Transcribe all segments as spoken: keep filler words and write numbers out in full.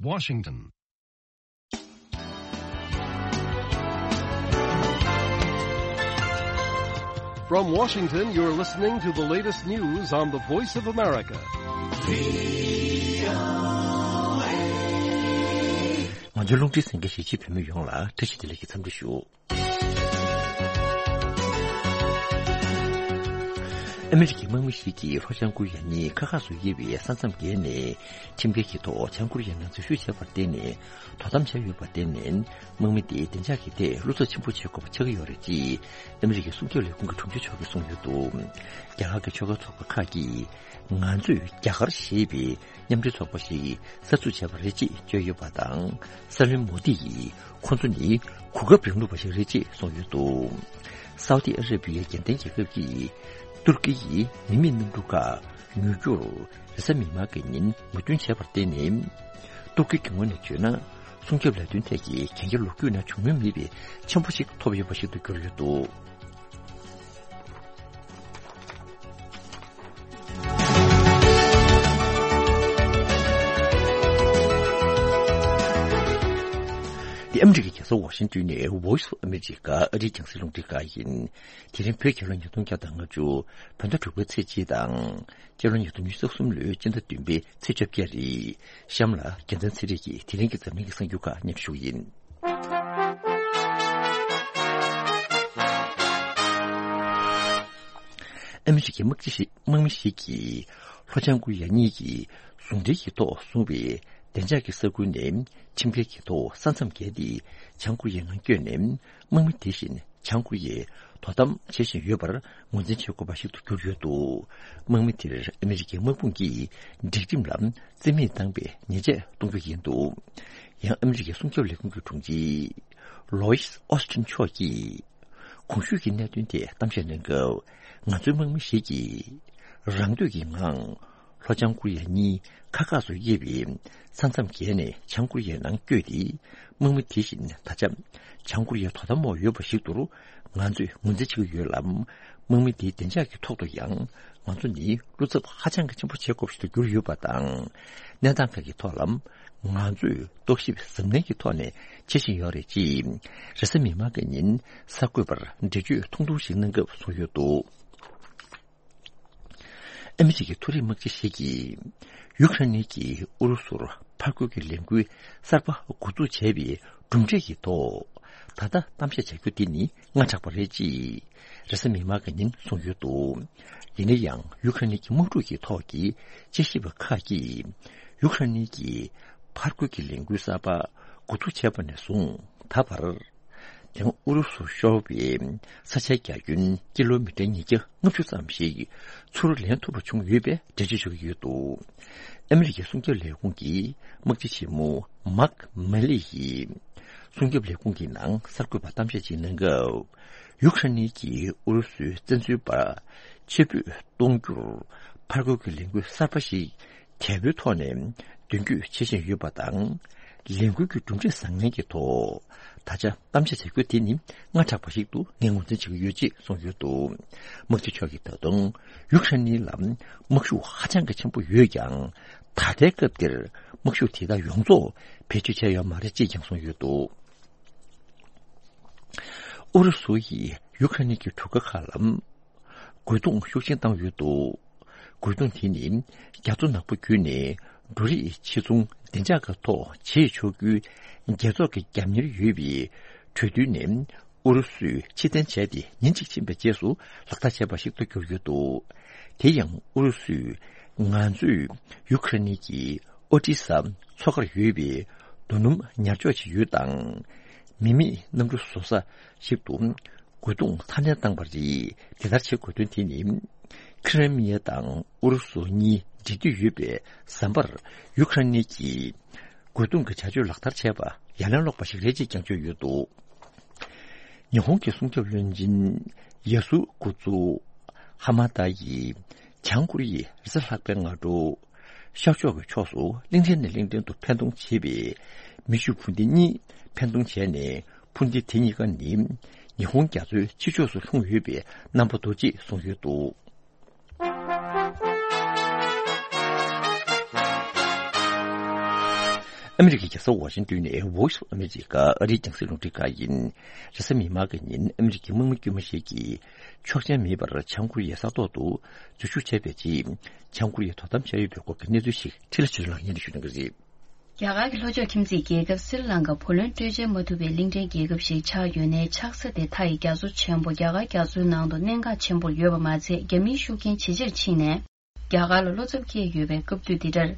Washington. From Washington, you're listening to the latest news on the Voice of America. ང་ཚོའི་རླུང་འཕྲིན་གསན་མཁན་གཞིས་བྱེས་བོད་མི་ཡོངས་ལ་བཀྲ་ཤིས་བདེ་ལེགས་ཀྱི་འཚམས་འདྲི་ཞུ། ཨ་མི་རི་ཀའི་དམག་མི་ཞིག་གིས་ལྷོ་བྱང་ཀོ་རི་ཡ་གཉིས་ཁ་ཁ་སུ་དབྱེ་བའི་ས་མཚམས་བརྒལ་ནས་ཁྲིམས་འགལ་གྱི་ཐོག་བྱང་ཀོ་རི་ཡའི་ནང་འཛུལ་ཞུགས་བྱས་པར་བརྟེན་ནས་དོ་དམ་བྱས་ཡོད་པར་བརྟེན་ནས་དམག་མི་དེས་བདེ་འཇགས་ཀྱི་ཐད་བློ་འཚབ་ཆེན་པོ་བྱེད་དགོས་པ་ཆགས་ཀྱི་ཡོད་རེད་ཅེས་ཨ་མི་རི་ཀའི་སྲུང་སྐྱོབ་ལས་ཁུངས་ཀྱི་དྲུང་ཆེ་མཆོག་གིས་གསུངས་ཡོད་འདུག་རྒྱ་གར་གྱི་ཆོལ་ཁ་ཚོགས་པ་ཁག་གིས་ང་ཚོས་རྒྱ་གར་ཞེས་པའི་མཉམ་འབྲེལ་ཚོགས་པ་ཞིག་གསར་འཛུགས་བྱས་པ་རེད་ཅེས་བརྗོད་ཡོད་པ་དང་། སྲིད་བློན་མོ་དི་ཡིས་ཁོ་ཚོ་ནི་གོ་སྐབས་རིང་ལུགས་པ་ཞིག་རེད་ཅེས་གསུངས་ཡོད་འདུག་སའུ་ཏི་ཨ་ར་བི་ཡའི་རྒྱལ་བསྟན་རྒྱལ་ཁབ་ཀྱིས་ཏུར་ཀི་ཡི་མི་མེད་གནམ་གྲུ་ཁག་ཉོ་རྒྱུར་རེས་གཟའ་མིག་དམར་གྱི་ཉིན་མོས་མཐུན་བྱས་པར་བརྟེན་ནས། ཏུར་ཀི་གི་ངོས་ནས་བརྗོད་ན། སྲུང་སྐྱོབ་ལས་དོན་ཐད་ཀྱི་གན་རྒྱ་ལོ་རྒྱུས་ནང་བྱུང་མྱོང་མེད་པའི་ཆེན་པོ་ཞིག་ཐོབ་ཡོད་པ་ཞིག་ཏུ་གྱུར་ཡོད་འདུག་འདི་ཨ་མི་རི་ཀའི་རྒྱལ་ས་ཝ་ཤིང་ཏོན་ནས་Voice of America ཨ་རིའི་རྒྱང་སྲིང་རླུང་འཕྲིན་ཁང་ཡིན། དེ་རིང་བོད་རྒྱལ་ལོ་ཉིས་སྟོང་བརྒྱ་དང་ལྔ་བཅུ་བོད་ཟླ་དྲུག་པའི་ཚེས་གཅིག་དང་། སྤྱི་ལོ་ཉིས་སྟོང་ཉི་ཤུ་རྩ་གསུམ་ལོའི་སྤྱི་ཟླ་བདུན་པའི་ཚེས་བཅོ་བརྒྱད་རེད། གཤམ་ལ་རྒྱལ་མཚན་ཚེ་རིང་གིས་དེ་རིང་གི་འཛམ་གླིང་གི་གསར་འགྱུར་ཁག་སྙན་སྒྲོན་ཞུ་གི་ཡིན། ཨ་མི་རི་ཀའི་དམག་སྤྱི་ཞིག་དམག་མི་ཞིག་གིས་ལྷོ་བྱང་ཀོ་རི་ཡ་གཉིས་ཀྱིས་ཟུང་འབྲེལ་གྱི་ཐོག་བཟུང་བའི་བདེ་འཇགས་ཀྱི་ས་ཁུལ་ནས་ཁྲིམས་འགལ་གྱི་ཐོག་ས་མཚམས་བརྒལ་ཏེ་བྱང་ཀོ་རི་ཡའི་ནང་བསྐྱོད་ནས་དམག་མི་དེ་བཞིན་བྱང་ཀོ་རི་ཡའི་དོ་དམ་བྱེད་བཞིན་ཡོད་པར་ངོས་འཛིན་བྱེད་དགོས་པ་ཞིག་ཏུ་གྱུར་ཡོད་འདུག་དམག་མི་དེར་ཨ་མི་རི་ཀའི་དམག་དཔུང་གིས་སྒྲིག་ཁྲིམས་ལ་རྩིས་མེད་བཏང་པའི་ཉེས་ཆད་གཏོང་རྒྱུ་ཡིན་འདུག་ཡང་ཨ་མི་རི་ཀའི་སྲུང་སྐྱོབ་ལས་ཁུངས་ཀྱི་དྲུང་ཆེ་ལོ་ཡིས་ཨོ་སི་ཊིན་མཆོག་གིས། གོང་ཞུས་ཀྱི་གནད་དོན་ཐད་གཏམ་བཤད་གནང་སྐབས། ང་ཚོའི་དམག་མི་ཞིག་གིས་རང་འདོད་ཀྱི་ངང་ལྷོ་བྱང་ཀོ་རི་ཡ་གཉིས་ཁ་ཁ་སུ་དབྱེ་བའི་ས་མཚམས་བརྒལ་ནས་བྱང་ཀོ་རི་ཡའི་ནང་བསྐྱོད་དེ། དམག་མི་དེ་བཞིན་ད་ཆ་བྱང་ཀོ་རི་ཡའི་དོ་དམ་འོག་ཡོད་པ་ཞིག་ཏུ་ང་ཚོས་ངོས་འཛིན་བྱེད་ཀྱི་ཡོད་ལ། དམག་མི་དེའི་བདེ་འཇགས་ཀྱི་ཐོག་ཏུ་ཡང་ང་ཚོ་ནི་བློ་འཚབ་ཧ་ཅང་གི་ཆེན་པོ་བྱེད་དགོས་པ་ཞིག་ཏུ་གྱུར་ཡོད་པ་དང་། གནས་སྟངས་ཁག་གི་ཐོག་ལ། ང་ཚོས་རྟོག་ཞིབ་གཟབ་ནན་གྱི་ཐོག་ནས་བྱེད་བཞིན་ཡོད་རེད་ཅེས། རེས་གཟའ་མིག་དམར་གྱི་ཉིན་གསར་འགོད་པར་འགྲེལ་བརྗོད་ཐུང་ཐུང་ཞིག་གནང་སྐབས་གསུངས་ཡོད་འདུག་ཨ་མི་རི་ཀའི་མཐོ་རིམ་དམག་སྤྱི་ཞིག་གིས། ཡུ་ཁ་རེན་གྱིས་ཨུ་རུ་སུར་ཕར་རྒོལ་གྱི་ལས་འགུལ་གསར་པ་འགོ་འཛུགས་བྱས་པའི་གྲུབ་འབྲས་ཀྱི་ཐོག་ད་ལྟ་གཏམ་བཤད་བྱ་རྒྱུ་དེ་ནི་སྔ་དྲགས་པ་རེད་ཅེས། རེས་གཟའ་མིག་དམར་གྱི་ཉིན་གསུངས་ཡོད་འདུག་ཡིན་ན་ཡང་ཡུ་ཁ་རེན་གྱི་དམག་འཁྲུག་གི་ཐོག་གི་དཔྱད་ཞིབ་པ་ཁག་གིས། ཡུ་ཁ་རེན་གྱིས་ཕར་རྒོལ་གྱི་ལས་འགུལ་གསར་པ་འགོ་འཛུགས་བྱས་པ་ནས་བཟུང་ད་བར། དེང་ཨུ་རུ་སུ་ཤོར་བའི་ས་ཆའི་རྒྱ་ཁྱོན་ཀི་ལོ་མི་ཊར་ཉིས་བརྒྱ་ལྔ་བཅུ་ཙམ་ཞིག་ཚུར་ལེན་ཐུབ་པ་བྱུང་ཡོད་པའི་འགྲེལ་བརྗོད་བྱེད་ཀྱི་ཡོད་འདུག་ཨ་མི་རི་ཀའི་སྲུང་སྐྱོབ་ལས་ཁུངས་ཀྱི་དམག་སྤྱི་ཆེན་མོ་མཱག་མེ་ལི་ཡིས། སྲུང་སྐྱོབ་ལས་ཁུངས་ཀྱི་ནང་གསར་འགོད་པར་གཏམ་བཤད་ཅིག་གནང་སྐབས། ཡུ་ཁ་རེན་གྱིས་ཨུ་རུ་སུའི་བཙན་འཛུལ་པར་ཕྱིར་འབུད་གཏོང་རྒྱུར་ཕར་རྒོལ་གྱི་ལས་འགུལ་གསར་པ་ཞིག་དལ་པོའི་ཐོག་ནས་མདུན་སྐྱོད་བྱེད་བཞིན་ཡོད་པ་དང་། ལས་འགུལ་གྱི་གྲུབ་འབྲས་བཟང་ངན་གྱི་ཐོག་ད་ཆ་གཏམ་བཤད་བྱ་རྒྱུ་དེ་ནི་སྔ་དྲགས་པ་ཞིག་ཏུ་ངས་ངོས་འཛིན་བྱེད་ཀྱི་ཡོད་ཅེས་གསུངས་ཡོད་འདུག་དམག་སྤྱི་མཆོག་གིས་ད་དུང་ཡུ་ཁ་རེན་ལ་དམག་ཤུགས་ཧ་ཅང་གི་ཆེན་པོ་ཡོད་ཀྱང་། ད་ལྟའི་སྐབས་འདིར་དམག་ཤུགས་དེ་དག་ཡོངས་རྫོགས་བེད་སྤྱོད་བྱས་ཡོད་མ་རེད་ཅེས་ཀྱང་གསུངས་ཡོད་འདུག་ཨུ་རུ་སུ་ཡིས་ཡུ་ཁ་རེན་གྱི་གྲུ་ཁ་ཁག་ལ་རྒོལ་རྡུང་ཤུགས་ཆེན་བཏང་ཡོད་འདུག་རྒོལ་རྡུང་དེ་ནི་རྒྱ་མཚོ་ནག་པོ་བརྒྱུད་ནས་འབྲུ་རིགས་ཕྱིར་ཚོང་བདེ་འཇགས་ཀྱི་ཐོག་བྱེད་ཆོག་རྒྱུའི་རྒྱལ་ཚོགས་ཀྱི་རྒྱབ་གཉེར་ཡོད་པའི་གྲོས་མཐུན་ནས་ཨུ་རུ་སུས་ཕྱིར་འཐེན་བྱས་ཏེ་ཉིན་གཅིག་ཕྱིན་པའི་རྗེས་སུ་ལག་བསྟར་བྱས་པ་ཞིག་ཏུ་གྱུར་ཡོད་འདུག་དེ་ཡང་ཨུ་རུ་སུས་ང་ཚོས་ཡུ་ཁ་རེན་གྱི་ཨོ་ཏི་ས་མཚོ་ཁར་ཡོད་པའི་རྡོ་སྣུམ་ཉར་ཕྱོགས་ཅིག་ཡོད་དང་། མི་མེད་གནམ་གྲུ་བཟོ་ས་ཞིག་ཏུ་རྒོལ་རྡུང་འཐབ་འཛིང་བཏང་བ་རེད། དེ་ལྟར་བྱེད་དགོས་དོན་དེ་ནི། ཁི་རེ་མི་ཡ་དང་ཨུ་རུ་སུ་གཉིས་འབྲེལ་མཐུད་ཡོད་པའི་ཟམ་པར་ཡུ་ཁ་རེན་གྱིས་རྒོལ་རྡུང་གི་བྱ་སྤྱོད་ལག་བསྟར་བྱས་པ་ཡ་ལན་སློག་པ་ཞིག་རེད་ཅེས་ཀྱང་བརྗོད་ཡོད་འདུག་ཉི་ཧོང་གི་སྲུང་སྐྱོབ་བློན་ཆེན་ཡ་སུ་ཀུ་ཛུ་ཧ་མ་ད་ཡིས་བྱང་ཀོ་རི་ཡའི་རེས་གཟའ་ལྷག་པའི་སྔ་དྲོ། ཤར་ཕྱོགས་ཀྱི་ཕྱོགས་སུ་གླིང་ཕྲན་ནས་གླིང་ཕྲན་དུ་འཕེན་གཏོང་བྱེད་པའི་མེ་ཤུགས་འཕུར་མདེལ་གཉིས་འཕེན་གཏོང་བྱས་ནས། འཕུར་མདེལ་དེ་གཉིས་ཀ་ནི་ཉི་ཧོང་རྒྱ་མཚོའི་ཕྱི་ཕྱོགས་སུ་ལྷུང་ཡོད་པའི་རྣམ་པ་འདུག་ཅེས་གསུངས་ཡོད་འདུག་ཨ་མི་རི་ཀའི་རྒྱལ་ས་ཝ་ཤིང་ཏོན་ནས་Voice of America ཨ་རིའི་རྒྱང་སྲིང་རླུང་འཕྲིན་ཁང་ཡིན། རེས་གཟའ་མིག་དམར་གྱི་ཉིན་ཨ་མི་རི་ཀའི་དམག་མི་དཀྱུས་མ་ཞིག་གིས་ཆོག་མཆན་མེད་པར་བྱང་ཀོ་རི་ཡའི་ས་ཐོག་ཏུ་འཛུལ་ཞུགས་བྱས་པའི་རྗེས། བྱང་ཀོ་རི་ཡས་དོ་དམ་བྱས་ཡོད་པའི་སྐོར་གྱི་གནས་ཚུལ་ཞིག་འཕྲིན་ལས་ཆོས་སྐྱོང་ལགས་སྙན་སྒྲོན་ཞུ་གནང་གི་རེད། རྒྱ་གར་གྱི་ལྷོ་ཕྱོགས་ཁྱིམ་མཚེས་རྒྱལ་ཁབ་སྲི་ལང་ཀ་བུ་ལོན་སྤྲོད་འཇལ་མ་ཐུབ་པའི་གླིང་ཕྲན་རྒྱལ་ཁབ་ཞིག་ཆགས་ཡོད་ནའི། ཆགས་ས་དེ་མཐའ་ཡི་རྒྱ་མཚོ་ཆེན་པོ་རྒྱ་གར་རྒྱ་མཚོའི་ནང་དུ་གནད་འགག་ཆེན་པོར་ཡོད་པ་མ་ཚད། རྒྱ་མིའི་ཤུགས་རྐྱེན་ཇེ་ཆེར་ཕྱིན་ནས། རྒྱ་གར་ལ་བློ་འཚབ་སྐྱེས་ཡོད་པའི་སྐབས་དུས་འདི་འདྲར།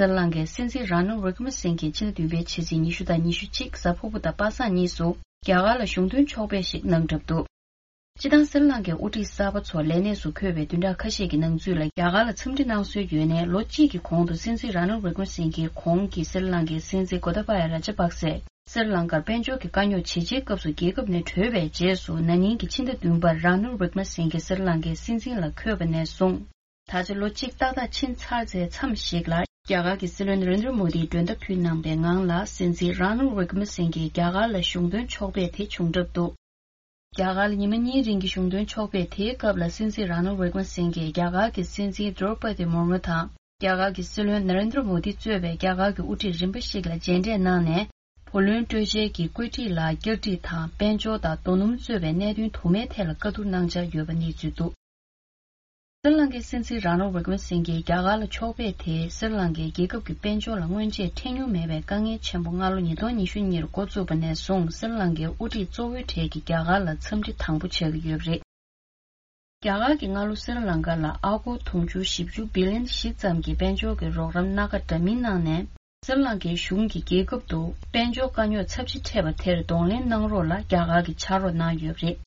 སྲི་ལང་ཀའི་སྲིད་འཛིན་ར་ནིལ་ཝི་ཀྲ་མ་སིང་གེས་ཕྱི་ཟླ་བདུན་པའི་ཕྱི་ཚེས་ཉི་ཤུ་དང་ཉི་ཤུ་གཅིག་གཟའ་ཕུར་བུ་དང་པ་སངས་གཉིས་སུ་རྒྱ་གར་ལ་གཞུང་དོན་ཕྱོགས་ཕེབས་ཤིག་གནང་གྲབས་འདུག་སྤྱིར་བཏང་སྲི་ལང་ཀའི་དབུ་ཁྲིད་གསར་པ་ཚོ་ལས་གནས་སུ་འཁོད་པའི་བདུན་ཕྲག་ཁ་ཤས་ཀྱི་ནང་ཚུད་ལ་རྒྱ་གར་ལ་འཚམས་འདྲི་གནང་སྲོལ་ཡོད་ནའི། ལོ་གཅིག་གི་གོང་དུ་སྲིད་འཛིན་ར་ནིལ་ཝི་ཀྲ་མ་སིང་གེས་གོང་གི་སྲི་ལང་ཀའི་སྲིད་འཛིན་གོ་ཏ་བ་ཡ་ར་ཇ་པག་སེ་སྲི་ལང་ཀར་དཔལ་འབྱོར་གྱི་དཀའ་རྙོག་ཇེ་ཆེའི་སྐབས་སུ་རྒྱལ་ཁབ་ནས་བྲོས་པའི་རྗེས་སུ། ན་ནིང་གི་ཕྱི་ཟླ་བདུན་པར་ར་ནིལ་ཝི་ཀྲ་མ་སིང་གེ་སྲི་ལང་ཀའི་སྲིད་འཛིན་ལ་འཁོད་པ་ནས་བཟུང་། ད་ཆ་ལོ་གཅིག་ཏག་ཏག་ཕྱིན་ཚར་ཚེ་མཚམས་ཤིག་ལ། རྒྱ་གར་གྱི་སྲིད་བློན་ན་རེན་དྲ་མོ་དིས་མགྲོན་བརྡ་ཕུལ་གནང་པའི་ངང་ལ། སྲིད་འཛིན་ར་ནིལ་ཝི་ཀྲ་མ་སིང་གེས་རྒྱ་གར་ལ་གཞུང་དོན་ཕྱོགས་ཕེབས་དེ་བྱུང་གྲབས་འདུག་རྒྱ་གར་ལ་ཉི་མ་གཉིས་རིང་གི་གཞུང་དོན་ཕྱོགས་ཕེབས་དེའི་སྐབས་ལ། སྲིད་འཛིན་ར་ནིལ་ཝི་ཀྲ་མ་སིང་གེས་རྒྱ་གར་གྱི་སྲིད་འཛིན་དྲོ་པ་དི་མུར་མུ་དང་། རྒྱ་གར་གྱི་སྲིད་བློན་ན་རེན་དྲ་མོ་དི་གཙོས་པའི་རྒྱ་གར་གྱི་དབུ་ཁྲིད་རིམ་པ་ཞིག་ལ་མཇལ་འཕྲད་གནང་ནས། བུ་ལོན་སྤྲོད་འཇལ་གྱི་བཀོད་སྒྲིག་ལ་བསྐྱར་སྒྲིག་དང་། དཔལ་འབྱོར་དང་རྡོ་སྣུམ་གཙོས་པའི་གནད་དོན་དུ་མའི་ཐད་ལ་བཀའ་བསྡུར་གནང་འཆར་ཡོད་པ་གནས་ཚུལ་འདུག་སྲི་ལང་ཀའི་སྲིད་འཛིན་ར་ནིལ་ཝི་ཀྲ་མ་སིང་གེ་རྒྱ་གར་ལ་ཕྱོགས་ཕེབས་དེས། སྲི་ལང་ཀའི་རྒྱལ་ཁབ་ཀྱི་དཔལ་འབྱོར་ལ་སྔོན་ཆད་འཕྲད་མྱོང་མེད་པའི་དཀའ་ངལ་ཆེན་པོ་སྔ་ལོ་ཉིས་སྟོང་ཉི་ཤུ་གཉིས་འགོ་བཙུགས་པ་ནས་བཟུང་། སྲི་ལང་ཀའི་དབུ་ཁྲིད་གཙོ་བོའི་གྲས་ཀྱིས་རྒྱ་གར་ལ་འཚམས་འདྲི་དང་པོ་བྱེད་ཀྱི་ཡོད་པ་རེད། རྒྱ་གར་གྱིས་སྔ་ལོ་སྲི་ལང་ཀ་ལ་ཨ་སྒོར་དུང་ཕྱུར་བཞི་བཅུ་བི་ལི་ཡོན་བཞི་ཙམ་གྱི་དཔལ་འབྱོར་གྱི་རོགས་རམ་སྣ་ཁ་འདྲ་མིན་གནང་ནས། སྲི་ལང་ཀའི་གཞུང་གིས་རྒྱལ་ཁབ་ཏུ་དཔལ་འབྱོར་དཀའ་རྙོག་ཚབས་ཆེ་འཕྲད་པ་དེར་གདོང་ལེན་གནང་རོགས་ལ་རྒྱ་གར་གྱིས་ཕྱག་རོགས་གནང་ཡོད་པ་རེད།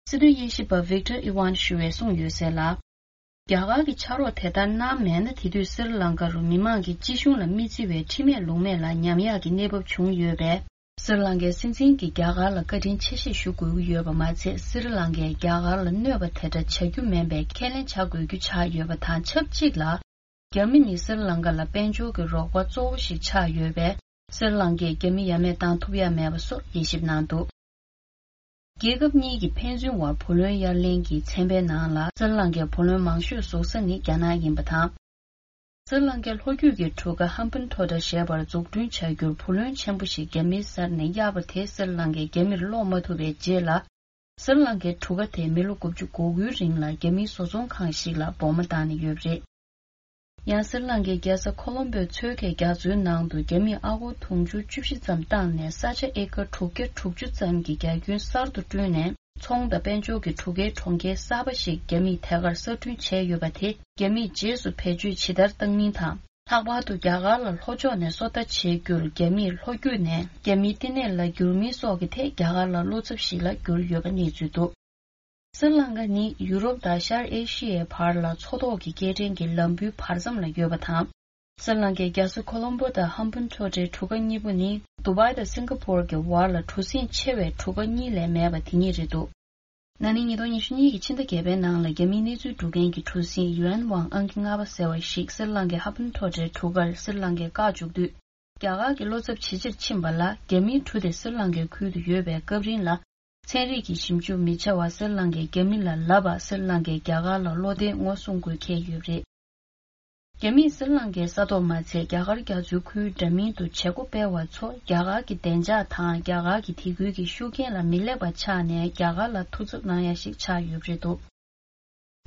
སྲིད་དོན་དབྱེ་ཞིབ་པ་Victor Ivan ཞུ་བས་གསུངས་ཡོད་གསལ་ལ། རྒྱ་གར་གྱིས་ཕྱག་རོགས་དེ་ལྟར་གནང་མེད་ན། དེ་དུས་སྲི་ལང་ཀ་རུ་མི་མང་གིས་སྤྱི་གཞུང་ལ་མི་བརྩི་བའི་ཁྲིམས་མེད་ལུགས་མེད་ལ་ཉམས་ཡག་གི་གནས་བབ་བྱུང་ཡོད་པས། སྲི་ལང་ཀའི་སྲིད་འཛིན་གྱིས་རྒྱ་གར་ལ་བཀའ་དྲིན་ཆེ་ཞེས་ཞུ་དགོས་ཀྱི་ཡོད་པ་མ་ཚད། སྲི་ལང་ཀས་རྒྱ་གར་ལ་གནོད་པ་དེ་འདྲ་བྱ་རྒྱུ་མིན་པའི་ཁས་ལེན་བྱ་དགོས་རྒྱུ་ཆགས་ཡོད་པ་དང་། ཆབས་ཅིག་ལ། རྒྱ་མི་ནི་སྲི་ལང་ཀ་ལ་དཔལ་འབྱོར་གྱི་རོགས་པ་གཙོ་བོ་ཞིག་ཆགས་ཡོད་པས། སྲི་ལང་ཀས་རྒྱ་མི་ཡ་མེད་བཏང་ཐུབ་ཡ་མེད་པ་སོགས་དབྱེ་ཞིབ་གནང་འདུག་རྒྱལ་ཁབ་གཉིས་ཀྱི་ཕན་ཚུན་བར་བུ་ལོན་གཡར་ལེན་གྱི་ཚན་པའི་ནང་ལ། སྲི་ལང་ཀའི་བུ་ལོན་མང་ཤོས་བཟོ་ས་ནི་རྒྱ་ནག་ཡིན་པ་དང་། སྲི་ལང་ཀའི་ལྷོ་རྒྱུད་ཀྱི་གྲུ་ཁ་ཧམ་བན་ཐོ་ཊ་ཞེས་པར་འཛུགས་སྐྲུན་བྱ་རྒྱུར་བུ་ལོན་ཆེན་པོ་ཞིག་རྒྱ་མིའི་སར་ནས་གཡར་བ་དེ། སྲི་ལང་ཀས་རྒྱ་མིར་སློག་མ་ཐུབ་པའི་རྗེས་ལ། སྲི་ལང་ཀའི་གྲུ་ཁ་དེ་མི་ལོ་དགུ་བཅུ་གོ་དགུའི་རིང་ལ་རྒྱ་མིའི་བཟོ་ཚོང་ཁང་ཞིག་ལ་སྦོམ་བཏང་ནས་ཡོད་པ་རེད། ཡང་སྲི་ལང་ཀའི་རྒྱལ་ས་ཁོ་ལོམ་པོའི་མཚོ་ཁའི་རྒྱ་མཚོའི་ནང་དུ་རྒྱ་མིས་ཨ་སྒོར་དུང་ཕྱུར་བཅུ་བཞི་ཙམ་བཏང་ནས། ས་ཆ་ཨེ་ཀར་དྲུག་བརྒྱ་དྲུག་ཅུ་ཙམ་གྱི་རྒྱ་ཁྱོན་གསར་དུ་བསྐྲུན་ནས། ཚོང་དང་དཔལ་འབྱོར་གྱི་གྲུ་ཁའི་གྲོང་ཁྱེར་གསར་པ་ཞིག་རྒྱ་མིས་དེ་གར་གསར་སྐྲུན་བྱས་ཡོད་པ་དེ། རྒྱ་མིས་རྗེས་སུ་བེད་སྤྱོད་ཇི་ལྟར་བཏང་མིན་དང་། ལྷག་པར་དུ་རྒྱ་གར་ལ་ལྷོ་ཕྱོགས་ནས་སོ་ལྟ་བྱེད་རྒྱུར་རྒྱ་མིས་ལྷོ་རྒྱུད་ནས་རྒྱ་མིའི་བསྟི་གནས་ལ་བསྒྱུར་མིན་སོགས་ཀྱི་ཐད་རྒྱ་གར་ལ་བློ་འཚབ་ཞིག་ལ་གྱུར་ཡོད་པ་གནས་ཚུལ་འདུག་སྲི་ལང་ཀ་ནི་ཡུ་རོབ་དང་ཤར་ཨེ་ཤི་ཡའི་བར་ལ་མཚོ་ཐོག་གི་སྐྱེལ་འདྲེན་གྱི་ལམ་བུའི་བར་མཚམས་ལ་ཡོད་པ་དང་། སྲི་ལང་ཀའི་རྒྱལ་ས་ཁོ་ལོམ་པོ་དང་ཧམ་བན་ཐོ་ཊའི་གྲུ་ཁ་གཉིས་པོ་ནི་དུ་བྷའི་དང་སིང་ག་པོར་གྱི་བར་ལ་གྲུ་གཟིངས་ཆེ་བའི་གྲུ་ཁ་གཉིས་ལས་མེད་པ་དེ་ཉིད་རེད་འདུག་ན་ནིང་ཉིས་སྟོང་ཉི་ཤུ་གཉིས་ཀྱི་ཕྱི་ཟླ་བརྒྱད་པའི་ནང་ལ། རྒྱ་མིའི་གནས་ཚུལ་སྒྲུབ་མཁན་གྱི་གྲུ་གཟིངས་ཡུ་ཨེན་ཝང་ཨང་ཀི་ལྔ་པ་ཟེར་བ་ཞིག་སྲི་ལང་ཀའི་ཧམ་བན་ཐོ་ཊའི་གྲུ་ཁར་སྲི་ལང་ཀས་བཀག་བཅུག་དུས། རྒྱ་གར་གྱི་བློ་འཚབ་ཇེ་ཆེར་ཕྱིན་པ་ལ། རྒྱ་མིའི་གྲུ་དེ་སྲི་ལང་ཀའི་ཁུལ་དུ་ཡོད་པའི་སྐབས་རིང་ལ། ཚན་རིག་གི་ཞིབ་འཇུག་མི་བྱ་བར་སྲི་ལང་ཀས་རྒྱ་མི་ལ་ལབ་པ། སྲི་ལང་ཀས་རྒྱ་གར་ལ་བློ་བདེ་ངོ་སྲུང་དགོས་འཁེལ་ཡོད་པ་རེད། རྒྱ་མིས་སྲི་ལང་ཀའི་ས་ཐོག་མ་ཚད། རྒྱ་གར་རྒྱ་མཚོའི་ཁུལ་འདྲ་མིན་དུ་བྱེད་སྒོ་སྤེལ་བ་ཚོ། རྒྱ་གར་གྱི་བདེ་འཇགས་དང་། རྒྱ་གར་གྱི་དེ་ཁུལ་གྱི་ཤུགས་རྐྱེན་ལ་མི་སླེབས་པ་ཆགས་ནས། རྒྱ་གར་ལ་ཐུགས་འཚབ་གནང་ཡ་ཞིག་ཆགས་ཡོད་པ་རེད་འདུག་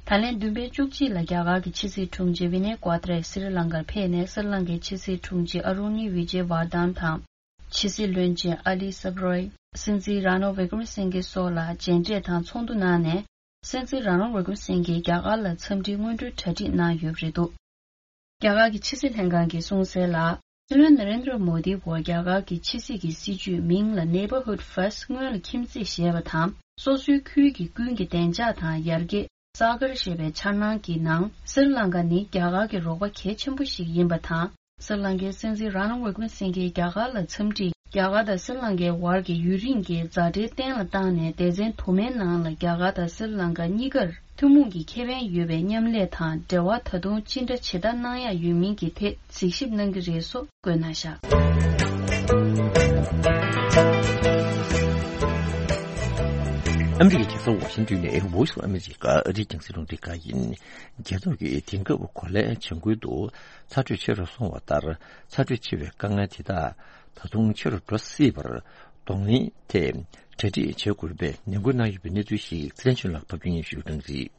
ད་ལན་བདུན་པའི་བཅུ་གཅིག་ལ་རྒྱ་གར་གྱི་ཕྱི་སྲིད་དྲུང་ཆེ་ཝི་ནེ་ཀོ་ཏ་རེ་སྲི་ལང་ཀར་ཕེབས་ནས། སྲི་ལང་ཀའི་ཕྱི་སྲིད་དྲུང་ཆེ་ཨ་རུ་ནི་ཝི་ཇེ་ཝར་དྷན་དང་། ཕྱི་སྲིད་བློན་ཆེན་ཨ་ལི་སབ་རོའི། སྲིད་འཛིན་ར་ནོ་ཝི་ཀྲ་མ་སིང་གེ་སོགས་ལ་མཇལ་འཕྲད་དང་ཚོགས་འདུ་གནང་ནས། སྲིད་འཛིན་ར་ནོ་ཝི་ཀྲ་མ་སིང་གེས་རྒྱ་གར་ལ་འཚམས་འདྲིའི་སྔོན་འགྲོའི་གྲ་སྒྲིག་གནང་ཡོད་པ་རེད་འདུག་རྒྱ་གར་གྱི་ཕྱི་སྲིད་ལྷན་ཁང་གིས་གསུངས་གསལ་ལ། སྲིད་བློན་ན་རེན་དྲ་མོ་དི་བོ་རྒྱ་གར་གྱི་ཕྱི་སྲིད་ཀྱི་སྲིད་ཇུས་མིང་ལ་Neighborhood First སྔོན་ལ་ཁྱིམ་མཚེས་ཞེས་པ་དང་། སོ་སོའི་ཁུལ་གྱི་ཀུན་གྱི་བདེ་འཇགས་དང་ཡར་རྒྱས། གསར་སྒར་ཞེས་པའི་འཆར་སྣང་གི་ནང་། སྲི་ལང་ཀ་ནི་རྒྱ་གར་གྱི་རོགས་པ་གལ་ཆེན་པོ་ཞིག་ཡིན་པ་དང་། སྲི་ལང་ཀའི་སྲིད་འཛིན་ར་ནོ་ཝི་ཀྲ་མ་སིང་གེས་རྒྱ་གར་ལ་འཚམས་འདྲི། རྒྱ་གར་དང་སྲི་ལང་ཀའི་བར་གྱི་ཡུན་རིང་གི་མཛའ་འབྲེལ་བརྟན་ལ་བཏང་ནས། སྡེ་ཚན་དུ་མའི་ནང་ལ་རྒྱ་གར་དང་སྲི་ལང་ཀ་གཉིས་ཀར་ཐུན་མོང་གི་ཁེ་ཕན་ཡོད་པའི་མཉམ་ལས་དང་འབྲེལ་བ་ད་དུང་ཅི་འདྲ་ཇི་ལྟར་གནང་ཡག་ཡོད་མིན་གྱི་ཐད་གཟིགས་ཞིབ་གནང་གི་རེད་སོགས་བཀོད་གནང་བཞག་ཨ་མི་རི་ཀའི་རྒྱལ་ས་ཝ་ཤིང་ཏོན་ནས་Voice of America ཨ་རིའི་རྒྱང་སྲིང་རླུང་འཕྲིན་ཁང་ཡིན། རྒྱལ་ཚོགས་ཀྱིས་དེང་སྐབས་གོ་ལའི་བྱ་འགུལ་དུ་ཚ་དྲོད་ཆེ་རུ་སོང་བ་ལྟར། ཚ་དྲོད་ཆེ་བའི་དཀའ་ངལ་དེ་དག་ད་དུང་ཆེ་རུ་འགྲོ་སྲིད་པར་གདོང་ལེན་ཐད་གྲ་སྒྲིག་བྱེད་དགོས་པའི་ནན་སྐུལ་གནང་ཡོད་པའི་གནས་ཚུལ་ཞིག་ཚེ་རིང་ཆོས་ལགས་ཕབ་སྒྱུར་སྙན་ཞུ་གནང་གི་རེད།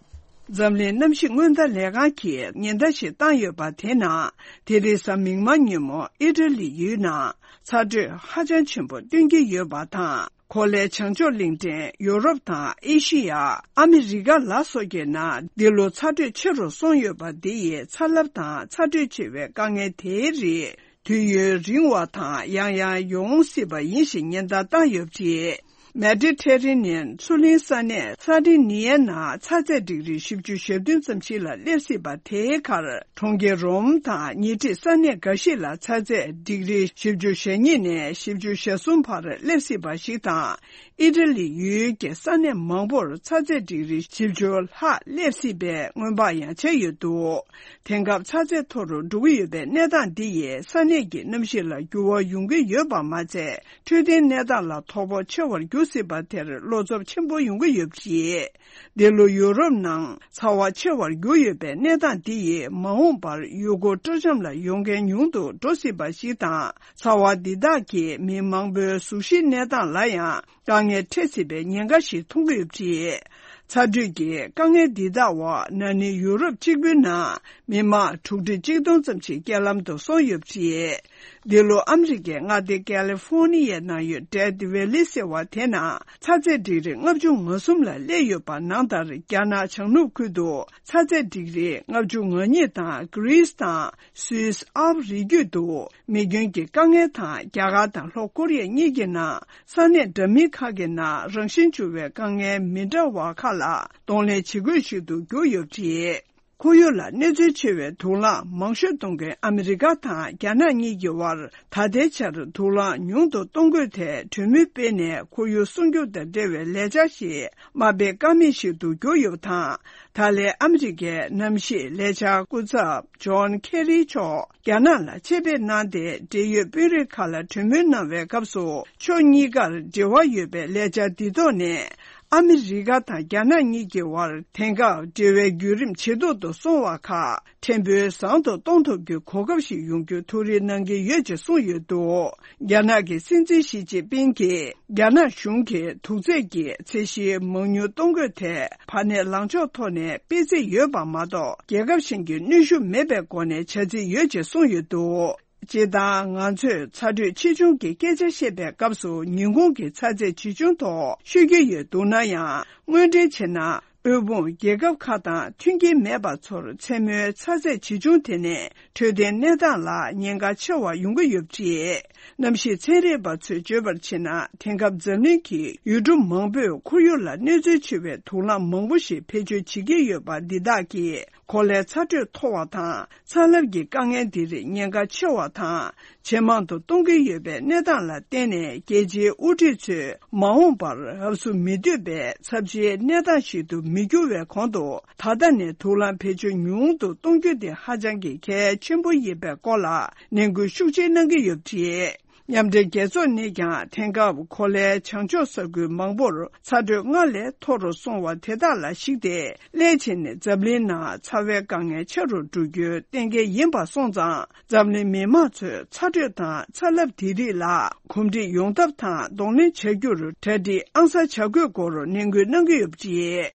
འཛམ་གླིང་གནམ་གཤིས་སྔོན་བརྡ་ལས་ཁང་གིས་ཉེན་བརྡ་ཞིག་བཏང་ཡོད་པ་དེ་ནང་། དེ་རིང་གཟའ་མིག་དམར་ཉིན་མོ་ཨི་ཊ་ལི་ཡུལ་ནང་ཚ་དྲོད་ཧ་ཅང་ཆེན་པོ་སྟོན་གྱི་ཡོད་པ་དང་། གོ་ལའི་བྱང་ཕྱོགས་གླིང་ཕྲན་ཡོ་རོབ་དང་ཨེ་ཤི་ཡ། ཨ་མི་རི་ཀ་ལ་སོགས་ཀྱི་ནང་འདི་ལོ་ཚ་དྲོད་ཆེ་རུ་སོང་ཡོད་པ་འདི་ཡིས་ཚ་རླབས་དང་ཚ་དྲོད་ཆེ་བའི་དཀའ་ངལ་དེའི་རིགས་དུས་ཡུན་རིང་བ་དང་ཡང་ཡང་ཡོང་སྲིད་པ་ཡིན་ཞེས་ཉེན་བརྡ་བཏང་ཡོད་པ་རེད། མེ་ཌི་ཊེ་རེ་ནི་ཡན་མཚོ་གླིང་ས་གནས་སར་ཌི་ནི་ཡའི་ནང་ཚ་ཚད་ཌིག་རི་བཞི་བཅུ་ཞེ་བདུན་ཙམ་ཞིག་ལ་སླེབས་སྲིད་པ་དེའི་ཁར། གྲོང་ཁྱེར་རོམ་དང་ཉེ་འཁྲིས་ས་གནས་འགའ་ཞིག་ལ་ཚ་ཚད་ཌིག་རི་བཞི་བཅུ་ཞེ་གཉིས་ནས་བཞི་བཅུ་ཞེ་གསུམ་བར་སླེབས་སྲིད་པ་ཞིག་དང་། ཨི་ཊ་ལི་ཡུལ་གྱི་ས་གནས་མང་པོར་ཚ་ཚད་ཌིག་རི་བཞི་བཅུ་ལྷག་སླེབས་སྲིད་པའི་སྔོན་དཔག་ཡང་བྱས་ཡོད་འདུག་དེང་སྐབས་ཚ་ཚད་མཐོ་རུ་འགྲོ་གི་ཡོད་པའི་གནས་སྟངས་འདི་ཡིས་ས་གནས་ཀྱི་གནམ་གཤིས་ལ་འགྱུར་བ་ཡོང་གི་ཡོད་པ་མ་ཚད། འཕྲོད་བསྟེན་གནས་སྟངས་ལ་དོ་ཕོག་ཆེ་བར་འགྱུར་སྲིད་པ་དེར་བློ་འཚབ་ཆེན་པོ་ཡོང་གི་ཡོད་པ་རེད། འདི་ལོ་ཡུ་རོབ་ནང་ཚ་བ་ཆེ་བར་གྱུར་ཡོད་པའི་གནས་སྟངས་འདི་ཡིས་མ་འོངས་པར་ཡུལ་སྐོར་སྤྲོ་འཆམ་ལ་ཡོང་མཁན་ཉུང་དུ་འགྲོ་སྲིད་པ་ཞིག་དང་། ཚ་བ་འདི་དག་གིས་མི་མང་པོའི་གཟུགས་གཞིའི་གནས་སྟངས་ལ་ཡང་དཀའ་ངལ་འཕྲད་སྲིད་པའི་ཉེན་ཁ་ཞིག་མཐོང་གི་ཡོད་པ་རེད། ཚ་དྲོད་ཀྱི་དཀའ་ངལ་འདི་དག་འོག་ན་ནིང་ཡུ་རོབ་གཅིག་པུའི་ནང་མི་མང་དྲུག་ཁྲི་གཅིག་སྟོང་ཙམ་ཞིག་རྐྱེན་ལམ་དུ་སོང་ཡོད་པ་རེད། འདི་ལོ་ཨ་མི་རི་ཀའི་མངའ་སྡེ་ཀ་ལི་ཧྥོ་ནི་ཡའི་ནང་ཡོད་ཌེ་ཐི་ཝེ་ལི་ཟེར་བ་དེ་ནང་ཚ་ཚད་ཌིག་རི་ལྔ་བཅུ་ང་གསུམ་ལ་སླེབས་ཡོད་པ་ནང་ལྟར། རྒྱ་ནག་བྱང་ནུབ་ཁུལ་དུ་ཚ་ཚད་ཌིག་རི་ལྔ་བཅུ་ང་གཉིས་དང་། གྷི་རིས་དང་སུད་སི་ཨལ་པ་རི་རྒྱུད་དུ་མེ་སྐྱོན་གྱི་དཀའ་ངལ་དང་། རྒྱ་གར་དང་ལྷོ་ཀོ་རི་ཡ་གཉིས་ཀྱི་ནང་ས་གནས་འདྲ་མིན་ཁག་གི་ནང་རང་བཞིན་འགྱུར་བའི་དཀའ་ངལ་མི་འདྲ་བ་ཁག་ལ་གདོང་ལེན་བྱེད་དགོས་ཤིག་ཏུ་གྱུར་ཡོད་པ་རེད། ཁོར་ཡུག་ལ་གནོད་འཚེ་ཆེ་བའི་དུག་རླངས་མང་ཤོས་གཏོང་མཁན་ཨ་མི་རི་ཀ་དང་རྒྱ་ནག་གཉིས་ཀྱི་དབར་ད་ལྟའི་ཆར་དུག་རླངས་ཉུང་དུ་གཏོང་དགོས་ཐད་གྲོས་མོལ་སྤེལ་ནས། ཁོར་ཡུག་སྲུང་སྐྱོབ་དང་འབྲེལ་བའི་ལས་འཆར་ཞིག་མ་སྤེལ་ཀ་མེད་ཞིག་ཏུ་གྱུར་ཡོད་པ་དང་། ད་ལན་ཨ་མི་རི་ཀའི་གནམ་གཤིས་ལས་འཆར་སྐུ་ཚབ་ཇོན་ཁེ་རི་མཆོག་རྒྱ་ནག་ལ་ཆེད་ཕེབས་གནང་སྟེ། འབྲེལ་ཡོད་དཔོན་རིགས་ཁག་ལ་གྲོས་མོལ་གནང་བའི་སྐབས་སུ། ཕྱོགས་གཉིས་ཀར་འབྲེལ་བ་ཡོད་པའི་ལས་འཆར་འདི་ཐོག་ནས། ཨ་མི་རི་ཀ་དང་རྒྱ་ནག་གཉིས་ཀྱི་དབར་དེང་སྐབས་འབྲེལ་བའི་བརྒྱུད་རིམ་ཇེ་སྡུག་ཏུ་སོང་བ་ཁག་ཕྲན་བུ་བཟང་དུ་གཏོང་ཐུབ་རྒྱུའི་གོ་སྐབས་ཤིག་ཡོང་རྒྱུ་ཐུགས་རེ་གནང་གི་ཡོད་ཅེས་གསུངས་ཡོད་འདུག་རྒྱ་ནག་གི་སྲིད་འཛིན་ཞི་ཅིན་ཕིང་གིས་རྒྱ་ནག་གཞུང་གིས་དུག་རྫས་ཀྱི་ཚད་གཞི་མང་ཉུང་གཏོང་དགོས་ཐད་བར་གནས་ལངས་ཕྱོགས་ཐོག་ནས་སྤེལ་རྩིས་ཡོད་པ་མ་གཏོགས། རྒྱལ་ཁབ་གཞན་གྱི་གནོན་ཤུགས་མེད་པའི་སྒོ་ནས་བྱ་རྩིས་ཡོད་ཅེས་གསུངས་ཡོད་འདུག་སྤྱིར་བཏང་ང་ཚོས་ཚ་དྲོད་ཆེ་ཆུང་གི་སྐད་ཆ་བཤད་པའི་སྐབས་སུ། ཉིན་གུང་གི་ཚ་ཚད་ཇི་བྱུང་ཐོག་ཤོད་ཀྱི་ཡོད་འདུག་ན་ཡང་། དངོས་འབྲེལ་བྱས་ན། དབུལ་ཕོངས་རྒྱལ་ཁབ་ཁག་དང་མཐུན་རྐྱེན་མེད་པ་ཚོར་མཚན་མོའི་ཚ་ཚད་ཇི་བྱུང་དེ་ནས་འཕྲོད་བསྟེན་གནས་སྟངས་ལ་ཉེན་ཁ་ཆེ་བ་ཡོང་གི་ཡོད་པ་རེད། གནམ་གཤིས་ཚན་རིག་པ་ཚོས་བརྗོད་པར་བྱས་ན། དེང་སྐབས་འཛམ་གླིང་གི་ཡུལ་གྲུ་མང་པོས་ཁོར་ཡུག་ལ་གནོད་འཚེ་ཆེ་བའི་དུག་རླངས་མང་པོ་ཞིག་བེད་སྤྱོད་བྱེད་ཀྱི་ཡོད་པ་འདི་དག་གིས། གོ་ལའི་ཚ་དྲོད་མཐོ་བ་དང་། ཚ་རླབས་ཀྱི་དཀའ་ངལ་འདིར་ཉེན་ཁ་ཆེ་བ་དང་། ཇེ་མང་དུ་གཏོང་གི་ཡོད་པའི་གནས་སྟངས་ལ་བརྟེན་ནས། རྒྱལ་སྤྱིའི་དབུ་ཁྲིད་ཚོས་མ་འོངས་པར་རབས་སུ་མི་འདོད་པའི་ཚབས་ཆེའི་གནས་སྟངས་ཤིག་ཏུ་མི་འགྱུར་བའི་གོང་དུ། ད་ལྟ་ནས་དུག་རླངས་བེད་སྤྱོད་ཉུང་དུ་གཏོང་རྒྱུ་དེ་ཧ་ཅང་གི་གལ་ཆེན་པོ་ཡིན་པའི་སྐོར་ལ་ནན་སྐུལ་ཤུགས་ཆེ་གནང་གི་ཡོད་པ་རེད། མཉམ་འབྲེལ་རྒྱལ་ཚོགས་ནས་ཀྱང་དེང་སྐབས་གོ་ལའི་བྱང་ཕྱོགས་ས་ཁུལ་མང་པོར་ཚ་དྲོད་སྔར་ལས་མཐོ་རུ་སོང་བ་དེ་དག་ལ་གཞིགས་ཏེ། སླད་ཕྱིན་ནས་འཛམ་གླིང་ནང་ཚ་བའི་དཀའ་ངལ་ཆེ་རུ་འགྲོ་རྒྱུ་གཏན་འཁེལ་ཡིན་པ་སོང་ཙང་། འཛམ་གླིང་མི་མང་ཚོས་ཚ་དྲོད་དང་ཚ་རླབས་དེ་རིགས་ལ་གོམས་འདྲིས་ཡོང་ཐབས་དང་གདོང་ལེན་བྱ་རྒྱུར་གྲ་སྒྲིག་ཨང་གསར་བྱ་དགོས་སྐོར་ནན་སྐུལ་གནང་གི་ཡོད་པ་རེད།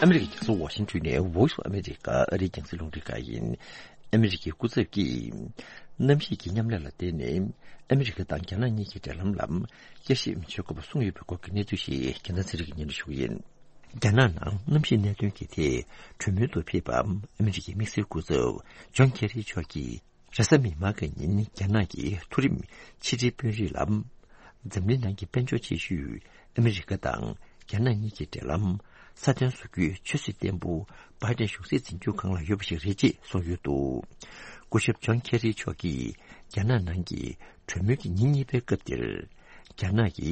ཨ་མི་རི་ཀའི་རྒྱལ་ས་ཝ་ཤིང་ཊོན་ནས་Voice of America ཨ་རིའི་རྒྱང་སྲིང་རླུང་འཕྲིན་ཁང་ཡིན། ཨ་མི་རི་ཀའི་སྐུ་ཚབ་ཀྱིས། གནམ་གཤིས་ཀྱི་མཉམ་ལས་ལ་བརྟེན་ནས། ཨ་མི་རི་ཀ་དང་རྒྱ་ནག་གཉིས་ཀྱི་འབྲེལ་ལམ་ལ་བསྐྱར་ཞིབ་བྱེད་དགོས་པ་གསུངས་ཡོད་པའི་སྐོར་གྱི་གནས་ཚུལ་ཞིག་རྒྱལ་ཐང་ཚེ་རིང་གིས་སྙན་སྒྲོན་ཞུ་གི་ཡིན། རྒྱ་ནག་ནང་གནམ་གཤིས་གནད་དོན་གྱི་ཐད་གྲོས་མོལ་དུ་ཕེབས་པ། ཨ་མི་རི་ཀའི་དམིགས་བསལ་སྐུ་ཚབ་ཇོན་ཁེ་རི་མཆོག་གིས། རེས་གཟའ་མིག་དམར་གྱི་ཉིན་རྒྱ་ནག་གི་མཐོ་རིམ་ཕྱི་དྲིལ་དཔོན་རིགས་ལ། འཛམ་གླིང་ནང་གི་དཔལ་འབྱོར་ཆེ་ཤོས་ཨ་མི་རི་ཀ་དང་རྒྱ་ནག་གཉིས་ཀྱི་འབྲེལ་ལམ་སྲ་བརྟན་བཟོ་རྒྱུའི་ཆབ་སྲིད་བརྟན་པོ་བྷའི་ཌེན་གཞུང་སྲིད་འཛིན་སྐྱོང་ཁང་ལ་ཡོད་པ་ཞིག་རེད་ཅེས་གསུངས་ཡོད་འདུག་སྐུ་ཞབས་ཇོན་ཁེ་རི་མཆོག་གིས་རྒྱ་ནག་ནང་གི་གྲོས་མོལ་གྱི་ཉིན་གཉིས་པའི་སྐབས་དེར། རྒྱ་ནག་གི་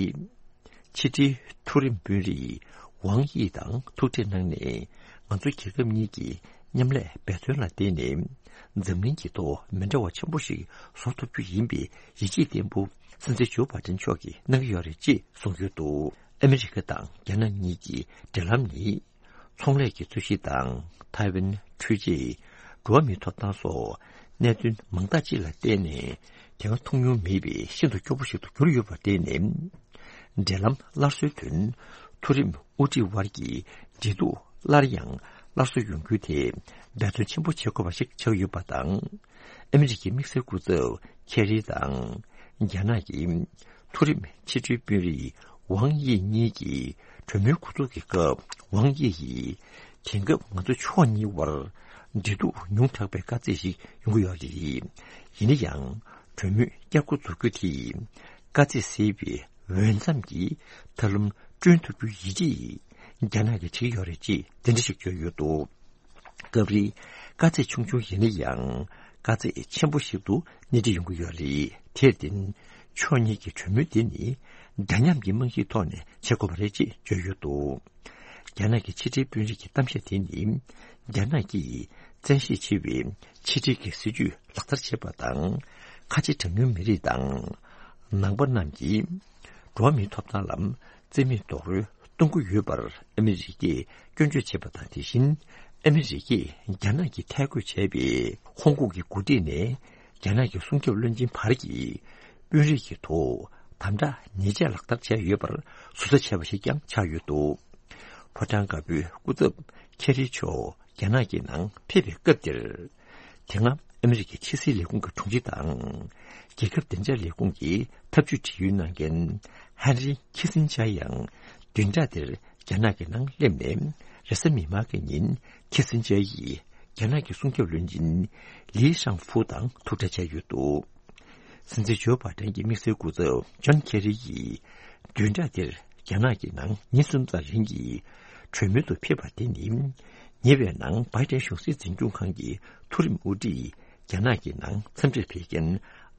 ཕྱི་དྲིལ་མཐོ་རིམ་དཔོན་རིགས་ཝང་དབྱི་དང་ཐུག་འཕྲད་གནང་ནས། ང་ཚོ་རྒྱལ་ཁབ་གཉིས་ཀྱི་ མཉམ་ལས་འབད་བརྩོན་ལ་བརྟེན་ནས་འཛམ་གླིང་གི་ཐོག་མི་འདྲ་བ་ཆེན་པོ་ཞིག་བཟོ་ཐུབ་རྒྱུ་ཡིན་པའི་ཡིད་ཆེས་བརྟན་པོ་སྲིད་འཛིན་ཇོ་བྷའི་ཏན་མཆོག་གིས་གནང་གི་ཡོད་རེད་ཅེས་གསུངས་ཡོད་འདུག་ཨ་མི་རི་ཀ་དང་རྒྱ་ནག་གཉིས་ཀྱི་འབྲེལ་ལམ་ནི། ཚོང་ལས་ཀྱི་རྩོད་གཞི་དང་ཐའེ་ཝན་འཕྲུལ་ཆས། འགྲོ་བ་མིའི་ཐོབ་ཐང་སོགས་གནད་དོན་མང་དག་ཅིག་ལ་བརྟེན་ནས་དེ་སྔ་མཐོང་མྱོང་མེད་པའི་ཤིན་ཏུ་སྐྱོ་པོ་ཞིག་ཏུ་གྱུར་ཡོད་པར་བརྟེན་ནས། འབྲེལ་ལམ་སླར་གསོའི་དོན་མཐོ་རིམ་དབུ་ཁྲིད་དབར་གྱི་འབྲེལ་གཏུག་སླར་ཡང་སླར་གསོ་ཡོང་རྒྱུའི་ཐད་འབད་བརྩོན་ཆེན་པོ་བྱེད་དགོས་པ་ཞིག་ཆགས་ཡོད་པ་དང་། ཨ་མི་རི་ཀའི་དམིགས་བསལ་སྐུ་ཚབ་ཁེ་རི་དང་རྒྱ་ནག་གི་མཐོ་རིམ་ཕྱི་དྲིལ་དཔོན་རིགས་ཝང་དབྱི་གཉིས་ཀྱིས་གྲོས་མོལ་འགོ་འཛུགས་ཀྱི་སྐབས། ཝང་དབྱི་ཡིས། དེང་སྐབས་ང་ཚོ་ཕྱོགས་གཉིས་དབར་འབྲེལ་གཏུག་ཉུང་དྲགས་པའི་དཀའ་ཚེགས་ཤིག་ཡོང་གི་ཡོད་རེད། ཡིན་ན་ཡང་གྲོས་མོལ་བསྐྱར་འགོ་འཛུགས་རྒྱུ་དེས་དཀའ་ཚེགས་སེལ་བའི་འོས་འཚམ་གྱི་ཐབས་ལམ་བསྐྲུན་ཐུབ་རྒྱུ་ཡིན་ཅེས་རྒྱ་ནག་གིས་བྱེད་ཀྱི་ཡོད་རེད་ཅེས་གདན་འདྲེན་ཞིག་བྱས་ཡོད་འདུག་སྐབས་རེ་དཀའ་ཚེགས་ཆུང་ཆུང་ཡིན་ན་ཡང་དཀའ་ཚེགས་ཆེན་པོ་ཞིག་ཏུ་སྣེ་ཁྲིད་ཡོང་གི་ཡོད་རེད། དེར་བརྟེན་ཕྱོགས་གཉིས་ཀྱི་གྲོས་མོལ་དེ་ནི་འདྲ་མཉམ་གྱི་རྨང་གཞིའི་ཐོག་ནས་བྱེད་དགོས་པ་རེད་ཅེས་བརྗོད་ཡོད་འདུག་རྒྱ་ནག་གི་ཕྱི་དྲིལ་དཔོན་རིགས་ཀྱི་གཏམ་བཤད་དེ་ནི་རྒྱ་ནག་གིས་བཙན་ཤེད་ཆེ་བའི་ཕྱི་དྲིལ་གྱི་སྲིད་ཇུས་ལག་བསྟར་བྱེད་པ་དང་། ཁ་ཆེ་གྲངས་ཉུང་མི་རིགས་དང་ནང་པ་རྣམས་ཀྱི་འགྲོ་བ་མིའི་ཐོབ་ཐང་ལ་རྩིས་མེད་རྡོག་རོལ་གཏོང་གི་ཡོད་པར་ཨ་མི་རི་ཀས་སྐྱོན་བརྗོད་བྱས་པ་དང་། དེ་བཞིན་ཨ་མི་རི་ཀས་རྒྱ་ནག་གིས་ཐད་བསྐོས་བྱས་པའི་ཧོང་ཀོང་གི་འགོ་ཁྲིད་ནས་རྒྱ་ནག་གི་སྲུང་སྐྱོབ་བློན་ཆེན་བར་གྱི་དཔོན་རིགས་ཀྱི་ཐོག་དམ་དྲག་ཉེས་ཆད་ལག་བསྟར་བྱས་ཡོད་པར་ཟུར་ཟ་བྱས་པ་ཞིག་ཀྱང་ཆགས་ཡོད་འདུག་ཕོ་བྲང་དཀར་པོའི་སྐུ་ཚབ་ཁེ་རི་མཆོག་རྒྱ་ནག་གི་ནང་ཕེབས་པའི་སྐབས་དེར། དེ་སྔ་ཨ་མི་རི་ཀའི་ཕྱི་སྲིད་ལས་ཁུངས་ཀྱི་དྲུང་ཆེ་དང་། རྒྱལ་ཁབ་བདེ་འཇགས་ལས་ཁུངས་ཀྱི་ཐབས་ཇུས་དྲི་ཡུལ་གནང་མཁན་ཧན་རི་ཁི་སིན་ཇར་ཡང་བདུན་ཕྲག་འདིར་རྒྱ་ནག་གི་ནང་སླེབས་ནས། རེས་གཟའ་མིག་དམར་གྱི་ཉིན་ཁི་སིན་ཇར་ཡིས་རྒྱ་ནག་གི་སྲུང་སྐྱོབ་བློན་ཆེན་ལི་ཤང་ཧྥུ་དང་ཐུག་འཕྲད་བྱས་ཡོད་འདུག་སྲིད་འཛིན་ཇོ་བྷའི་ཏན་གྱི་དམིགས་བསལ་སྐུ་ཚབ་ཇོན་ཁེ་རི་ཡིས་བདུན་ཕྲག་འདིར་རྒྱ་ནག་གི་ནང་ཉིན་གསུམ་ཙམ་རིང་གི་གྲོས་མོལ་དུ་ཕེབས་པ་དེ་ནི། ཉེ་བའི་ནང་བྷའི་ཏན་གཞུང་སྲིད་འཛིན་སྐྱོང་ཁང་གི་མཐོ་རིམ་དབུ་ཁྲིད་རྒྱ་ནག་གི་ནང་འཚམས་འདྲིར་ཕེབས་མཁན་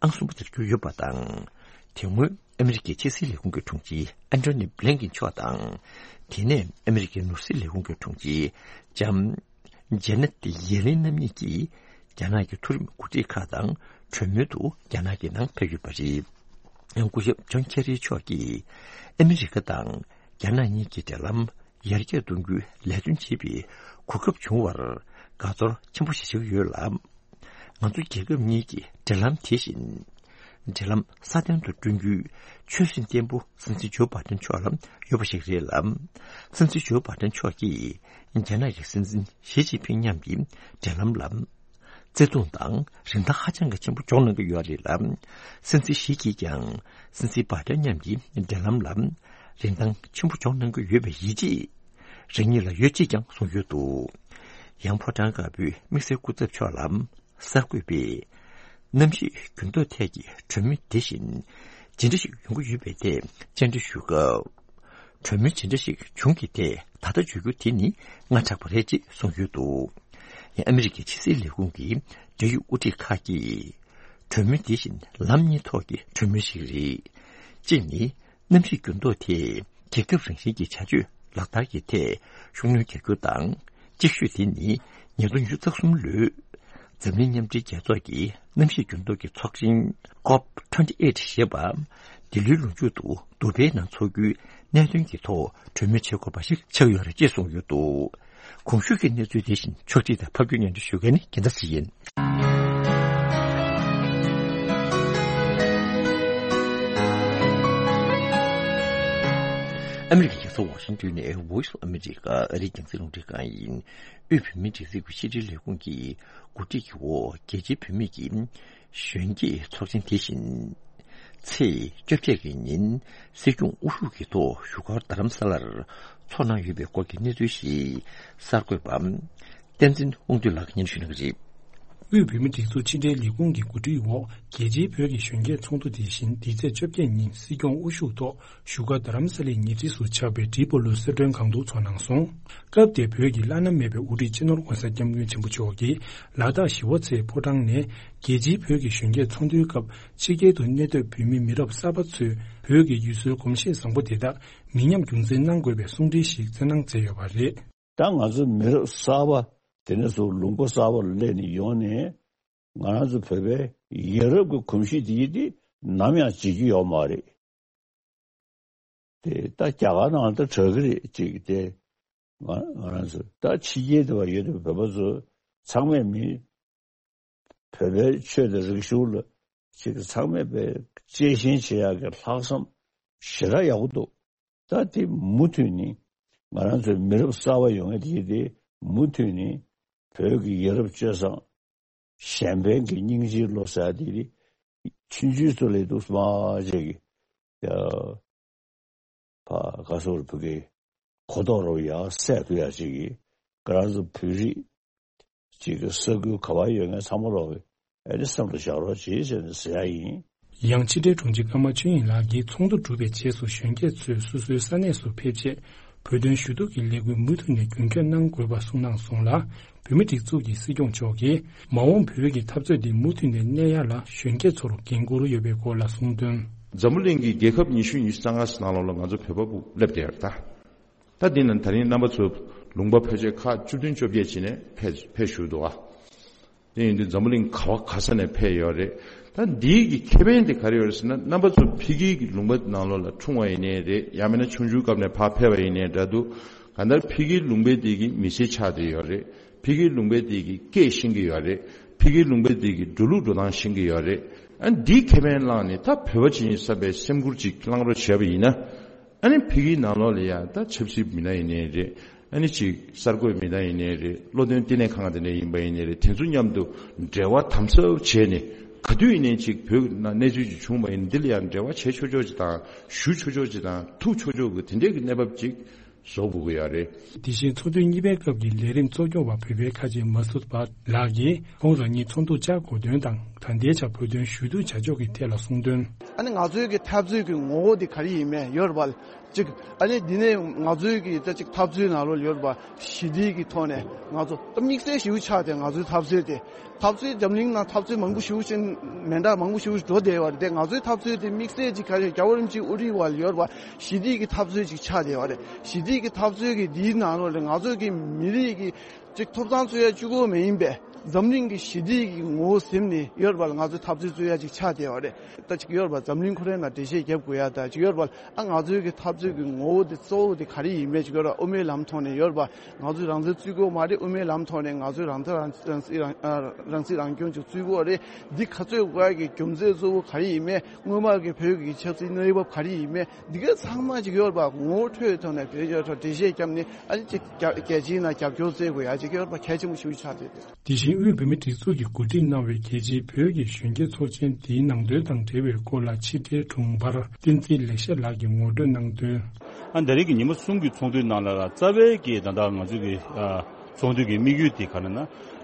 ཨང་གསུམ་པ་དེར་གྱུར་ཡོད་པ་དང་། དེ་སྔོན་ཨ་མི་རི་ཀའི་ཕྱི་སྲིད་ལས་ཁུངས་ཀྱི་དྲུང་ཆེ་ཨན་ཐོ་ནི་བྷི་ལིན་ཀིན་མཆོག་དང་། དེ་ནས་ཨ་མི་རི་ཀའི་ནོར་སྲིད་ལས་ཁུངས་ཀྱི་དྲུང་ཆེ་ལྕམ་ཇེ་ནེ་ཏི་ཡེ་ལིན་རྣམ་གཉིས་ཀྱིས་རྒྱ་ནག་གི་མཐོ་རིམ་འགོ་ཁྲིད་ཁག་དང་གྲོས་མོལ་དུ་རྒྱ་ནག་གི་ནང་ཕེབས་ཡོད་པ་རེད། ཡང་སྐུ་ཞབས་ཇོན་ཁེ་རི་མཆོག་གིས་ཨ་མི་རི་ཀ་དང་རྒྱ་ནག་གཉིས་ཀྱི་འབྲེལ་ལམ་ཡར་རྒྱས་གཏོང་རྒྱུའི་ལས་དོན་བྱེད་པའི་གོ་སྐབས་བྱུང་བར་དགའ་ཚོར་ཆེན་པོ་ཞིག་བྱེད་ཀྱི་ཡོད་ལ། ང་ཚོ་རྒྱལ་ཁབ་གཉིས་ཀྱི་འབྲེལ་ལམ་དེ་བཞིན། འབྲེལ་ལམ་སྲ་བརྟན་དུ་བསྐྲུན་རྒྱུའི་ཆོད་སེམས་བརྟན་པོ་སྲིད་འཛིན་ཇོ་བྷའི་ཏན་མཆོག་ལ་ཡོད་པ་ཞིག་རེད་ལ། སྲིད་འཛིན་ཇོ་བྷའི་ཏན་མཆོག་གིས་རྒྱ་ནག་གི་སྲིད་འཛིན་ཞི་ཅིན་ཕིང་མཉམ་གྱི་འབྲེལ་ལམ་ལ་བརྩེ་དུང་དང་རིན་ཐང་ཧ་ཅང་གི་ཆེན་པོ་འཇོག་གནང་གི་ཡོད་རེད་ལ། སྲིད་འཛིན་ཞི་གིས་ཀྱང་སྲིད་འཛིན་བྷའི་ཏན་མཉམ་གྱི་འབྲེལ་ལམ་ལ་རིན་ཐང་ཆེན་པོ་འཇོག་གནང་གི་ཡོད་པའི་ཡིད་ཆེས་རང་ཉིད་ལ་ཡོད་ཅེས་ཀྱང་གསུངས་ཡོད་འདུག་ཡང་ཕོ་བྲང་དཀར་པོའི་དམིགས་བསལ་སྐུ་ཚབ་མཆོག་ལ། གསར་འགོད་པས། གནམ་གཤིས་འགྱུར་ལྡོག་ཐད་ཀྱི་གྲོས་མོལ་དེ་བཞིན་ཇི་འདྲ་ཞིག་ཡོང་གི་ཡོད་པའི་ཐད་བཅར་འདྲི་ཞུས་སྐབས། གྲོས་མོལ་ཇི་འདྲ་ཞིག་བྱུང་གི་ཐད་ད་ལྟ་བརྗོད་རྒྱུ་དེ་ནི་སྔ་དྲགས་པ་རེད་ཅེས་གསུངས་ཡོད་འདུག་ཡང་ཨ་མི་རི་ཀའི་ཕྱི་སྲིད་ལས་ཁུངས་ཀྱི་འབྲེལ་ཡོད་དབུ་ཁྲིད་ཁག་གིས། གྲོས་མོལ་དེ་བཞིན་ལམ་གཉིས་ཐོག་གི་གྲོས་མོལ་ཞིག་རེད། གཅིག་ནི། གནམ་གཤིས་འགྱུར་ལྡོག་དེས་རྒྱལ་ཁབ་རང་བཞིན་གྱི་བྱ་སྤྱོད་ལག་བསྟར་གྱི་ཐད་ཤུགས་སྣོན་རྒྱག་རྒྱུ་དང་། གཅིག་ཤོས་དེ་ནི་ཉིས་སྟོང་ཉི་ཤུ་རྩ་གསུམ་ལོའི་འཛམ་གླིང་མཉམ་འབྲེལ་རྒྱལ་ཚོགས་ཀྱི་གནམ་གཤིས་འགྱུར་ལྡོག་གི་ཚོགས་ཆེན་ཀོབ་ཊུ་ཝེན་ཊི་ཨེཊ་ཞེས་པ། འདི་ལོའི་ལོ་མཇུག་ཏུ་དུ་བྷེའི་ནང་འཚོགས་རྒྱུའི་གནད་དོན་གྱི་ཐོག་གྲོས་མོལ་བྱེད་དགོས་པ་ཞིག་ཆགས་ཡོད་རེད་ཅེས་གསུངས་ཡོད་འདུག་གོང་ཞུས་ཀྱི་གནས་ཚུལ་དེ་བཞིན་ཕྱོགས་སྒྲིག་དང་ཕབ་སྒྱུར་སྙན་སྒྲོན་ཞུ་མཁན་ནི་རྒྱལ་མཚན་ཞིག་ཡིན། ཨ་མི་རི་ཀའི་རྒྱལ་ས་ཝ་ཤིང་ཏོན་ནས་Voice of America ཨ་རིའི་རྒྱང་སྲིང་རླུང་འཕྲིན་ཁང་ཡིན། དབུས་བོད་མིའི་སྒྲིག་འཛུགས་ཀྱི་ཕྱི་དྲིལ་ལས་ཁུངས་ཀྱི་གོ་སྒྲིག་གི་འོག་རྒྱལ་སྤྱིའི་བུད་མེད་ཀྱི་གཞོན་སྐྱེས་ཚོགས་ཆེན་དེ་བཞིན། ཚེས་བཅོ་བརྒྱད་ཀྱི་ཉིན་སྲིད་སྐྱོང་དབུ་བཞུགས་ཀྱི་ཐོག་བཞུགས་སྒར་རྡ་རམ་ས་ལར་འཚོགས་གནང་ཡོད་པའི་སྐོར་གྱི་གནས་ཚུལ་ཞིག་གསར་འགོད་པ་བསྟན་འཛིན་དབང་འདུས་ལགས་སྙན་ཞུ་གནང་གི་རེད། དབུས་བོད་མིའི་སྒྲིག་འཛུགས་ཕྱི་དྲིལ་ལས་ཁུངས་ཀྱི་གོ་སྒྲིག་འོག་རྒྱལ་སྤྱིའི་བོད་ཀྱི་གཞོན་སྐྱེས་ཚོགས་འདུ་དེ་བཞིན་འདི་ཚེས་བཅོ་བརྒྱད་ཉིན་སྲིད་སྐྱོང་དབུ་བཞུགས་ཐོག་བཞུགས་སྒར་རྡ་རམ་ས་ལའི་ཉེ་འཁྲིས་སུ་ཆགས་པའི་ཏྲི་པོ་ལུ་གསོལ་མགྲོན་ཁང་དུ་འཚོགས་གནང་སོང་། སྐབས་དེར་བོད་ཀྱི་བླ་ན་མེད་པའི་དབུ་ཁྲིད་སྤྱི་ནོར་༧གོང་ས་༧སྐྱབས་མགོན་ཆེན་པོ་མཆོག་གིས་ལ་དྭགས་ཞི་བ་འཚོའི་ཕོ་བྲང་ནས་རྒྱལ་སྤྱིའི་བོད་ཀྱི་གཞོན་སྐྱེས་ཚོགས་འདུའི་སྐབས་ཕྱི་རྒྱལ་དུ་གནས་སྡོད་བོད་མི་མི་རབས་གསར་པ་ཚོས་བོད་ཀྱི་ཡུལ་སྲོལ་གོམས་གཤིས་བཟང་པོ་དེ་དག་མི་ཉམས་རྒྱུན་འཛིན་གནང་དགོས་པའི་གསུང་འཕྲིན་ཞིག་བསྩལ་གནང་མཛད་ཡོད་པ་རེད། ད་ང་ཚོ་མི་རབས་གསར་པ་ དེ་ནས་བཟུང་ལུང་པ་གསར་པ་ལ་སླེབས་ནས་ཡོང་ནས་ང་རང་ཚོ་བོད་པའི་ཡ་རབས་ཀྱི་གོམས་གཤིས་དེ་ཡིན་དེ་ནམ་ཡང་བརྗེད་རྒྱུ་ཡོད་མ་རེད། དེ་ད་རྒྱ་གར་ནང་ད་དྲག་གི་རེད་ཅིག་དེ་ང་ང་རང་ཚོ་ད་ཕྱི་རྒྱལ་དུ་བ་ཡོད་དུ་བོད་པ་ཚོ་ཚང་མས་མི་བོད་པའི་ཆོས་དང་རིག་གཞུང་ལ་ཅིག་ཚང་མས་པའི་གཅེས་ཞེན་བྱེད་ཡག་གི་ལྷག་བསམ་ཞེ་དྲག་ཡག་པོ་འདུག་ད་དེ་མུ་མཐུད་ནས་ང་རང་ཚོའི་མི་རབས་གསར་པ་ཡོང་ཡས་དེ་དེ་མུ་མཐུད་ནས་བོད་ཀྱི་ཡ་རབས་སྤྱོད་བཟང་གཞན་ཕན་གྱི་སྙིང་རྗེའི་བློ་ཟེར་དེ་རེད། ཆུང་ཆུང་ཚོ་ལས་འདུག་སྨྲ་བྱེད་ཀྱི་ཡ། ཕ་ག་སོར་བུ་གི་གོ་རྟོགས་རོ་ཡ་སད་ཐུ་ཡ་ཅིག་གི་ང་རང་ཚོ་བོད་རིགས་ཅིག་གི་ས་ཁུལ་ག་བ་ཡོད་མཁན་ཚང་མ་ལོག་གི་ཨེ་ནི་སེམས་ལ་བཞག་རོགས་བྱེད་ཟེར་ནས་ཟེར་ཡ་ཡིན། ཡང་ཕྱི་དྲིལ་དྲུང་ཆེ་ཀརྨ་ཆོས་དབྱིངས་ལགས་ཀྱིས་ཚོགས་འདུ་གྲུབ་པའི་རྗེས་སུ་གཞོན་སྐྱེས་ཚོས་སོ་སོའི་ས་གནས་སུ་ཕེབས་རྗེས་བོད་དོན་ཞུ་གཏུག་གི་ལས་འགུལ་མུ་མཐུད་ནས་རྒྱུན་འཁྱོངས་གནང་དགོས་པ་གསུངས་གནང་སོང་ལ། བོད་མི་སྒྲིག་འཛུགས་ཀྱི་སྲིད་སྐྱོང་མཆོག་གིས་མ་འོངས་བོད་ཀྱི་འཐབ་རྩོད་འདི་མུ་མཐུད་ནས་གནས་ཡ་ལ་གཞོན་སྐྱེས་ཚོར་འགན་འཁུར་ཡོད་པའི་སྐོར་ལ་གསུངས་དོན། འཛམ་བུ་གླིང་གི་རྒྱལ་ཁབ་ཉི་ཤུ་ཉི་ཤུ་རྩ་ལྔ་ནང་ལོགས་ལ་ང་ཚོ་བོད་པ་སླེབས་བསྡད་ཡོད་རེད་ད། ད་འདི་ནང་ད་རིང་རྣམ་པ་ཚོ་ལུང་པ་ཕལ་ཆེར་ཁག་བཅུ་བདུན་བཅོ་བརྒྱད་ཅིག་ནས་ཕེབས་ཕེབས་བཞུགས་འདུག་ཨ། དེ་ཡིན་དུས་འཛམ་བུ་གླིང་ག་བ་ག་ས་ནས་ཕེབས་ཡོད་རེད། ད་འདིའི་གི་ཁེ་ཕན་དེ་ག་རེ་ཡོད་རེད་ཟེར་ན་རྣམ་པ་ཚོ་ཕ་གིའི་གི་ལུང་པ་ནང་ལོགས་ལ་འཁྲུངས་པ་ཡིན་ནའི་རེད། ཡང་མིན་ན་ཆུང་ཆུང་སྐབས་ནས་ཕར་ཕེབས་པ་ཡིན་ནའི་འདྲ་འདུག་གང་ལྟར་ཕ་གིའི་ལུང་པའི་དེ་གི་མི་ཚེ་ཆགས་བསྡད་ཡོད་རེད། ཕ་གིའི་ལུང་པའི་དེ་གི་སྐད་ཤེས་ཀྱི་ཡོད་རེད། ཕ་གིའི་ལུང་པའི་དེ་གི་འགྲོ་ལུགས་འགྲོ་སྟངས་ཤེས་ཀྱི་ཡོད་རེད། ཨ་འདིའི་ཁེ་ཕན་བླངས་ནས་ད་བོད་པ་ཅིག་ཡིན་བསམ་པའི་སེམས་ཁུར་ཅིག་བླངས་རོགས་བྱས་པ་ཡིན་ན། ཨ་ནི་ཕ་གིའི་ནང་ལོགས་ལ་ཡང་ད་ཆབ་སྲིད་མི་སྣ་ཡིན་ནའི་རེད། ཨ་ནི་ཅིག་གསར་འགོད་མི་སྣ་ཡིན་ནའི་རེད། བློ་འདོན་བསྟི་གནས་ཁང་དེ་འདྲ་ཡིན་པ་ཡིན་ནའི་རེད། དེ་ཚོ་མཉམ་དུ་འབྲེལ་བ་དམ་ཟབ་བྱས་ནས་ག་དུས་ཡིན་ནའི་ཅིག་བོད་ནང་གནས་ཚུལ་ཅིག་བྱུང་བ་ཡིན་འདི་ལ་ཡང་འབྲེལ་བ་བྱེད་ཆོག་ཆོག་ཅིག་དང་ཞུ་ཆོག་ཆོག་ཅིག་དང་ཐུག་ཆོག་ཆོག་གི་དེ་འདྲའི་གི་གནས་བབ་ཅིག་བཟོ་དགོས་ཀྱི་ཡོད་རེད། དེ་བཞིན་ཚོགས་དུས་གཉིས་པའི་སྐབས་ཀྱི་ལས་རིམ་གཙོ་སྐྱོང་བ་བོད་པའི་ཁ་ཆེ་མ་སུད་པ་ལགས་ཀྱིས་ཁོང་རང་ཉིད་ཚོགས་འདུར་བཅར་དགོས་དོན་དང་ད་ལྟའི་ཆར་བོད་དོན་ཞུ་གཏུག་བྱ་ཕྱོགས་ཀྱི་ཐད་ལ་གསུངས་དོན། ཨ་ནི་ང་ཚོའི་གི་འཐབ་རྩོད་ཀྱི་ངོ་བོ་དེ་ག་རེ་ཡིན་མིན་ཡོད་རེད་པ། གཅིག་ཨ་ནི་འདི་ནས་ང་ཚོའི་གི་ད་གཅིག་འཐབ་རྩོད་ནང་ལོགས་ཡོད་རེད་པ། ཞི་བདེ་གི་ཐོག་ནས་ང་ཚོ་ད་དམིགས་བསལ་ཞེ་པོ་ཆགས་ཏེ་ང་ཚོའི་འཐབ་རྩོད་དེ། འཐབ་རྩོད་འཛམ་གླིང་ནང་འཐབ་རྩོད་མང་པོ་ཞེ་པོ་ཅིག་མེ་མདའ་མང་པོ་ཞེ་པོ་ཅིག་འགྲོ་བསྡད་པ་རེད་དེ། ང་ཚོའི་འཐབ་རྩོད་དེ་དམིགས་བསལ་ཅིག་ག་རེ་རྒྱལ་བ་རིན་པོ་ཆེའི་དབུ་ཁྲིད་འོག་ལ་ཡོད་རེད་པ། ཞི་བདེ་གི་འཐབ་རྩོད་ཅིག་ཆགས་བསྡད་པ་རེད། ཞི་བདེ་གི་འཐབ་རྩོད་ཀྱི་འདིའི་ནང་ལོགས་ལ་ང་ཚོ་གི་མི་རིགས་ཀྱི་ཅིག་ཐོབ་ཐང་རྩོད་ཡ་གཅིག་པོ་མ་ཡིན་པའི་འཛམ་གླིང་གི་ཞི་བདེ་གི་ངོ་བོ་ཟིན་ནས་ཡོད་རེད་པ་ལ། ང་ཚོའི་འཐབ་རྩོད་རྩོད་ཡ་ཅིག་ཆགས་བསྡད་པ་རེད། ད་ཅིག་ཡོད་རེད་པ། འཛམ་གླིང་ཁོ་རའི་ནང་འགྲེལ་བཤད་རྒྱབ་དགོས་ཡ་ད་ཅིག་ཡོད་རེད་པ་ལ། ཨ་ང་ཚོའི་གི་འཐབ་རྩོད་ཀྱི་ངོ་བོ་དེ་གཙོ་བོ་དེ་ག་རེ་ཡིན་མིན་ཅིག་ཡོད་རེད་པ། དབུ་མའི་ལམ་ཐོག་ནས་ཡོད་རེད་པ། ང་ཚོས་རང་བཙན་རྩོད་དགོས་མ་རེད། དབུ་མའི་ལམ་ཐོག་ནས་ང་ཚོས་རང་བཙན་རང་རང་སྲིད་རང་ཨ་རང་སྲིད་རང་སྐྱོང་ཅིག་རྩོད་དགོས་རེད། འདི་ག་ཚོད་དགོས་ཡ་གི་རྒྱུ་མཚན་གཙོ་བོ་ག་རེ་ཡིན་མིན། སྔོན་མ་གི་བོད་ཀྱི་ཆབ་སྲིད་གནས་བབ་ག་རེ་ཡིན་མིན། འདི་ག་ཚང་མ་ཅིག་ཡོད་རེད་པ། ངོ་བོ་འཕྲོད་ཐོག་ནས་བོད་རྒྱ་ཐོག་འགྲེལ་བཤད་བརྒྱབ་ནས་ཨ་ནི་ཅིག་རྒྱ་རྒྱལ་སྤྱིའི་ནང་རྒྱབ་སྐྱོར་བཙལ་དགོས་ཡ་ཅིག་ཡོད་རེད་པ། གལ་ཆེན་པོ་ཞིག་ཆགས་བསྡད་འདུག་དེ་བཞིན་དབུས་བོད་མིའི་སྒྲིག་འཛུགས་ཀྱིས་གོ་སྒྲིག་གནང་བའི་རྒྱལ་སྤྱིའི་བོད་ཀྱི་གཞོན་སྐྱེས་ཚོགས་ཆེན་འདིའི་ནང་དོན་དང་འབྲེལ་བའི་སྐོར་ལ་ཕྱི་དྲིལ་དྲུང་འཕར་བསྟན་འཛིན་ལེགས་བཤད་ལགས་ཀྱིས་ངོ་སྤྲོད་གནང་དོན། ཨ་ད་རེས་ཀྱི་ཉི་མ་གསུམ་གྱི་ཚོགས་འདུའི་ནང་ལ་རྩ་བའི་གི་ད་ལྟ་ང་ཚོ་གི་ཨ་ཚོགས་འདུ་གི་དམིགས་ཡུལ་དེ་ག་རེ་ན།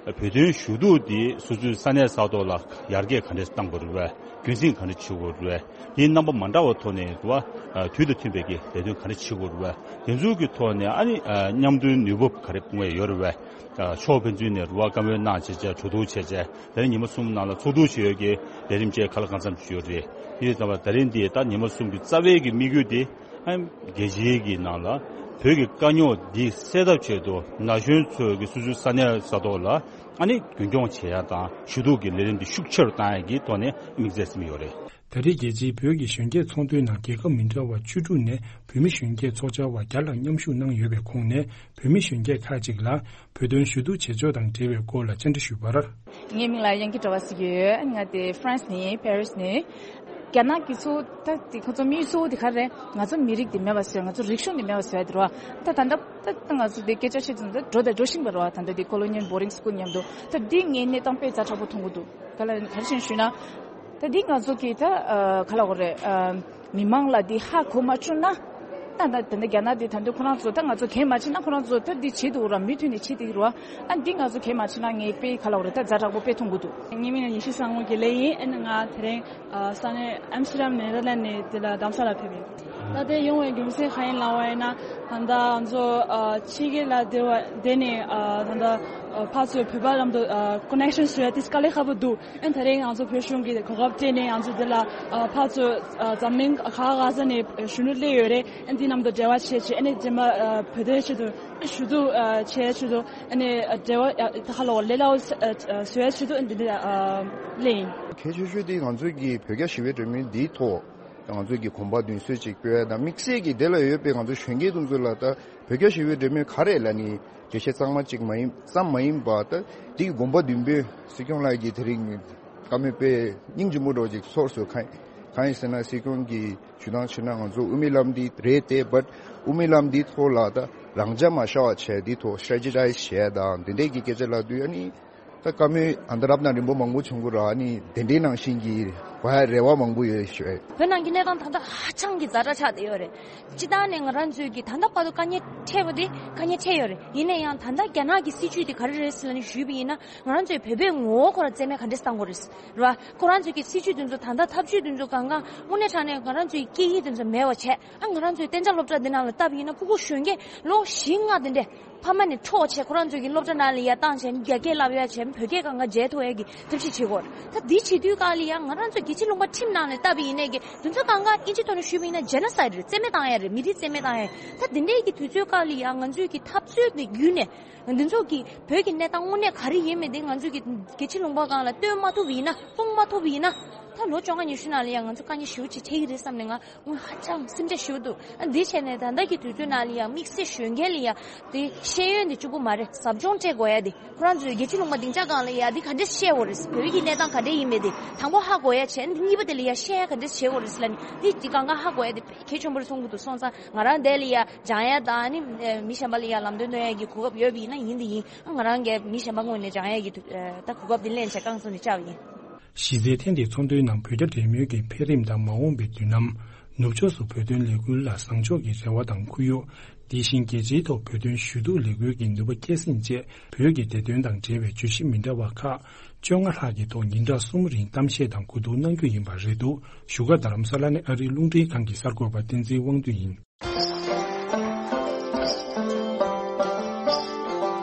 བོད་དོན་ཞུ་གཏུག་དེ་སོ་སོའི་ས་གནས་ས་ཐོག་ལ་ཡར་རྒྱས་ག་འདྲས་གཏང་དགོས་རེད་པས། རྒྱུན་སྲིང་ག་འདྲས་བྱེད་དགོས་རེད་པས། དེའི་རྣམ་པ་མ་འདྲ་བ་ཐོག་ནས་རེད་པ། དུས་དང་མཐུན་པའི་གི་ལས་དོན་ག་འདྲས་བྱེད་དགོས་རེད་པས། དེ་ཚོའི་གི་ཐོག་ནས་ཨ་ནི་མཉམ་དུ་ནུས་པ་ག་རེ་སྤུངས་ཡ་ཡོད་རེད་པས། ཕྱོགས་ཕན་ཚུན་ནས་རེད་པ། བཀའ་མོལ་གནང་བྱས་བྱས་གྲོས་བསྡུར་བྱས་བྱས་དེ་རིང་ཉི་མ་གསུམ་ནང་ལ་ཚོགས་འདུ་བྱེད་ཡོད་ཀྱི་ལས་རིམ་བཅས་ག་ལ་གང་འཚམ་ཞིག་ཡོད་རེད། དེ་ཡིན་ཙང་ད་རིང་འདི་ད་ཉི་མ་གསུམ་གྱི་རྩ་བའི་གི་དམིགས་ཡུལ་དེ། ཨ་རྒྱལ་སྤྱིའི་གི་ནང་ལ་བོད་ཀྱི་དཀའ་རྙོག་འདི་སེལ་ཐབས་ཆེད་དུ་ན་གཞོན་ཚོས་ཀྱི་སོ་སོའི་ས་གནས་ས་ཐོག་ལ་ཨ་ནི་རྒྱུན་འཁྱོངས་བྱེད་ཡ་དང་ཞུ་གཏུག་གི་ལས་རིམ་འདི་ཤུགས་ཆེ་རུ་བཏང་ཡ་གི་ཐོག་ནས་དམིགས་བསལ་ཟིན་ཡོད་རེད། ད་རེས་རྒྱལ་སྤྱིའི་བོད་ཀྱི་གཞོན་སྐྱེས་ཚོགས་འདུའི་ནང་རྒྱལ་ཁབ་མི་འདྲ་བ་བཅུ་དྲུག་ནས་བོད་མི་གཞོན་སྐྱེས་ཚོགས་བཅར་བ་བརྒྱ་ལྷག་མཉམ་ཞུགས་གནང་ཡོད་པའི་ཁོངས་ནས་བོད་མི་གཞོན་སྐྱེས་ཁག་ཅིག་ལ་བོད་དོན་ཞུ་གཏུག་བྱེད་ཕྱོགས་དང་འབྲེལ་བའི་སྐོར་ལ་བཅར་འདྲི་ཞུས་པར། ངའི་མིང་ལ་དབྱངས་སྐྱིད་བཀྲ་བ་ཟེར་གྱི་ཡོད། ང་དེ་ཧྥ་རན་སི་ནས་ཡིན། པེ་རི་སི་ནས། རྒྱ་ནག་གི་ཚོ་ད་དེ་ཁོ་ཚོ་དམིགས་ཡུལ་གཙོ་བོ་དེ་ག་རེ་རེད། ང་ཚོ་མི་རིགས་དེ་མེད་པ་བཟོས། ང་ཚོ་རིག་གཞུང་དེ་མེད་པ་བཟོས་ཡ་དེ་རེད་པ། ད་ད་ལྟ་ད་ད་ང་ཚོ་དེ་སྐད་ཆ་བཤད་ཙང་ད་འགྲོ་དང་འགྲོ་བཞིན་པ་རེད་པ། ད་ལྟ་དེ་ཀོ་ལོ་ཉི་ཡལ་བོར་ཌིང་སི་ཀུལ་མཉམ་དུ། ད་འདི་ངའི་གནས་སྟངས་དཔེ་ཛ་དྲག་པོ་མཐོང་གི་འདུག་ག་ལ་ག་རེ་བྱས་ནས་ཞུས་ན། ད་འདི་ང་ཚོ་གི་ད་ཨ་ག་ལབ་དགོས་རེད། ཨ་མི་མང་ལ་འདི་ཧ་གོ་མ་བཅུག་ན། ད་ད་ད་ལྟ་རྒྱ་ནག་འདི་ད་དུང་ཁོ་རང་ཚོ་ད་ང་ཚོ་གལ་མ་ཆེ་ན་ཁོ་རང་ཚོ་ད་འདི་བྱེད་འདུག་ར། མུ་མཐུད་ནས་བྱེད་འདུག་ར། ཨ་འདི་ང་ཚོ་གལ་མ་ཆེ་ན་ངས་དཔེ་ག་ལབ་དགོས་རེད། ད་ཛ་དྲག་པོ་དཔེ་མཐོང་གི་འདུག་ངའི་མིང་ལ་ཉི་ཤུ་སང་ངོ་དགེ་ལེགས་ཡིན། ཨ་ནི་ང་དེ་རིང་ཨ་ས་གནས་ཨམ་སི་ཊར་ཌམ་ནེ་ཐར་ལེན་ཌི་ནས་འདི་ལ་རྡ་ས་ལ་ཕེབས་ཡིན། ད་ལྟའི་ཡོང་བའི་རྒྱུ་མཚན་གང་ཡིན་ལབ་པ་ཡིན་ན། ད་ལྟ་ང་ཚོ་ཨ་ཕྱི་རྒྱལ་ལ་བསྡད་པ་བསྡད་ནས་ཨ་ད་ལྟ་ཨ་ཕར་ཚུར་བོད་པ་ལམ་དུ་ཨ་ཀོ་ནེག་ཤན་བཟོ་ཡ་དེ་དཀའ་ལས་ཁག་པོ་འདུག་ཨ་ནི་ད་རེས་ང་ཚོ་བོད་གཞུང་གིས་གོ་སྐབས་སྤྲད་ནས་ང་ཚོ་འདི་ལ་ཨ་ཕར་ཚུར་ཨ་འཛམ་གླིང་ག་ག་ས་ནས་གཞོན་ནུ་སླེབས་ཡོད་རེད། ཨ་ནི་འདི་ལམ་དུ་འབྲེལ་བ་བྱས་བྱས། ཨ་ནི་རྗེས་མ་ཨ་བོད་དོན་ཆེད་དུ་ཞུ་གཏུག་ཨ་བྱས་ཆེད་དུ། ཨ་ནི་འབྲེལ་བ་ད་ཧ་ལོ་ལས་སླ་བོ་བཟོ་ཡ་ཆེད་དུ་འདི་འདི་ལ་སླེབས་ཡིན། གལ་ཆེ་ཤོས་དེ་ང་ཚོའི་གི་བོད་རྒྱ་ཞི་བའི་གྲོས་མོལ་འདིའི་ཐོག་ང་ཚོའི་གི་གོམ་པ་མདུན་སྐྱོད་ཅིག་སྤེལ་ཡ་དང་། དམིགས་བསལ་གྱི་དེ་ལ་ཡོད་པའི་ང་ཚོ་གཞོན་སྐྱེས་དེ་ཚོ་ལ་ད་བོད་རྒྱ་ཞི་བའི་གྲོས་མོལ་ག་རེ་ལབ་ནི་འགྲེལ་བཤད་གཙང་མ་གཅིག་མ་ཡིན་ཙམ་མ་ཡིན་པ། ད་འདི་གི་གོམ་པ་མདུན་སྤོས་སྲིད་སྐྱོང་ལགས་ཀྱིས་དེ་རིང་བཀའ་མོལ་སྤེལ་སྙིང་རྗེ་མོ་འདྲ་བོ་ཅིག་ཚོར་སོང་། གང་གང་ཡིན་ཟེར་ན་སྲིད་སྐྱོང་གིས་ཞུ་སྟངས་བྱས་ན་ང་ཚོ་དབུ་མའི་ལམ་འདི་རེད་དེ། བཊ་དབུ་མའི་ལམ་འདིའི་ཐོག་ལ་ད་རང་འཇགས་མ་ཤར་བ་བྱས། འདིའི་ཐོག་སི་ཊེ་རེ་ཇི་ཊའི་ཛི་བྱས་དང་དེ་འདྲས་ཀྱི་སྐད་ཆ་ལབ་དུས། ཨ་ནི་ད་བཀའ་མོལ་ཨ་མདའ་རབ་དང་རིང་པོ་མང་པོ་བྱུང་གི་རེད། ཨ་ནི་དེ་འདྲའི་ནང་བཞིན་གྱི་བ་རེ་བ་མང་པོ་ཡོད་ཞུ། བོད་ནང་གི་གནས་སྟངས་ད་ལྟ་ཧ་ཅང་གི་ཛ་དྲག་ཆགས་བསྡད་ཡོད་རེད། སྤྱིར་བཏང་ནས་ང་རང་ཚོས་ཀྱི་ད་ལྟ་བར་དུ་དཀའ་ངལ་འཕྲད་པ་དེ་དཀའ་ངལ་འཕྲད་ཡོད་རེད། ཡིན་ན་ཡང་ད་ལྟ་རྒྱ་ནག་གི་སྲིད་བྱུས་དེ་ག་རེ་རེད་ཟེར་ལབ་ནས་ཞུས་པ་ཡིན་ན། ང་རང་ཚོས་བོད་པའི་ངོ་བོ་ཁོ་རང་རྩིས་མེད་ག་འདྲས་བཏང་དགོས་རེད། རེད་བ། ཁོ་རང་ཚོས་ཀྱི་སྲིད་བྱུས་དེ་ཚོ་ད་ལྟ་ཐབས་བྱུས་དེ་ཚོ་གང་གང་དངོས་གནས་དྲང་གནས་ང་རང་ཚོའི་སྐད་ཡིག་དེ་ཚོ་མེད་པ་བྱས། ཨ་ང་རང་ཚོའི་གཏན་འཇགས་སློབ་གྲྭ་འདི་ནང་ལ་བལྟས་པ་ཡིན་ན་ཕྲུ་གུ་གཞོན་སྐྱེས་ལོ་བཞི་ལྔ་དེ་འདྲས་ཕ་མ་ནས་འཕྲོག་བྱས། ཁོ་རང་ཚོའི་གི་སློབ་གྲྭ་ནང་ལ་ཡར་བཏང་བྱས། རྒྱ་སྐད་བསླབ་ཡ་བྱས། བོད་སྐད་གང་ག་བརྗེད་ཐུབ་ཡ་གི་ཐབས་ཤེས་བྱེད་དགོས་རེད། ད་འདི་བྱེད་དུས་སྐབས་ལ་ཡང་ང་རང་ཚོ་རྒྱལ་སྤྱིའི་ལུང་པ་ཁྲིམས་ནང་ལ་བལྟས་པ་ཡིན་ནའི་གི་དེ་ཚོ་གང་ག་ཨིན་ཇི་ཐོག་ནས་ཞུས་པ་ཡིན་ན་ཇེ་ནོ་སའིཌ་རེད། རྩིས་མེད་བཏང་ཡ་རེད། མི་རིགས་རྩིས་མེད་བཏང་ཡ་རེད། ད་འདི་འདྲའི་གི་དུས་ཚོད་སྐབས་ལ་ཡང་ང་ཚོའི་གི་འཐབ་རྩོད་དེ་བརྒྱུད་ནས། འདི་ཚོ་གི་བོད་ཀྱི་གནས་སྟངས་དངོས་གནས་ག་རེ་ཡིན་མིན་དེ་ང་ཚོས་ཀྱི་རྒྱལ་སྤྱིའི་ལུང་པ་སྒང་ལ་སྟོན་མ་ཐུབ་ཡིན་ན། སྤུངས་མ་ཐུབ་ཡིན་ན། ད་ལོ་བཅོ་ལྔ་ཉི་ཤུ་ནང་ལ་ཡང་ང་ཚོ་དཀའ་ངལ་ཞེ་པོ་ཅིག་འཕྲད་ཀྱི་རེད་བསམ་ནས་ང་དངོས་ཧ་ཅང་སེམས་ཁྲལ་ཞེ་པོ་འདུག་ཨ་འདི་བྱས་ནས་ད་ལྟ་གི་དུས་ཚོད་ནང་ལ་ཡང་དམིགས་བསལ་གཞོན་སྐྱེས་ལ་ཡང་དེ་ཤེས་ཡོན་དེ་གཅིག་པུ་མ་རེད། ཟབ་སྦྱོང་སྤྲད་དགོས་ཡ་དེ། ཁོ་རང་ཚོའི་རྒྱལ་སྤྱིའི་ལུང་པ་སྡིངས་ཆ་སྒང་ལ་ཡ་དེ་ག་འདྲས་ཤེས་དགོས་རེད། བོད་ཀྱི་གནས་སྟངས་ག་འདྲས་ཡིན་མིན་དེ་དང་པོ་ཧ་གོ་ཡ་བྱས། འདི་གཉིས་པ་དེ་ལ་ཡ་ཤེས་ཡ་ག་འདྲས་བྱེད་དགོས་རེད་ཟེར་ལབ་ནས། འདི་གཅིག་གང་ག་ཧ་གོ་ཡ་དེ་གལ་ཆེན་པོ་རེད་གསུང་གི་འདུག་སོང་ཙང་ང་རང་འདི་ལ་ཡ་སྦྱང་ཡ་དང་། ཨ་ནི་མི་གཞན་པ་ལ་ཡ་ལམ་སྟོན་གནང་ཡ་གི་གོ་སྐབས་ཡོད་པ་ཡིན་ན་ཡིན་དེ་ཡིན། ང་རང་གིས་མི་གཞན་པ་ངོས་ནས་སྦྱང་ཡ་གི་ད་གོ་སྐབས་དེ་ལེན་བྱས་རྐང་བཙུགས་ནས་བཅར་བ་ཡིན། གཞི་རྩའི་ཐེངས་འདིའི་ཚོགས་འདུའི་ནང་བོད་རྒྱ་འབྲེལ་མོལ་གྱི་འཕེལ་རིམ་དང་། མ་འོངས་པའི་མདུན་ལམ། ནུབ་ཕྱོགས་སུ་བོད་དོན་ལས་འགུལ་ལ་བཟང་ཕྱོགས་ཀྱི་རེ་བ་དང་ཁུར་ཡོང་། དེ་བཞིན་རྒྱལ་སྤྱིའི་ཐོག་བོད་དོན་ཞུ་གཏུག་ལས་འགུལ་གྱི་ནུས་པ་སྐྱེད་སྲིང་བཅས། བོད་ཀྱི་བདེ་དོན་དང་འབྲེལ་བའི་བརྗོད་གཞི་མི་འདྲ་བ་ཁག་བཅོ་ལྔ་ལྷག་གི་ཐོག་ཉིན་གྲངས་གསུམ་རིང་གཏམ་བཤད་དང་གོ་བསྡུར་གནང་རྒྱུ་ཡིན་པ་རེད་འདུག་བཞུགས་སྒར་རྡ་རམ་ས་ལ་ནས་ཨ་རིའི་རླུང་འཕྲིན་ཁང་གི་གསར་འགོད་པ་བསྟན་འཛིན་དབང་འདུས་ཡིན།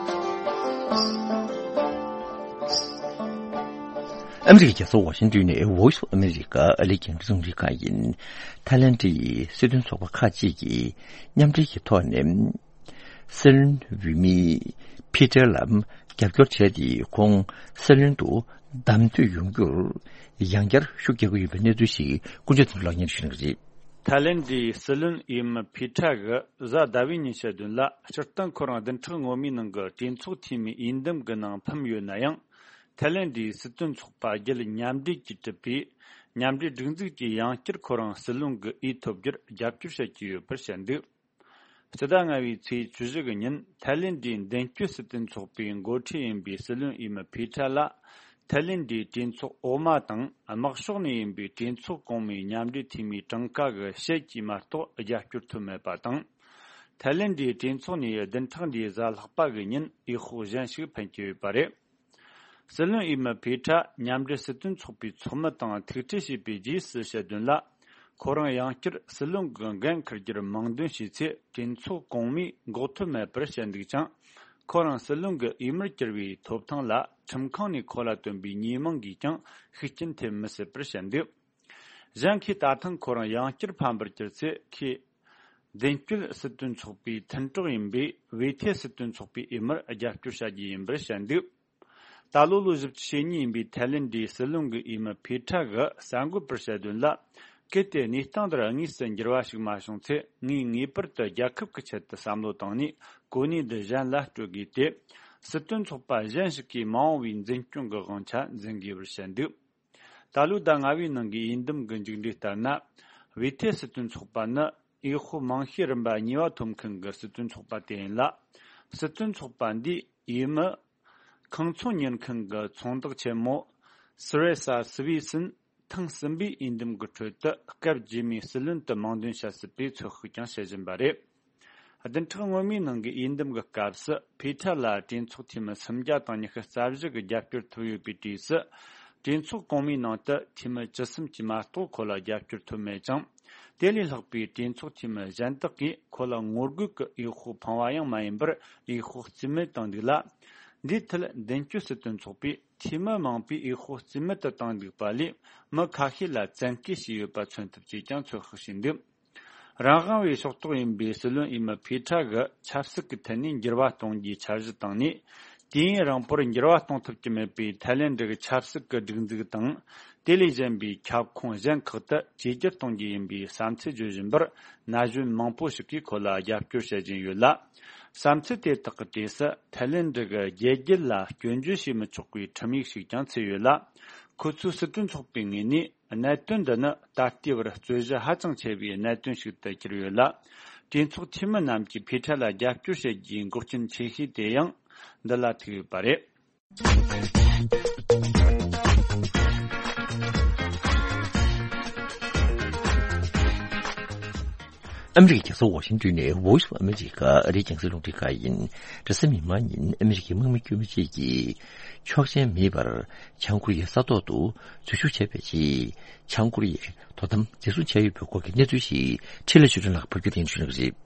ཨ་མི་རི་ཀའི་རྒྱལ་ས་ཝ་ཤིང་ཏོན་ནས་Voice of America ཨ་རིའི་རྒྱང་སྲིང་རླུང་འཕྲིན་ཁང་ཡིན། ཐའི་ལེན་ཌིའི་སྲིད་དོན་ཚོགས་པ་ཁག་ཅིག་གིས་མཉམ་འབྲེལ་གྱི་ཐོག་ནས། སྲིད་བློན་འོས་མི་ཕི་ཏྲ་ལ་རྒྱབ་སྐྱོར་བྱས་ཏེ། ཁོང་སྲིད་བློན་དུ་བདམས་ཐོན་ཡོང་རྒྱུར་ཡང་བསྐྱར་ཤུགས་རྒྱག་གི་ཡོད་པའི་གནས་ཚུལ་ཞིག་ཀུན་གྱིས་ཐུགས་ལ་ཉར་ཞུ་གནང་གི་རེད། ཐའི་ལེན་ཌིའི་སྲིད་བློན་འོས་མི་ཕི་ཏྲ་གིས་གཟའ་ཟླ་བའི་ཉིན་ཞག་བདུན་ལ་སྤྱིར་བཏང་ཁོ་རང་བདུན་ཕྲག་སྔོན་མའི་ནང་གི་གྲོས་ཚོགས་འཐུས་མིའི་འོས་འདེམས་ཀྱི་ནང་ཕམ་ཡོད་ན་ཡང་། ཐའི་ལེན་ཌིའི་སྲིད་དོན་ཚོགས་པ་བརྒྱུད་མཉམ་འབྲེལ་གྱིས་གྲུབ་པའི་མཉམ་འབྲེལ་སྒྲིག་འཛུགས་ཀྱིས་ཡང་བསྐྱར་ཁོ་རང་སྲིད་བློན་གྱི་འོས་ཐོབ་རྒྱུར་རྒྱབ་སྐྱོར་བྱེད་ཀྱི་ཡོད་པར་བཤད་འདུག་སྤྱི་ཟླ་ལྔ་པའི་ཚེས་བཅུ་བཞི་གི་ཉིན་ཐའི་ལེན་ཌིའི་མདུན་སྐྱོད་སྲིད་དོན་ཚོགས་པའི་འགོ་ཁྲིད་ཡིན་པའི་སྲིད་བློན་འོས་མི་ཕི་ཏྲ་ལ། ཐའི་ལེན་ཌིའི་གྲོས་ཚོགས་འོག་མ་དང་དམག་ཕྱོགས་ནས་ཡིན་པའི་གྲོས་ཚོགས་གོང་མའི་མཉམ་འབྲེལ་འཐུས་མིའི་གྲངས་ཀ་གི་ཕྱེད་ཀྱིས་མ་གཏོགས་རྒྱབ་སྐྱོར་ཐོབ་མེད་པ་དང་། ཐའི་ལེན་ཌིའི་གྲོས་ཚོགས་ནས་བདུན་ཕྲག་འདིའི་གཟའ་ལྷག་པ་གི་ཉིན་འོས་ཤོག་གཞན་ཞིག་འཕེན་གྱི་ཡོད་པ་རེད། སྲིད་བློན་འོས་མི་ཕི་ཏྲ་མཉམ་འབྲེལ་སྲིད་དོན་ཚོགས་པའི་ཚོགས་མི་དང་ཐུག་འཕྲད་བྱས་པའི་རྗེས་སུ་ཞུ་དོན་ལ། ཁོ་རང་ཡང་བསྐྱར་སྲིད་བློན་གྱི་འགན་འཁུར་རྒྱུར་དམངས་འདོན་བྱས་ཚེ་གྲོས་ཚོགས་གོང་མས་འགོག་ཐབས་མེད་པར་བཤད་འདུག་ཀྱང་། ཁོ་རང་སྲིད་བློན་གྱི་འོས་མིར་གྱུར་བའི་ཐོབ་ཐང་ལ་ཁྲིམས་ཁང་ནས་ཁོ་ལ་བཏོན་པའི་ཉེས་མིང་གིས་ཀྱང་ཤུགས་རྐྱེན་ཐེབས་མི་སྲིད་པར་བཤད་འདུག་གཞན་ཁོས་ད་ཐེངས་ཁོ་རང་ཡང་བསྐྱར་ཕམ་པར་གྱུར་ཚེ་ཁོས། མདུན་སྐྱོད་སྲིད་དོན་ཚོགས་པའི་མཐུན་གྲོགས་ཡིན་པའི་ཝེ་ཐེ་སྲིད་དོན་ཚོགས་པའི་འོས་མིར་རྒྱབ་སྐྱོར་བྱ་རྒྱུ་ཡིན་པར་བཤད་འདུག་ད་ལོ་ལོ་བཞི་བཅུ་ཞེ་གཉིས་ཡིན་པའི་ཐའི་ལེན་ཌིའི་སྲིད་བློན་གྱི་འོས་མི་ཕི་ཏྲ་གིས་གསར་འགོད་པར་བཤད་དོན་ལ། གལ་ཏེ་གནས་སྟངས་འདིར་དངོས་སུ་འགྱུར་བ་ཞིག་མ་བྱུང་ཚེ། ངས་ངེས་པར་དུ་རྒྱལ་ཁབ་ཀྱི་ཆེད་དུ་བསམ་བློ་བཏང་ནས་གོ་གནས་འདི་གཞན་ལ་སྤྲོད་དགོས་ཏེ། སྲིད་དོན་ཚོགས་པ་གཞན་ཞིག་གིས་མ་འོངས་པའི་འཛིན་སྐྱོང་གི་དབང་ཆ་འཛིན་དགོས་པར་བཤད་འདུག་ད་ལོའི་ཟླ་ལྔ་པའི་ནང་གི་འོས་འདེམས་ཀྱི་མཇུག་འབྲས་ལྟར་ན། ཝེ་ཐེ་སྲིད་དོན་ཚོགས་པ་ནི་འོས་ཤོག་མང་ཤོས་རིམ་པ་གཉིས་པ་ཐོབ་མཁན་གྱི་སྲིད་དོན་ཚོགས་པ་དེ་ཡིན་ལ། སྲིད་དོན་ཚོགས་པ་འདིའི་འོས་མི་ཁང་ཚོང་གཉེར་མཁན་གྱི་ཚོང་བདག་ཆེན་མོ་སི་རེ་ས་སི་ཝི་སིན་ཐེངས་གསུམ་པའི་འོས་འདེམས་ཀྱི་ཁྲོད་དུ་སྐབས་རྗེས་མའི་སྲིད་བློན་དུ་མིང་འདོན་བྱ་སྲིད་པའི་ཚོད་དཔག་ཀྱང་བྱེད་བཞིན་པ་རེད། བདུན་ཕྲག་སྔོན་མའི་ནང་གི་འོས་འདེམས་ཀྱི་སྐབས་སུ་ཕི་ཏྲ་ལ་གྲོས་ཚོགས་འཐུས་མི་སུམ་བརྒྱ་དང་ཉི་ཤུ་རྩ་བཞི་གིས་རྒྱབ་སྐྱོར་ཐོབ་ཡོད་པའི་གྲས་སུ། གྲོས་ཚོགས་གོང་མའི་ནང་དུ་འཐུས་མི་བཅུ་གསུམ་གྱིས་མ་གཏོགས་ཁོ་ལ་རྒྱབ་སྐྱོར་ཐོབ་མེད་ཅིང་ དེ་ལས་ལྷག་པའི་གྲོས་ཚོགས་འཐུས་མི་གཞན་དག་གིས་ཁོ་ལ་ངོ་རྒོལ་གྱི་འོས་ཤོག་འཕངས་པ་ཡང་མ་ཡིན་པར། འོས་ཤོག་རྩིས་མེད་བཏང་འདུག་ལ། འདིའི་ཐད་མདུན་སྐྱོད་སྲིད་དོན་ཚོགས་པས་འཐུས་མི་མང་པོས་འོས་ཤོག་རྩིས་མེད་དུ་བཏང་འདུག་པ་ལས། མི་ཁ་ཤས་ལ་བཙན་འགེལ་བྱས་ཡོད་པ་མཚོན་ཐུབ་ཅེས་ཀྱང་ཚོད་དཔག་བྱས་འདུག། རང་དབང་བའི་ཕྱོགས་གཏོགས་ཡིན་པའི་སྲིད་བློན་འོས་མི་ཕི་ཁྲ་གིས་ཆབ་སྲིད་ཀྱི་ཐད་ནས་འགྱུར་བ་གཏོང་རྒྱུའི་འཆར་གཞི་བཏིང་ནས། དུས་ཡུན་རིང་པོར་འགྱུར་བ་གཏོང་ཐུབ་ཀྱི་མེད་པའི་ཐའི་ལེན་ཌི་གི་ཆབ་སྲིད་ཀྱི་སྒྲིག་འཛུགས་དང་། དེ་ལས་གཞན་པའི་ཁྱབ་ཁོངས་གཞན་ཁག་ཏུ་བཅོས་བསྒྱུར་གཏོང་རྒྱུ་ཡིན་པའི་བསམ་ཚུལ་བརྗོད་བཞིན་པར། ན་གཞོན་མང་པོ་ཞིག་གིས་ཁོ་ལ་རྒྱབ་སྐྱོར་བྱེད་བཞིན་ཡོད་ལ། བསམ་ཚུལ་དེ་དག་གི་གྲས་སུ་ཐའི་ལེན་ཌི་གི་རྒྱལ་རྒྱུད་ལ་སྐྱོན་བརྗོད་བྱེད་མི་ཆོག་པའི་ཁྲིམས་ཡིག་ཞིག་ཀྱང་ཚུད་ཡོད་ལ། ཁོ་ཚོའི་སྲིད་དོན་ཚོགས་པའི་ངོས་ནས། གནད་དོན་འདི་ནི་ད་ལྟའི་བར་རྩོད་གཞི་ཧ་ཅང་ཆེ་བའི་གནད་དོན་ཞིག་ཏུ་གྱུར་ཡོད་ལ། གྲོས་ཚོགས་འཐུས་མི་རྣམས་ཀྱིས་ཕི་ཁྲ་ལ་རྒྱབ་སྐྱོར་བྱེད་རྒྱུའི་འགོག་རྐྱེན་ཆེ་ཤོས་དེ་ཡང་འདི་ལ་ཐུག་ཡོད་པ་རེད། ཨ་མི་རི་ཀའི་རྒྱལ་ས་ཝ་ཤིང་ཏོན་ནས་Voice of America ཨ་རིའི་རྒྱང་སྲིང་རླུང་འཕྲིན་ཁང་ཡིན། རེས་གཟའ་མིག་དམར་ཉིན་ཨ་མི་རི་ཀའི་དམག་མི་དཀྱུས་མ་གཅིག་གིས་ཆོག་མཆན་མེད་པར་བྱང་ཀོ་རི་ཡའི་ས་ཐོག་ཏུ་འཛུལ་ཞུགས་བྱས་པའི་རྗེས། བྱང་ཀོ་རི་ཡས་དོ་དམ་འཛིན་བཟུང་བྱས་ཡོད་པའི་སྐོར་གྱི་གནས་ཚུལ་ཞིག་འཕྲིན་ལས་ཆོས་སྒྲོན་ལགས་ཕབ་སྒྱུར་ལེན་ཞུ་གནང་གི་རེད།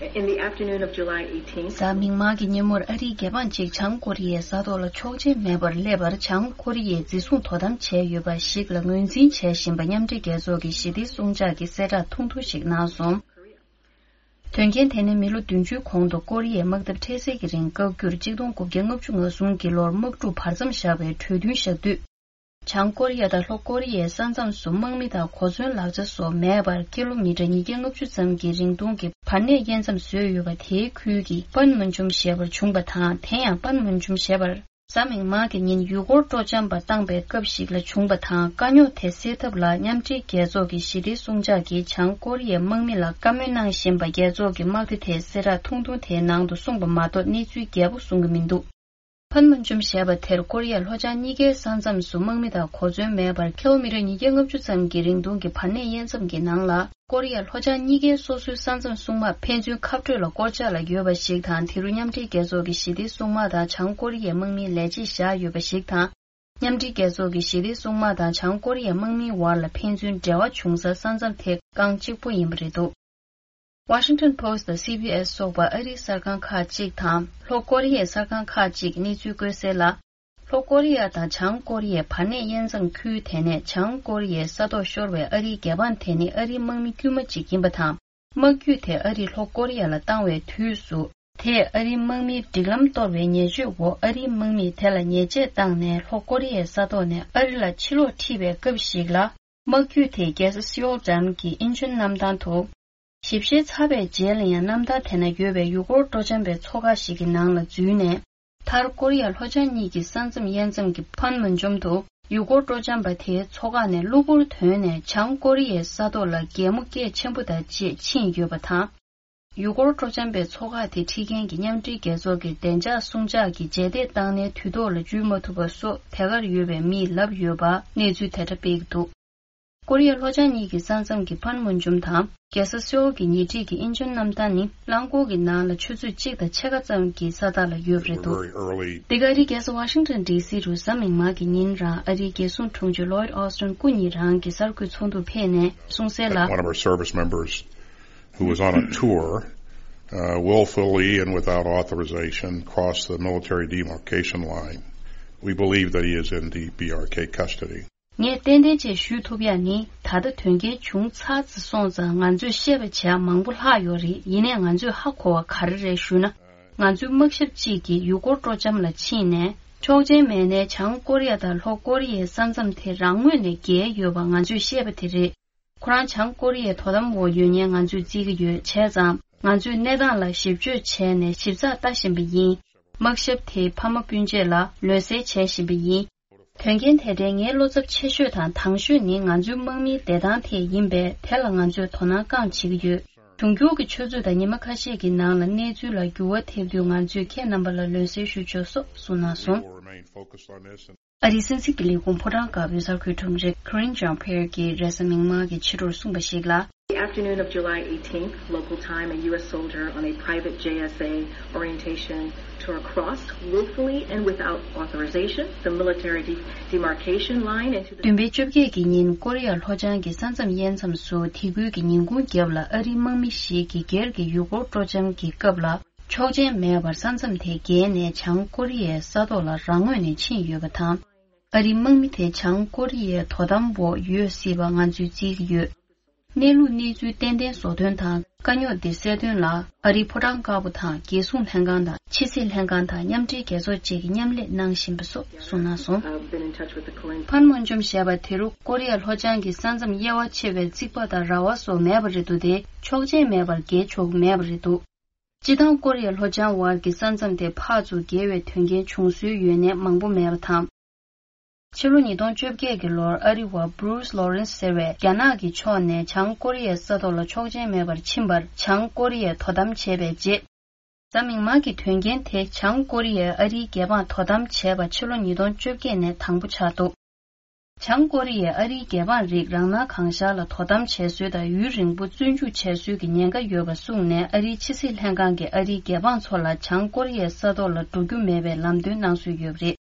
In the afternoon of July eighteenth, གཟའ་མིག་དམར་གྱི་ཉིན་མོར་ཨ་རིའི་རྒྱལ་འབངས་གཅིག་བྱང་ཀོ་རི་ཡའི་ས་ཐོག་ལ་ཆོག་མཆན་མེད་པར་སླེབས་པར་བྱང་ཀོ་རི་ཡས་འཛིན་བཟུང་དོ་དམ་བྱས་ཡོད་པ་ཞིག་ལ་ངོས་འཛིན་བྱས་བཞིན་པ་མཉམ་འབྲེལ་རྒྱལ་ཚོགས་ཀྱི་ཞི་བདེའི་སྲུང་བྱག་གིས་གསལ་བསྒྲགས་ཐུང་ཐུང་ཞིག་གནང་སོང་། དོན་རྐྱེན་དེ་ནི་མི་ལོ་བདུན་ཅུའི་གོང་དུ་ཀོ་རི་ཡའི་དམག་འཐབ་འཕྲལ་སེལ་གྱི་རིང་བཀག་རྒྱུར་གཅིག་སྟོང་དགུ་བརྒྱ་ལྔ་བཅུ་ང་གསུམ་གྱི་ལོར་དམག་འཁྲུག་བར་མཚམས་བཞག་པའི་གྲོས་མཐུན་བཞག་དུས། བྱང་ཀོ་རི་ཡ་དང་ལྷོ་ཀོ་རི་ཡའི་ས་མཚམས་སུ་དམག་མི་དང་གོ་མཚོན་ལག་ཆ་སོགས་མེད་པར་ཀི་ལོ་མི་ཊར་ཉིས་བརྒྱ་ལྔ་བཅུ་ཙམ་གྱི་རིང་ཐུང་གི་བར་གནས་དབྱེ་མཚམས་བཟོས་ཡོད་པ། དེའི་ཁུལ་གྱི་པན་མུན་ཇུམ་ཞེས་པར་བྱུང་བ་དང་། དེ་ཡང་པན་མུན་ཇུམ་ཞེས་པར། གཟའ་མིག་དམར་གྱི་ཉིན་ཡུལ་སྐོར་སྤྲོ་འཆམ་པ་བཏང་པའི་སྐབས་ཤིག་ལ་བྱུང་བ་དང་། དཀའ་རྙོག་དེ་སེལ་ཐབས་ལ་མཉམ་འབྲེལ་རྒྱལ་ཚོགས་ཀྱི་ཞི་བདེའི་སྲུང་བྱག་གིས་བྱང་ཀོ་རི་ཡའི་དམག་མི་ལ་བཀའ་མོལ་གནང་བཞིན་པ་རྒྱལ་ཚོགས་ཀྱི་དམག་སྡེ་དེས་གསལ་བསྒྲགས་ཐུང་ཐུང་དེའི་ནང་དུ་གསུངས་པ་མ་གཏོགས་གནས་ཚུལ་རྒྱས་པོ་གསུང་གི་མི་འདུག། པན་མུན་ཇུམ་ཞེས་པ་དེར་ཀོ་རི་ཡ་ལྷོ་བྱང་གཉིས་ཀའི་ས་མཚམས་སུ་དམག་མི་དང་གོ་མཚོན་མེད་པར་ཀི་ལོ་མི་ཊར་ཉིས་བརྒྱ་ལྔ་བཅུ་ཙམ་གྱི་རིང་ཐུང་གི་བར་གནས་དབྱེ་མཚམས་ཀྱི་ནང་ལ། ཀོ་རི་ཡ་ལྷོ་བྱང་གཉིས་ཀའི་སོ་སོའི་ས་མཚམས་སྲུང་དམག་ཕན་ཚུན་ཁ་སྤྲོད་ལ་བསྐོར་འཇགས་ལ་ཡོད་པ་ཞིག་དང་། དེ་རུ་མཉམ་འབྲེལ་རྒྱལ་ཚོགས་ཀྱི་ཞི་བདེའི་སྲུང་དམག་དང་བྱང་ཀོ་རི་ཡའི་དམག་མིའི་ལས་བྱེད་བཞག་ཡོད་པ་ཞིག་དང་། མཉམ་འབྲེལ་རྒྱལ་ཚོགས་ཀྱི་ཞི་བདེའི་སྲུང་དམག་དང་བྱང་ཀོ་རི་ཡའི་དམག་མིའི་བར་ལ་ཕན་ཚུན་འབྲེལ་བ་བྱུང་སའི་ས་མཚམས་དེ་རྐང་གཅིག་པོ་ཡིན་པ་རེད་འདུག། Washington Post དང་སི་བྷི་ཨེས་སོགས་པ་ཨ་རིའི་གསར་ཁང་ཁག་ཅིག་དང་ལྷོ་ཀོ་རི་ཡའི་གསར་ཁང་ཁག་ཅིག་གནས་ཚུལ་བཀོད་གསལ་ལ། ལྷོ་ཀོ་རི་ཡ་དང་བྱང་ཀོ་རི་ཡའི་བར་གནས་དབྱེ་མཚམས་ཁུལ་དེ་ནས་བྱང་ཀོ་རི་ཡའི་ས་ཐོག་ཤོར་བའི་ཨ་རིའི་རྒྱལ་འབངས་དེ་ནི་ཨ་རིའི་དམག་མི་དཀྱུས་མ་གཅིག་ཡིན་པ་དང་། དམག་རྒྱུད་དེ་ཨ་རིས་ལྷོ་ཀོ་རི་ཡ་ལ་བཏང་བའི་དུས་སུ། དེས་ཨ་རིའི་དམག་མིའི་སྒྲིག་ལམ་གཏོར་བའི་ཉེས་སྤྱོད་འོག་ཨ་རིའི་དམག་མིས་དེ་ལ་ཉེས་ཆད་བཏང་ནས་ལྷོ་ཀོ་རི་ཡའི་ས་ཐོག་ནས་ཨ་རི་ལ་ཕྱིར་ལོག་ཁྲིད་པའི་སྐབས་ཤིག་ལ། དམག་རྒྱུད་དེས་རྒྱལ་ས་སེའོལ་འགྲམ་གྱི་ཨིན་ཆོན་གནམ་ཐང་དུ། ཞིབ་བཤེར་ཚར་བའི་རྗེས་ལ་ཡང་གནམ་ཐང་དེ་ན་ཡོད་པའི་ཡུལ་སྐོར་སྤྲོ་འཆམ་པའི་ཚོགས་ཁག་ཞིག་གི་ནང་ལ་འཛུལ་ནས། མཐར་ཀོ་རི་ཡ་ལྷོ་བྱང་གཉིས་ཀྱི་ས་མཚམས་དབྱེ་མཚམས་ཀྱི་ཕན་མུན་ཇོམ་དུ་ཡུལ་སྐོར་སྤྲོ་འཆམ་པ་དེའི་ཚོགས་ཁག་ནས་གློ་བུར་ཐོན་ནས་བྱང་ཀོ་རི་ཡའི་ས་ཐོག་ལ་གད་མོ་སྐད་ཆེན་པོ་དང་བཅས་ཕྱིན་ཡོད་པ་དང་། ཡུལ་སྐོར་སྤྲོ་འཆམ་པའི་ཚོགས་ཁག་དེ་ཁྲིད་མཁན་གྱི་མཉམ་འབྲེལ་རྒྱལ་ཚོགས་ཀྱི་བདེ་འཇགས་སྲུང་བྱག་གིས་རྗེས་འདེད་བཏང་ནས་དུས་ཐོག་ལ་འཇུས་མ་ཐུབ་པ་སོགས་དེ་གར་ཡོད་པའི་མིས་ལབ་ཡོད་པ་གནས་ཚུལ་དེ་འདྲ་སྤེལ་གྱི་འདུག། ཀོ་རི་ཡ་ལྷོ་བྱང་གཉིས་ཀྱི་ས་མཚམས་ཀྱི་ཕན་མུན་ཇོམ་དང་རྒྱལ་ས་སེའོལ་གྱི་ཉེ་འཁྲིས་ཀྱི་ཨིན་ཆོན་གནམ་ཐང་ནི་རླངས་འཁོར་གྱི་ནང་ལ་ཆུ་ཚོད་གཅིག་དང་ཕྱེད་ཀ་ཙམ་གྱི་ས་ཐག་ལ་ཡོད་པ་རེད་འདུག། འདི་ག་རི་རྒྱལ་ས་ཝ་ཤིང་ཊོན་ཌི་སི་རུ་གཟའ་མིག་དམར་གྱི་ཉིན་རང་ཨ་རིའི་རྒྱལ་སྲུང་དྲུང་ཆེ་ལོའིད་ཨོ་སི་ཊོན་སྐུ་ཉིད་རང་གི་གསར་འགོད་ཚོགས་འདུར་ཕེབས་ནས་གསུངས་གསལ་ལ། One of our service members who was on a tour, uh, willfully and without authorization crossed the military demarcation line. We believe that he is in the B R K custody. ངས་ཏན་ཏན་བཅས་ཞུ་ཐུབ་ཡག་ནི། ད་ལྟ་དོན་རྐྱེན་བྱུང་ཚར་ཙམ་སོང་ཙང་ང་ཚོས་བཤད་པ་བྱས་མང་པོ་ལྷག་ཡོད་རེད། ཡིན་ནའི་ང་ཚོས་ཧ་གོ་བ་ག་རེ་རེད་ཞུ་ན། ང་ཚོའི་དམག་ཞབས་གཅིག་གིས་ཡུལ་སྐོར་སྤྲོ་འཆམ་ལ་ཕྱིན་ནས་ཆོག་མཆན་མེད་ནའི་བྱང་ཀོ་རི་ཡ་དང་ལྷོ་ཀོ་རི་ཡའི་ས་མཚམས་དེ་རང་ངོས་ནས་བརྒལ་ཡོད་པ་ང་ཚོས་བཤད་པ་དེ་རེད། ཁོ་རང་བྱང་ཀོ་རི་ཡའི་དོ་དམ་འོག་ཡོད་ཉེན་ང་ཚོས་བརྩི་གི་ཡོད། བྱས་ཙང་ང་ཚོས་གནས་སྟངས་ལ་ཞིབ་དཔྱོད་བྱས་ནས་ཞིབ་ཚགས་ལྟ་བཞིན་པ་ཡིན། དམག་ཞབས་དེའི་ཕ་མ་སྤུན་མཆེད་ལ་ལུས་གསེར་བྱས་བཞིན་པ་ཡིན། དོན་རྐྱེན་དེ་འདྲའི་ངའི་བློ་འཚབ་ཆེ་ཤོས་དང་དྭངས་ཤོས་ནི་ང་ཚོའི་དམག་མིའི་བདེ་ཐང་དེ་ཡིན་པས། དེ་ལ་ང་ཚོས་དོ་སྣང་གང་བྱེད་ཀྱི་ཡོད། འབྱུང་འགྱུར་གྱི་ཆུ་ཚོད་དང་ཉི་མ་ཁ་ཤས་ཀྱི་ནང་ལ་གནས་ཚུལ་ལ་འགྱུར་བ་ཐེབས་དུས་ང་ཚོས་ཁྱེད་རྣམ་པ་ལ་ལུས་གསེར་ཞུ་ཆོག་སོགས་གསུངས་གནང་སོང་། ཨ་རིའི་སྲིད་འཛིན་གྱི་ལས་ཁུངས་ཕོ་བྲང་དཀར་པོའི་གསར་འགོད་དྲུང་རིགས་Karine Jean-Pierre གྱིས་རེས་གཟའ་མིག་དམར་གྱི་ཕྱི་དྲོར་གསུངས་པ་ཞིག་ལ། The afternoon of July eighteenth, local time, a U S soldier on a private J S A orientation tour crossed willfully and without authorization the military de- demarcation line into the བདུན་པའི་བཅོ་བརྒྱད་ཀྱི་ཉིན་ཀོ་རི་ཡ་ལྷོ་བྱང་གི་ས་མཚམས་དབྱེ་མཚམས་སུ་དེ་ཁུལ་གྱི་ཉིན་གུང་རྒྱབ་ལ་ཨ་རིའི་དམག་མི་ཞིག་གིས་སྒེར་གྱི་ཡུལ་སྐོར་སྤྲོ་འཆམ་གྱི་སྐབས་ལ་ཆོག་མཆན་མེད་པར་ས་མཚམས་དེ་བརྒལ་ནས་བྱང་ཀོ་རི་ཡའི་ས་ཐོག་ལ་རང་ངོས་ནས་ཕྱིན་ཡོད་པ་དང་། ཨ་རིའི་དམག་མི་དེ་བྱང་ཀོ་རི་ཡའི་དོ་དམ་འོག་ཡོད་སྲིད་པ་ང་ཚོས་བརྩི་གི་ཡོད། གནས་ལུགས་གནས་ཚུལ་ཏན་ཏན་བཟོ་དོན་དང་དཀའ་རྙོག་འདི་སེལ་དོན་ལ་ཨ་རིའི་ཕོ་བྲང་དཀར་པོ་དང་རྒྱལ་སྲུང་ལྷན་ཁང་དང་ཕྱི་སྲིད་ལྷན་ཁང་དང་མཉམ་འབྲེལ་རྒྱལ་ཚོགས་བཅས་ཀྱིས་མཉམ་ལས་གནང་བཞིན་པ་སོགས་གསུངས་གནང་སོང་། ཕན་མོན་ཇོམ་ཞེས་པ་དེ་རུ་ཀོ་རི་ཡ་ལྷོ་བྱང་གི་ས་མཚམས་དབྱེ་བ་ཕྱེ་བའི་རྩིག་པ་དང་ར་བ་སོགས་མེད་པ་རེད་འདུག་སྟེ་ཆོག་མཆན་མེད་པར་བརྒལ་ཆོག་གི་མེད་པ་རེད་འདུག་སྤྱི་བཏང་ཀོ་རི་ཡ་ལྷོ་བྱང་བར་གྱི་ས་མཚམས་དེ་ཕར་ཚུར་བརྒལ་བའི་དོན་རྐྱེན་བྱུང་སྲོལ་ཡོད་གནས་མང་པོ་མེད་པ་དང་། ཕྱི་ལོ་ཉིས་སྟོང་བཅོ་བརྒྱད་ཀྱི་ལོར་ཨ་རི་བ་Bruce Lawrence་ཟེར་བས་རྒྱ་ནག་གི་ཕྱོགས་ནས་བྱང་ཀོ་རི་ཡའི་ས་ཐོག་ལ་ཆོག་མཆན་མེད་པར་ཕྱིན་པར་བྱང་ཀོ་རི་ཡས་དོ་དམ་བྱས་པའི་རྗེས། གཟའ་མིག་དམར་གྱི་དོན་རྐྱེན་དེ་བྱང་ཀོ་རི་ཡས་ཨ་རིའི་རྒྱལ་འབངས་དོ་དམ་བྱས་པ་ཕྱི་ལོ་ཉིས་སྟོང་བཅོ་བརྒྱད་ནས་དང་པོ་ཆགས་འདུག་བྱང་ཀོ་རི་ཡས་ཨ་རིའི་རྒྱལ་འབངས་རིགས་རང་སྣང་གང་ཤར་ལ་དོ་དམ་བྱས་སྲོལ་དང་ཡུན་རིང་པོ་བཙོན་འཇུག་བྱས་སྲོལ་གྱི་ཉེན་ཁ་ཡོད་པ་གསུངས་ནས་ཨ་རིའི་ཕྱི་སྲིད་ལྷན་ཁང་གིས་ཨ་རིའི་རྒྱལ་འབངས་ཚོ་ལ་བྱང་ཀོ་རི་ཡའི་ས་ཐོག་ལ་འགྲོ་རྒྱུ་མེད་པའི་ལམ་སྟོན་གནང་སྲོལ་ཡོད་པ་རེད།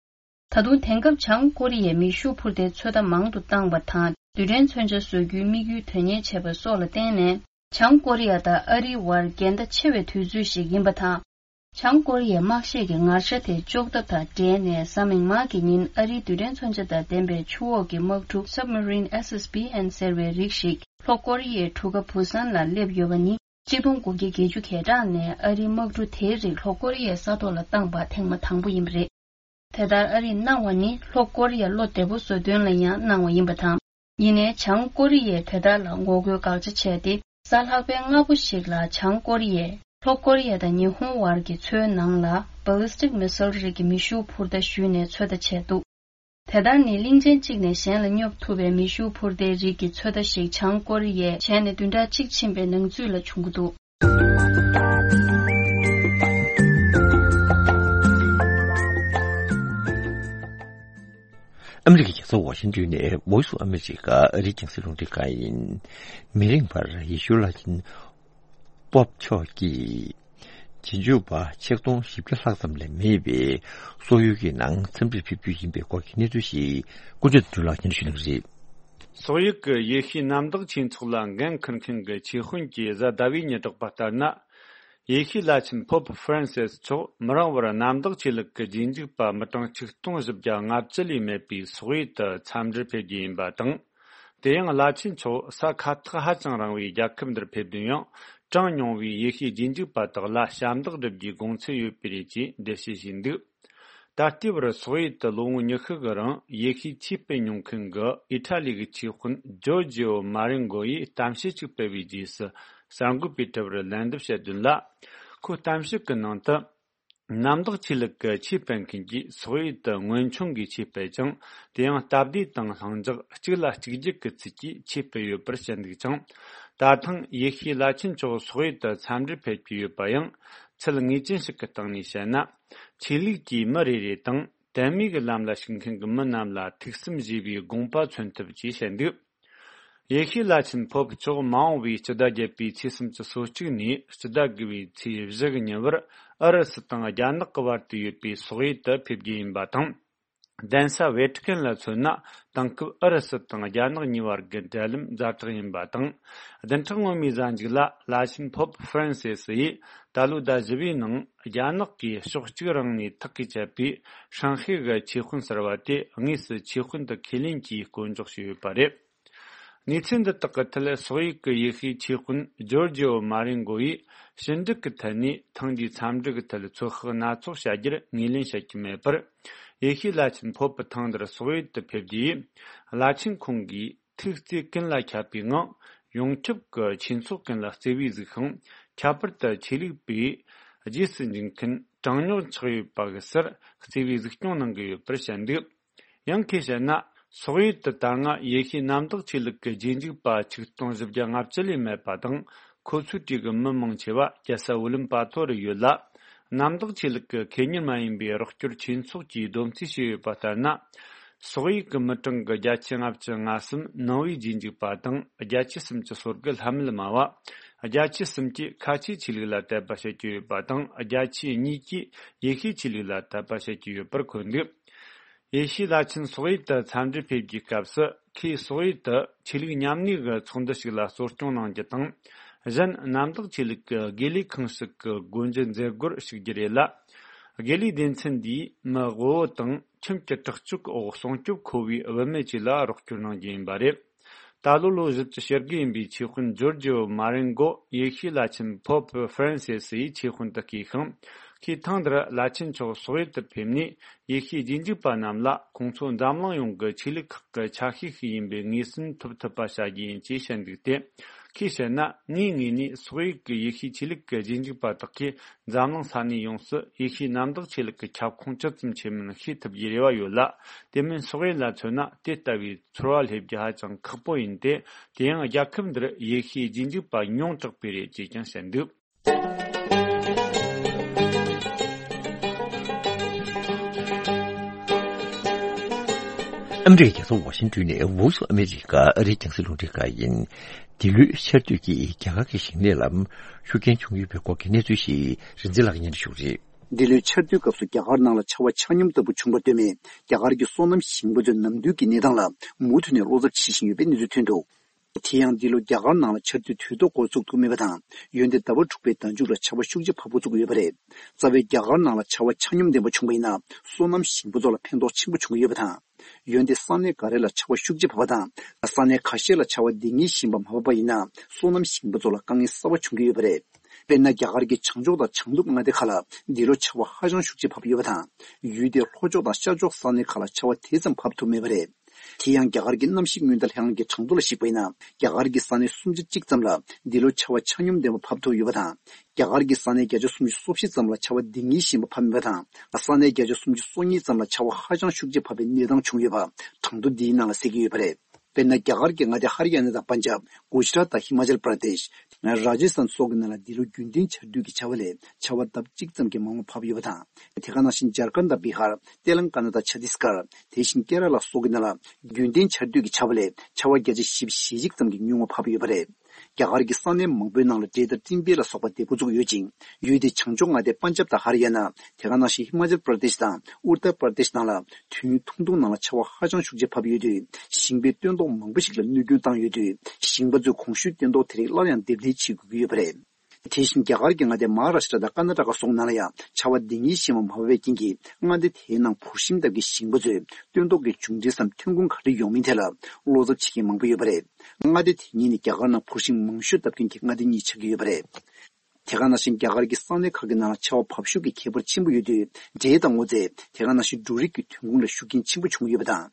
ད་དུང་དེང་སྐབས་བྱང་ཀོ་རི་ཡས་མེ་ཤུགས་འཕུར་མདའི་ཚོད་ལྟ་མང་དུ་བཏང་བ་དང་རྡུལ་ཕྲན་མཚོན་ཆ་བཟོ་རྒྱུའི་དམིགས་ཡུལ་དོན་གཉེར་བྱས་པ་སོགས་ལ་བརྟེན་ནས་བྱང་ཀོ་རི་ཡ་དང་ཨ་རིའི་བར་འགལ་ཟླ་ཆེ་བའི་དུས་ཚོད་ཞིག་ཡིན་པ་དང་། བྱང་ཀོ་རི་ཡའི་དམག་ཤེད་ཀྱི་ངར་ཤ་དེ་གཅོག་ཐབས་དང་འབྲེལ་ནས་གཟའ་མིག་དམར་གྱི་ཉིན་ཨ་རིའི་རྡུལ་ཕྲན་མཚོན་ཆ་དང་ལྡན་པའི་ཆུ་འོག་གི་དམག་གྲུ་Submarine S S B N་ཟེར་བའི་རིགས་ཤིག་ལྷོ་ཀོ་རི་ཡའི་གྲུ་ཁ་བུ་སན་ལ་སླེབས་ཡོད་པ་ནི། གཅིག་སྟོང་དགུ་བརྒྱ་བརྒྱད་ཅུ་གྱ་གྲངས་ནས་ཨ་རིའི་དམག་གྲུ་དེའི་རིགས་ལྷོ་ཀོ་རི་ཡའི་ས་ཐོག་ལ་བཏང་པ་ཐེངས་མ་དང་པོ་ཡིན་པ་རེད། དེ་ལྟར་ཨ་རིས་གནང་བ་ནི་ལྷོ་ཀོ་རི་ཡ་བློ་བདེ་པོ་བཟོ་དོན་ལ་ཡང་གནང་བ་ཡིན་པ་དང་། ཡིན་ནའི་བྱང་ཀོ་རི་ཡས་དེ་ལྟར་ལ་ངོ་རྒོལ་དགག་བྱ་བྱས་ཏེ་གཟའ་ལྷག་པའི་སྔ་པོ་ཞིག་ལ་བྱང་ཀོ་རི་ཡས་ལྷོ་ཀོ་རི་ཡ་དང་ཉི་ཧོང་བར་གྱི་མཚོའི་ནང་ལ་Ballistic Missile་རིགས་ཀྱི་མེ་ཤུགས་འཕུར་མདའ་གཞུས་ནས་ཚོད་ལྟ་བྱས་འདུག་དེ་ལྟར་ནི་གླིང་ཆེན་གཅིག་ནས་གཞན་ལ་སྙོབ་ཐུབ་པའི་མེ་ཤུགས་འཕུར་མདའི་རིགས་ཀྱི་ཚོད་ལྟ་ཞིག་བྱང་ཀོ་རི་ཡས་བྱས་ནས་བདུན་ཕྲག་གཅིག་ཕྱིན་པའི་ནང་ཚུད་ལ་བྱུང་གི་འདུག་ཨ་མི་རི་ཀའི་རྒྱལ་ས་ཝ་ཤིང་ཏོན་ནས་Voice of America་ཨ་རིའི་རྒྱང་སྲིང་རླུང་འཕྲིན་ཁང་ཡིན། མི་རིང་བར་ཡེ་ཤུ་བླ་ཆེན་པོབ་མཆོག་གིས། རྗེས་འཇུག་པ་ཆིག་སྟོང་བཞི་བརྒྱ་ལྷག་ཙམ་ལས་མེད་པའི་སོག་ཡུལ་གྱི་ནང་འཚམས་འདྲིར་ཕེབས་རྒྱུ་ཡིན་པའི་སྐོར་གྱི་གནས་ཚུལ་ཞིག་ཀུན་གྲོལ་དོན་གྲུབ་ལགས་ཀྱིས་ཞུ་གནང་གི་རེད། སོག་ཡུལ་གྱི་ཡེ་ཤུའི་གནམ་བདག་ཆོས་ཚོགས་ལ་འགན་འཁུར་མཁན་གྱི་ཆོས་དཔོན་གྱིས་གཟའ་ཟླ་བའི་ཉིན་བསྒྲགས་པ་ལྟར་ན། ཡེ་ཤུའི་བླ་ཆེན་Pope Francis་མཆོག་མི་རིང་བར་གནམ་བདག་ཆོས་ལུགས་ཀྱི་རྗེས་འཇུག་པ་མི་གྲངས་ཆིག་སྟོང་བཞི་བརྒྱ་ལྔ་བཅུ་ལས་མེད་པའི་སོག་ཡུལ་དུ་འཚམས་འདྲིར་ཕེབས་རྒྱུ་ཡིན་པ་དང་། དེ་ཡང་བླ་ཆེན་མཆོག་ས་ཁ་ཐག་ཧ་ཅང་རིང་བའི་རྒྱལ་ཁབ་འདིར་ཕེབས་དོན་ཡང་གྲངས་ཉུང་བའི་ཡེ་ཤུའི་རྗེས་འཇུག་པ་དག་ལ་ཞབས་འདེགས་སྒྲུབ་རྒྱུའི་དགོངས་ཚུལ་ཡོད་པས་རེད་ཅེས་འགྲེལ་བཤད་བྱས་འདུག་ད་ལྟའི་བར་སོག་ཡུལ་དུ་ལོ་ངོ་ཉི་ཤུ་གི་རིང་ཡེ་ཤུའི་ཆོས་སྤེལ་མྱོང་མཁན་གྱི་ཨི་ཊ་ལི་གི་ཆོས་དཔོན་ཇོར་ཇིའོ་མ་རེན་གོ་ཡིས་གཏམ་བཤད་ཅིག་སྤེལ་བའི་རྗེས་སུ་གསར་འགོད་པས་དྲི་བར་ལན་འདེབས་བྱས་དོན་ལ། ཁོའི་གཏམ་བཤད་ཀྱི་ནང་དུ། གནམ་བདག་ཆོས་ལུགས་ཀྱི་ཆོས་སྤེལ་མཁན་གྱིས་སོག་ཡུལ་དུ་སྔོན་བྱུང་གི་ཆོས་སྤེལ་ཅིང་། དེ་ཡང་སྟབས་བདེ་དང་ལྷིང་འཇགས་གཅིག་ལ་གཅིག་གྱུར་གྱི་ཚུལ་གྱིས་ཆོས་སྤེལ་ཡོད་པར་བཤད་འདུག་ཅིང་། ད་ཐེངས་ཡེ་ཤུའི་བླ་ཆེན་མཆོག་སོག་ཡུལ་དུ་འཚམས་འདྲིར་ཕེབས་ཀྱི་ཡོད་པ་ཡང་ཚུལ་ངེས་ཅན་ཞིག་གི་སྟེང་ནས་བཤད་ན། ཆོས་ལུགས་ཀྱི་མི་རེ་རེ་དང་དད་མོས་ཀྱི་ལམ་ལ་ཞུགས་མཁན་གྱི་མི་རྣམས་ལ་ཐུགས་བསམ་བཞེས་པའི་དགོངས་པ་མཚོན་ཐུབ་ཅེས་བཤད་འདུག་ཡེ་ཤུའི་བླ་ཆེན་ཕོབ་མཆོག་མ་འོངས་པའི་སྤྱི་ཟླ་བརྒྱད་པའི་ཚེས་སུམ་ཅུ་སོ་གཅིག་ནས་སྤྱི་ཟླ་དགུ་པའི་ཚེས་བཞི་གི་ཉིན་བར་ཨུ་རུ་སུ་དང་རྒྱ་ནག་གི་བར་དུ་ཡོད་པའི་སོག་ཡུལ་དུ་ཕེབས་རྒྱུ་ཡིན་པ་དང་། གདན་ས་ཝེ་ཏི་ཀན་ལ་མཚོན་ན་དེང་སྐབས་ཨུ་རུ་སུ་དང་རྒྱ་ནག་གཉིས་བར་གྱི་འབྲེལ་ལམ་ཛ་དྲག་ཡིན་པ་དང་། བདུན་ཕྲག་སྔོན་མའི་གཟའ་མཇུག་ལ་བླ་ཆེན་ཕོབ་ཧྥ་རན་སི་སི་ཡིས་ད་ལོའི་ཟླ་བཞི་པའི་ནང་རྒྱ་ནག་གིས་ཕྱོགས་གཅིག་རང་ནས་ཐག་གིས་བཅད་པའི་ཧྲང་ཧའེ་གི་ཆོས་དཔོན་གསར་བ་དེ་དངོས་སུ་ཆོས་དཔོན་དུ་ཁས་ལེན་གྱིས་བསྐོ་འཇོག་བྱས་ཡོད་པ་རེད། གནས་ཚུལ་འདི་དག་གི་ཐད་སོག་ཡུལ་གྱི་ཡེ་ཤུའི་ཆོས་དཔོན་ཇོར་ཇིའོ་མ་རེན་གོ་ཡིས་ཕྱི་འབྲེལ་གྱི་ཐད་ནས་ཐེངས་འདིའི་འཚམས་འདྲི་གི་ཐད་ཚོད་དཔག་སྣ་ཚོགས་བྱ་རྒྱུར་ངོས་ལེན་བྱེད་ཀྱི་མེད་པར། ཡེ་ཤུའི་བླ་ཆེན་ཕོབ་པ་ཐེངས་འདིར་སོག་ཡུལ་དུ་ཕེབས་རྒྱུ་ཡིས་བླ་ཆེན་ཁོང་གིས་ཐུགས་བརྩེ་ཀུན་ལ་ཁྱབ་པའི་ངང་ཡོངས་ཁྱབ་ཀྱི་ཆོས་ཚོགས་ཀུན་ལ་བརྩེ་བས་གཟིགས་ཤིང་། ཁྱད་པར་དུ་ཆོས་ལུགས་པས་རྗེས་སུ་འཇུག་མཁན་གྲངས་ཉུང་ཆགས་ཡོད་པ་གི་སར་བརྩེ་བས་གཟིགས་སྐྱོང་གནང་གི་ཡོད་པར་བཤད་འདུག་ཡང་ཁོས་བཤད་ན། སོག་ཡུལ་དུ་ད་སྔ་ཡེ་ཤུའི་གནམ་བདག་ཆོས་ལུགས་ཀྱི་རྗེས་འཇུག་པ་ཆིག་སྟོང་བཞི་བརྒྱ་ལྔ་བཅུ་ལས་མེད་པ་དང་། ཁོ་ཚོའི་གྲས་ཀྱི་མི་མང་ཆེ་བ་རྒྱལ་ས་ཝུ་ལམ་པ་ཐོ་རུ་ཡོད་ལ། གནམ་བདག་ཆོས་ལུགས་ཀྱི་ཁེ་གཉེར་མ་ཡིན་པའི་རོགས་སྐྱོར་ཆོས་ཚོགས་ཀྱིས་བསྡོམས་རྩིས་བྱས་ཡོད་པ་ལྟར་ན། སོག་ཡིག་གི་མི་གྲངས་ཀྱི་བརྒྱ་ཆ་ལྔ་བཅུ་ང་གསུམ་ནང་པའི་རྗེས་འཇུག་པ་དང་། བརྒྱ་ཆ་སུམ་ཅུ་སོ་དགུ་ལྷ་མིན་སྨྲ་བ། བརྒྱ་ཆ་སུམ་ཅུ་ཁ་ཆེའི་ཆོས་ལུགས་ལ་དད་པ་བྱེད་ཀྱི་ཡོད་པ་དང་། བརྒྱ་ཆ་གཉིས་ཀྱིས་ཡེ་ཤུའི་ཆོས་ལུགས་ལ་དད་པ་བྱེད་ཀྱི་ཡོད་པར་འཁོད་འདུག་ཡེ་ཤུའི་བླ་ཆེན་སོག་ཡིག་ཏུ་འཚམས་འདྲིར་ཕེབས་ཀྱི་སྐབས་སུ། ཁོས་སོག་ཡིག་ཏུ་ཆོས་ལུགས་མཉམ་གནས་ཀྱི་ཚོགས་འདུ་ཞིག་ལ་གཙོ་སྐྱོང་གནང་རྒྱུ་དང་། གཞན་གནམ་བདག་ཆོས་ལུགས་ཀྱི་དགེ་ལས་ཁང་ཞིག་གི་སྒོ་འབྱེད་མཛད་སྒོར་ཞུགས་རྒྱུ་རེད་ལ། དགེ་ལས་སྡེ་ཚན་འདིས་མི་དབུལ་བོ་དང་ཁྱིམ་གྱི་དྲག་སྤྱོད་ཀྱི་འོག་སྲུང་སྐྱོབ་མཁོ་བའི་བུད་མེད་ཅིག་ལ་རོགས་སྐྱོར་གནང་རྒྱུ་ཡིན་པ་རེད། ད་ལོ་ལོ་བཞི་བཅུ་ཞེ་དགུ་ཡིན་པའི་ཆོས་དཔོན་ཇོར་ཇིའོ་མ་རེན་གོ་ཡེ་ཤུའི་བླ་ཆེན་Pope Francis ཡི་ཆོས་དཔོན་དུ་བསྐོས་ཤིང་། ཁོས་ཐེངས་འདིར་བླ་ཆེན་མཆོག་སོག་ཡུལ་དུ་ཕེབས་ནས། ཡེ་ཤུའི་རྗེས་འཇུག་པ་རྣམས་ལ་ཁོང་ཚོ་འཛམ་གླིང་ཡོངས་ཀྱི་ཆོས་ལུགས་ཁག་གི་ཆ་ཤས་ཤིག་ཡིན་པའི་ངོས་ཟིན་ཐོབ་ཐུབ་པ་བྱ་རྒྱུ་ཡིན་ཅེས་བཤད་འདུག་སྟེ། ཁོས་བཤད་ན། ངའི་ངོས་ནས་སོག་ཡུལ་གྱི་ཡེ་ཤུའི་ཆོས་ལུགས་ཀྱི་རྗེས་འཇུག་པ་དག་གིས་འཛམ་གླིང་ས་གནས་ཡོངས་སུ་ཡེ་ཤུའི་གནམ་བདག་ཆོས་ལུགས་ཀྱི་ཁྱབ་ཁོངས་ཇི་ཙམ་ཆེ་མིན་ཤེས་ཐུབ་རྒྱུའི་རེ་བ་ཡོད་ལ། དེ་མིན་སོག་ཡུལ་ལ་མཚོན་ན། དེ་ལྟ་བུའི་ཚོར་བ་སླེབས་རྒྱུ་ཧ་ཅང་ཁག་པོ་ཡིན་ཏེ། དེ་ཡང་རྒྱལ་ཁབ་འདིར་ཡེ་ཤུའི་རྗེས་འཇུག་པ་ཉུང་དྲགས་པས་རེད་ཅེས་ཀྱང་བཤད་འདུག་ཨ་མི་རི་ཀའི་རྒྱལ་ས་ཝ་ཤིང་ཏོན་ནས་Voice of America ཨ་རིའི་རྒྱང་སྲིང་རླུང་འཕྲིན་ཁང་ཡིན། འདི་ལོའི་ཆར་དུས་ཀྱིས་རྒྱ་གར་གྱི་ཞིང་ལས་ལ་ཤུགས་རྐྱེན་བྱུང་ཡོད་པའི་སྐོར་གྱི་གནས་ཚུལ་ཞིག་རིན་འཛིན་ལགས་སྙན་ཞུ་རེད། འདི་ལོའི་ཆར་དུས་སྐབས་སུ་རྒྱ་གར་ནང་ལ་ཆར་བ་ཆ་སྙོམས་ལྟ་བུ་བྱུང་བར་ལྟོས་མེད། རྒྱ་གར་གྱི་སོ་ནམ་ཞིང་པ་ཚོས་ནམ་དུས་ཀྱི་གནས་སྟངས་ལ་མུ་མཐུད་ནས་བློ་འཚབ་བྱེད་བཞིན་ཡོད་པའི་གནས་ཚུལ་ཐོན་འདུག་དེ་ཡང་འདི་ལོ་རྒྱ་གར་ནང་ལ་ཆར་དུས་དུས་ཐོག་འགོ་ཚུགས་ཐུབ་མེད་པ་དང་། འོན་ཏེ་ཟླ་བ་དྲུག་པའི་ཟླ་མཇུག་ལ་ཆར་བ་ཤུགས་ཆེ་བབས་འགོ་ཚུགས་ཡོད་པ་རེད། རྩ་བའི་རྒྱ་གར་ནང་ལ་ཆར་བ་ཆ་སྙོམས་ལྡན་པ་བྱུང་བ་ཡིན་ན། སོ་ནམ་ཞིང་པ་ཚོ་ལ་ཕན་ཐོགས་ཆེན་པོ་བྱུང་གི་ཡོད་པ་དང་། འོན་ཏེ་ས་གནས་འགའ་རེ་ལ་ཆར་བ་ཤུགས་ཆེ་བབས་པ་དང་། ས་གནས་ཁ་ཤས་ལ་ཆར་བ་འདང་ངེས་བཞིན་པ་མ་བབས་པ་ཡིན་ན། སོ་ནམ་ཞིང་པ་ཚོ་ལ་དཀའ་ངལ་གསར་པ་བྱུང་གི་ཡོད་པ་རེད། དཔེར་ན། རྒྱ་གར་གྱི་བྱང་ཕྱོགས་དང་བྱང་ནུབ་མངའ་སྡེ་ཁག་ལ་འདི་ལོ་ཆར་བ་ཧ་ཅང་ཤུགས་ཆེ་བབས་ཡོད་པ་དང་། ཡུལ་དེའི་ལྷོ་ཕྱོགས་དང་ཤར་ཕྱོགས་ས་གནས་ཁག་ལ་ཆར་བ་དེ་ཙམ་བབས་ཐུབ་མེད་པ་རེད། དེ་ཡང་། རྒྱ་གར་གྱི་གནམ་གཤིས་སྔོན་བརྡ་ལྷན་ཁང་གི་གྲངས་ཐོ་ལ་གཞིགས་པ་ཡིན་ན། རྒྱ་གར་གྱི་ས་གནས་སུམ་ཅུ་གཅིག་ཙམ་ལ་འདི་ལོ་ཆར་བ་ཆ་སྙོམས་ལྡན་པ་བབས་ཐུབ་ཡོད་པ་དང་། རྒྱ་གར་གྱི་ས་གནས་བརྒྱ་ཆ་སུམ་ཅུ་སོ་བཞི་ཙམ་ལ་ཆར་བ་འདང་ངེས་བཞིན་པ་བབས་མེད་པ་དང་། ས་གནས་བརྒྱ་ཆ་སུམ་ཅུ་སོ་གཉིས་ཙམ་ལ་ཆར་བ་ཧ་ཅང་ཤུགས་ཆེ་བབས་པའི་གནས་སྟངས་བྱུང་ཡོད་པ། གྲངས་ཐོ་འདིའི་ནང་ལ་གསལ་གྱི་ཡོད་པ་རེད། དཔེར་ན། རྒྱ་གར་གྱི་མངའ་སྡེ་ཧར་ཡ་ན་དང་པན་ཇབ། གུ་ཇི་རཱཏ་དང་ཧི་མ་ཅལ་པྲ་དེཤ། རཱ་ཇི་སྟན་སོགས་ཀྱི་ནང་ལ་འདི་ལོ་རྒྱུན་ལྡན་ཆར་དུས་ཀྱི་བྱ་བ་ལས་ཆར་བ་ལྡབ་གཅིག་ཙམ་གྱིས་མང་བ་བབས་ཡོད་པ་དང་། དེ་ག་ནང་བཞིན་ཇར་ཁན་དང་བི་ཧར། ཏེ་ལང་ཀ་ན་དང་ཆ་ཏིས་གར། དེ་བཞིན་ཀེ་ར་ལ་སོགས་ཀྱི་ནང་ལ་རྒྱུན་ལྡན་ཆར་དུས་ཀྱི་བྱ་བ་ལས་ཆར་བ་བརྒྱ་ཆ་བཞི་བཅུ་ཞེ་གཅིག་ཙམ་གྱིས་ཉུང་བ་བབས་ཡོད་པ་རེད། རྒྱ་གར་གྱི་ས་གནས་མང་པོའི་ནང་ལ་འབྲས་དང་སྤྲིན་འབེབས་ལ་སོགས་པ་འདེད་འགོ་བཙུགས་ཡོད་ཅིང་། ཡུལ་དེའི་བྱང་ཕྱོགས་མངའ་སྡེ་པན་ཇབ་དང་ཧར་ཡ་ན། དེ་ག་ནང་བཞིན་ཧི་མ་ཅལ་པྲ་དེཤ་དང་ཨུ་ཏར་པྲ་དེཤ་ནང་ལ། དུས་ཡུན་ཐུང་ཐུང་ནང་ལ་ཆར་བ་ཧ་ཅང་ཤུགས་ཆེ་བབས་ཡོད་དུས། ཞིང་པའི་སྟོན་ཐོག་མང་པོ་ཞིག་ལ་གནོད་སྐྱོན་བཏང་ཡོད་དུས། ཞིང་པ་ཚོས་གོང་ཞུས་སྟོན་ཐོག་དེ་རིགས་སླར་ཡང་སྡེབ་ལེན་བྱེད་དགོས་ཀྱི་ཡོད་པ་རེད། དེ་བཞིན་རྒྱ་གར་གྱི་མངའ་སྡེ་མ་ཧཱ་རཱ་ཤི་ཏྲ་དང་ཀར་ན་ཊ་ཀ་སོགས་ནང་ལ་ཡང་ཆར་བ་འདང་ངེས་བཞིན་པ་མ་བབས་པའི་རྐྱེན་གྱིས། མངའ་སྡེ་དེའི་ནང་བུར་ཤིང་བཏབ་མཁན་ཞིང་པ་ཚོས་སྟོན་ཐོག་གི་མཇུག་འབྲས་སམ་ཐོན་ཁུངས་ག་རེ་ཡོང་མིན་ཐད་ལ་བློ་འཚབ་བྱེད་མཁན་མང་པོ་ཡོད་པ་རེད། མངའ་སྡེ་དེ་གཉིས་ནི་རྒྱ་གར་ནང་བུར་ཤིང་མང་ཤོས་བཏབ་མཁན་གྱི་མངའ་སྡེ་གཉིས་ཆགས་ཀྱི་ཡོད་པ་རེད། དེ་ག་ནང་བཞིན་རྒྱ་གར་གྱི་ས་གནས་ཁག་གི་ནང་ལ་ཆར་བ་བབས་ཤུགས་ཀྱི་ཁྱད་པར་ཆེན་པོ་ཡོད་དུས། འབྲས་དང་སྔོ་ཚལ། དེ་ག་ནང་བཞིན་འབྲུ་རིགས་ཀྱི་ཐོན་ཁུངས་ལ་ཤུགས་རྐྱེན་ཆེན་པོ་བྱུང་ཡོད་པ་དང་།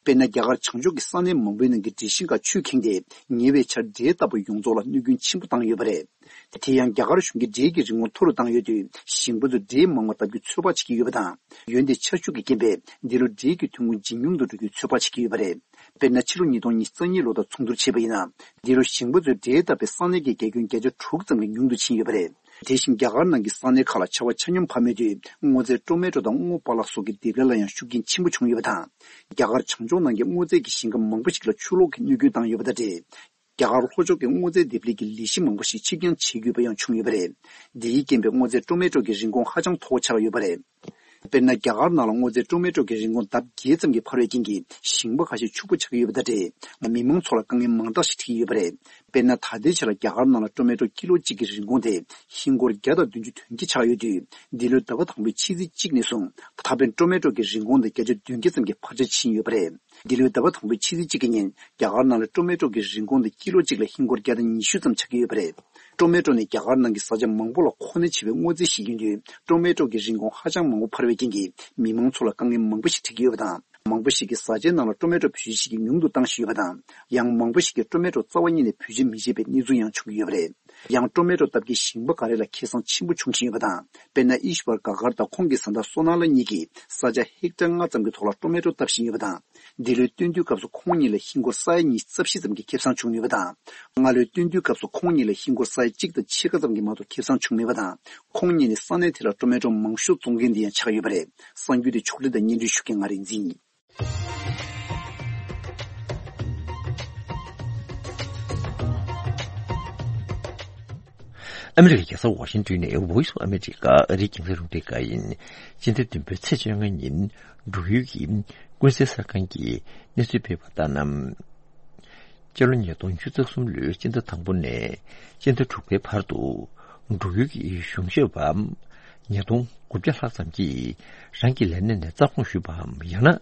དཔེར་ན། རྒྱ་གར་བྱང་ཕྱོགས་ཀྱི་ས་གནས་མང་པོའི་ནང་གི་འབྲས་ཤིང་ཁག་ཆུས་ཁེངས་ཏེ། ཉེ་བའི་ཆར་འབྲས་བཏབ་པ་ཡོངས་རྫོགས་ལ་གནོད་སྐྱོན་ཆེན་པོ་བཏང་ཡོད་པ་རེད། དེ་ཡང་རྒྱ་གར་གཞུང་གིས་འབྲས་ཀྱི་རིན་གོང་མཐོ་རུ་བཏང་ཡོད་དུས། ཞིང་པ་ཚོས་འབྲས་མང་བ་བཏབ་རྒྱུ་ཚོད་དཔག་བྱེད་ཀྱི་ཡོད་པ་དང་། འོན་ཏེ་ཆར་ཤུགས་ཀྱི་རྐྱེན་པས་འདི་ལོ་འབྲས་ཀྱི་ཐོན་ཁུངས་ཇེ་ཉུང་དུ་འགྲོ་རྒྱུའི་ཚོད་དཔག་བྱེད་ཀྱི་ཡོད་པ་རེད། དཔེར་ན། ཕྱི་ལོ་ཉིས་སྟོང་ཉི་ཤུ་རྩ་གཉིས་ལོ་དང་མཚུངས་བསྡུར་བྱས་པ་ཡིན་ན། འདི་ལོ་ཞིང་པ་ཚོས་འབྲས་བཏབ་པའི་ས་གནས་ཀྱི་རྒྱ་ཁྱོན་བརྒྱ་ཆ་དྲུག་ཙམ་གྱིས་ཉུང་དུ་ཕྱིན་ཡོད་པ་རེད། དེ་བཞིན་རྒྱ་གར་ནང་གི་ས་གནས་ཁག་ལ་ཆར་བ་ཆ་སྙོམས་བབས་མེད་དུས། སྔོ་ཚལ་ཊོ་མེ་ཊོ་དང་སྔོ་པ་ལགས་སོགས་ཀྱི་འདེབས་ལས་ལ་ཡང་ཤུགས་རྐྱེན་ཆེན་པོ་བྱུང་ཡོད་པ་དང་། རྒྱ་གར་བྱང་ཕྱོགས་ནང་གི་སྔོ་ཚལ་གྱི་ཞིང་ཁ་མང་པོ་ཞིག་ལ་ཆུ་ལོག་གིས་གནོད་སྐྱོན་བཏང་ཡོད་པ་དང་འབྲེལ། རྒྱ་གར་ལྷོ་ཕྱོགས་ཀྱི་སྔོ་ཚལ་འདེབས་ལས་ཀྱི་ལས་གཞི་མང་པོ་ཞིག་ཕྱིར་འགྱངས་བྱེད་དགོས་པ་ཡང་བྱུང་ཡོད་པ་རེད། འདི་ཡི་རྐྱེན་པས་སྔོ་ཚལ་ཊོ་མེ་ཊོ་གི་རིན་གོང་ཧ་ཅང་མཐོ་བོ་ཆགས་ཡོད་པ་རེད། དཔེར་ན། རྒྱ་གར་ནང་ལ་སྔོ་ཚལ་ཊོ་མེ་ཊོ་གི་རིན་གོང་ལྡབ་བརྒྱད་ཙམ་གྱིས་འཕར་བའི་རྐྱེན་གྱིས་ཞིང་པ་ཁ་ཤས་ཕྱུག་པོ་ཆགས་ཀྱི་ཡོད་པ་དང་འབྲེལ། མི་མང་ཚོ་ལ་དཀའ་ངལ་མང་དག་ཞིག་འཕྲད་ཀྱི་ཡོད་པ་རེད། དཔེར་ན། ད་ལྟའི་ཆར་ལ་རྒྱ་གར་ནང་ལ་ཊོ་མེ་ཊོ་ཀི་ལོ་གཅིག་གི་རིན་གོང་དེ་ཧིན་སྒོར་བརྒྱ་དང་བདུན་ཅུ་དོན་བརྒྱད་ཆགས་ཡོད་དུས། འདི་ལོའི་ཟླ་བ་དང་པོའི་ཕྱི་ཚེས་གཅིག་ནས་བཟུང་ད་ཕན་ཊོ་མེ་ཊོ་གི་རིན་གོང་དེ་བརྒྱ་ཆ་བདུན་བརྒྱ་ཙམ་གྱིས་འཕར་ཆ་ཕྱིན་ཡོད་པ་རེད། འདི་ལོའི་ཟླ་བ་དང་པོའི་ཕྱི་ཚེས་གཅིག་གི་ཉིན་རྒྱ་གར་ནང་ལ་ཊོ་མེ་ཊོ་གི་རིན་གོང་དེ་ཀི་ལོ་གཅིག་ལ་ཧིན་སྒོར་བརྒྱ་དང་ཉི་ཤུ་ཙམ་ཆགས་ཀྱི་ཡོད་པ་རེད། ཊོ་མེ་ཊོ་ནི་རྒྱ་གར་ནང་གི་བཟའ་བཅའ་མང་པོ་ལ་མཁོ་གནད་ཆེ་བའི་སྔོ་ཚལ་ཞིག་ཡིན་དུས། ཊོ་མེ་ཊོ་གི་རིན་གོང་ཧ་ཅང་མང་པོ་འཕར་བའི་རྐྱེན་གྱིས་མི་མང་ཚོ་ལ་དཀའ་ངལ་མང་པོ་ཞིག་འཕྲད་ཀྱི་ཡོད་པ་དང་། མང་པོ་ཞིག་གིས་བཟའ་བཅའི་ནང་ལ་ཊོ་མེ་ཊོ་བེད་སྤྱོད་བྱེད་རྒྱུ་ཉུང་དུ་བཏང་བཞིན་ཡོད་པ་དང་། ཡང་མང་པོ་ཞིག་གིས་ཊོ་མེ་ཊོ་རྩ་བ་ཉིད་ནས་བེད་སྤྱོད་མི་བྱེད་པའི་གནས་ཚུལ་ཡང་བྱུང་གི་ཡོད་པ་རེད། ཡང་ཊོ་མེ་ཊོ་བཏབ་མཁན་ཞིང་པ་འགའ་རེ་ལ་ཁེ་བཟང་ཆེན་པོ་བྱུང་བཞིན་ཡོད་པ་དང་། དཔེར་ན། ཨིཤ་བར་ག་གར་དང་ཁོང་གི་བཟའ་ཟླ་སོ་ན་ལ་གཉིས་ཀྱིས་ས་ཆ་ཧེག་ཊར་ལྔ་ཙམ་གྱི་ཐོག་ལ་ཊོ་མེ་ཊོ་བཏབ་བཞིན་ཡོད་པ་དང་། འདི་ལོའི་སྟོན་དུས་སྐབས་སུ་ཁོང་གཉིས་ལ་ཧིན་སྒོར་ས་ཡ་ཉི་ཤུ་རྩ་བཞི་ཙམ་གྱི་ཁེ་བཟང་བྱུང་ཡོད་པ་དང་། སྔ་ལོའི་སྟོན་དུས་སྐབས་སུ་ཁོང་གཉིས་ལ་ཧིན་སྒོར་ས་ཡ་གཅིག་དང་ཕྱེད་ཀ་ཙམ་གྱི་མ་གཏོགས་ཁེ་བཟང་བྱུང་མེད་པ་དང་། ཁོང་གཉིས་ནི་ས་གནས་དེ་ལ་ཊོ་མེ་ཊོ་མང་ཤོས་བཙོང་མཁན་དེ་ཡང་ཆགས་ཡོད་པ་རེད། གསར་འགྱུར་དེ་ཕྱོགས་སྒྲིག་དང་སྙན་སྒྲོན་ཞུ་མཁན་ང་རིག་འཛིན་ཡིན། ཨ་མི་རི་ཀའི་རྒྱལ་ས་ཝ་ཤིང་ཏོན་ནས་Voice of America ཨ་རིའི་རྒྱང་སྲིང་རླུང་འཕྲིན་ཁང་ཡིན། སྤྱི་ཟླ་བདུན་པའི་ཚེས་བཅོ་ལྔ་ཉིན་འབྲུག་ཡུལ་གྱི་ཀུན་གསལ་གསར་ཁང་གིས་གནས་ཚུལ་སྤེལ་བ་ལྟར་ན། སྤྱི་ལོ་ཉིས་སྟོང་ཉི་ཤུ་རྩ་གསུམ་ལོའི་སྤྱི་ཟླ་དང་པོ་ནས་སྤྱི་ཟླ་དྲུག་པའི་བར་དུ་འབྲུག་ཡུལ་གྱི་གཞུང་ཞབས་པ་ཉིས་སྟོང་དགུ་བརྒྱ་ལྷག་ཙམ་གྱིས་རང་གི་ལས་གནས་ནས་རྩ་དགོངས་ཞུས་པའམ་ཡང་ན་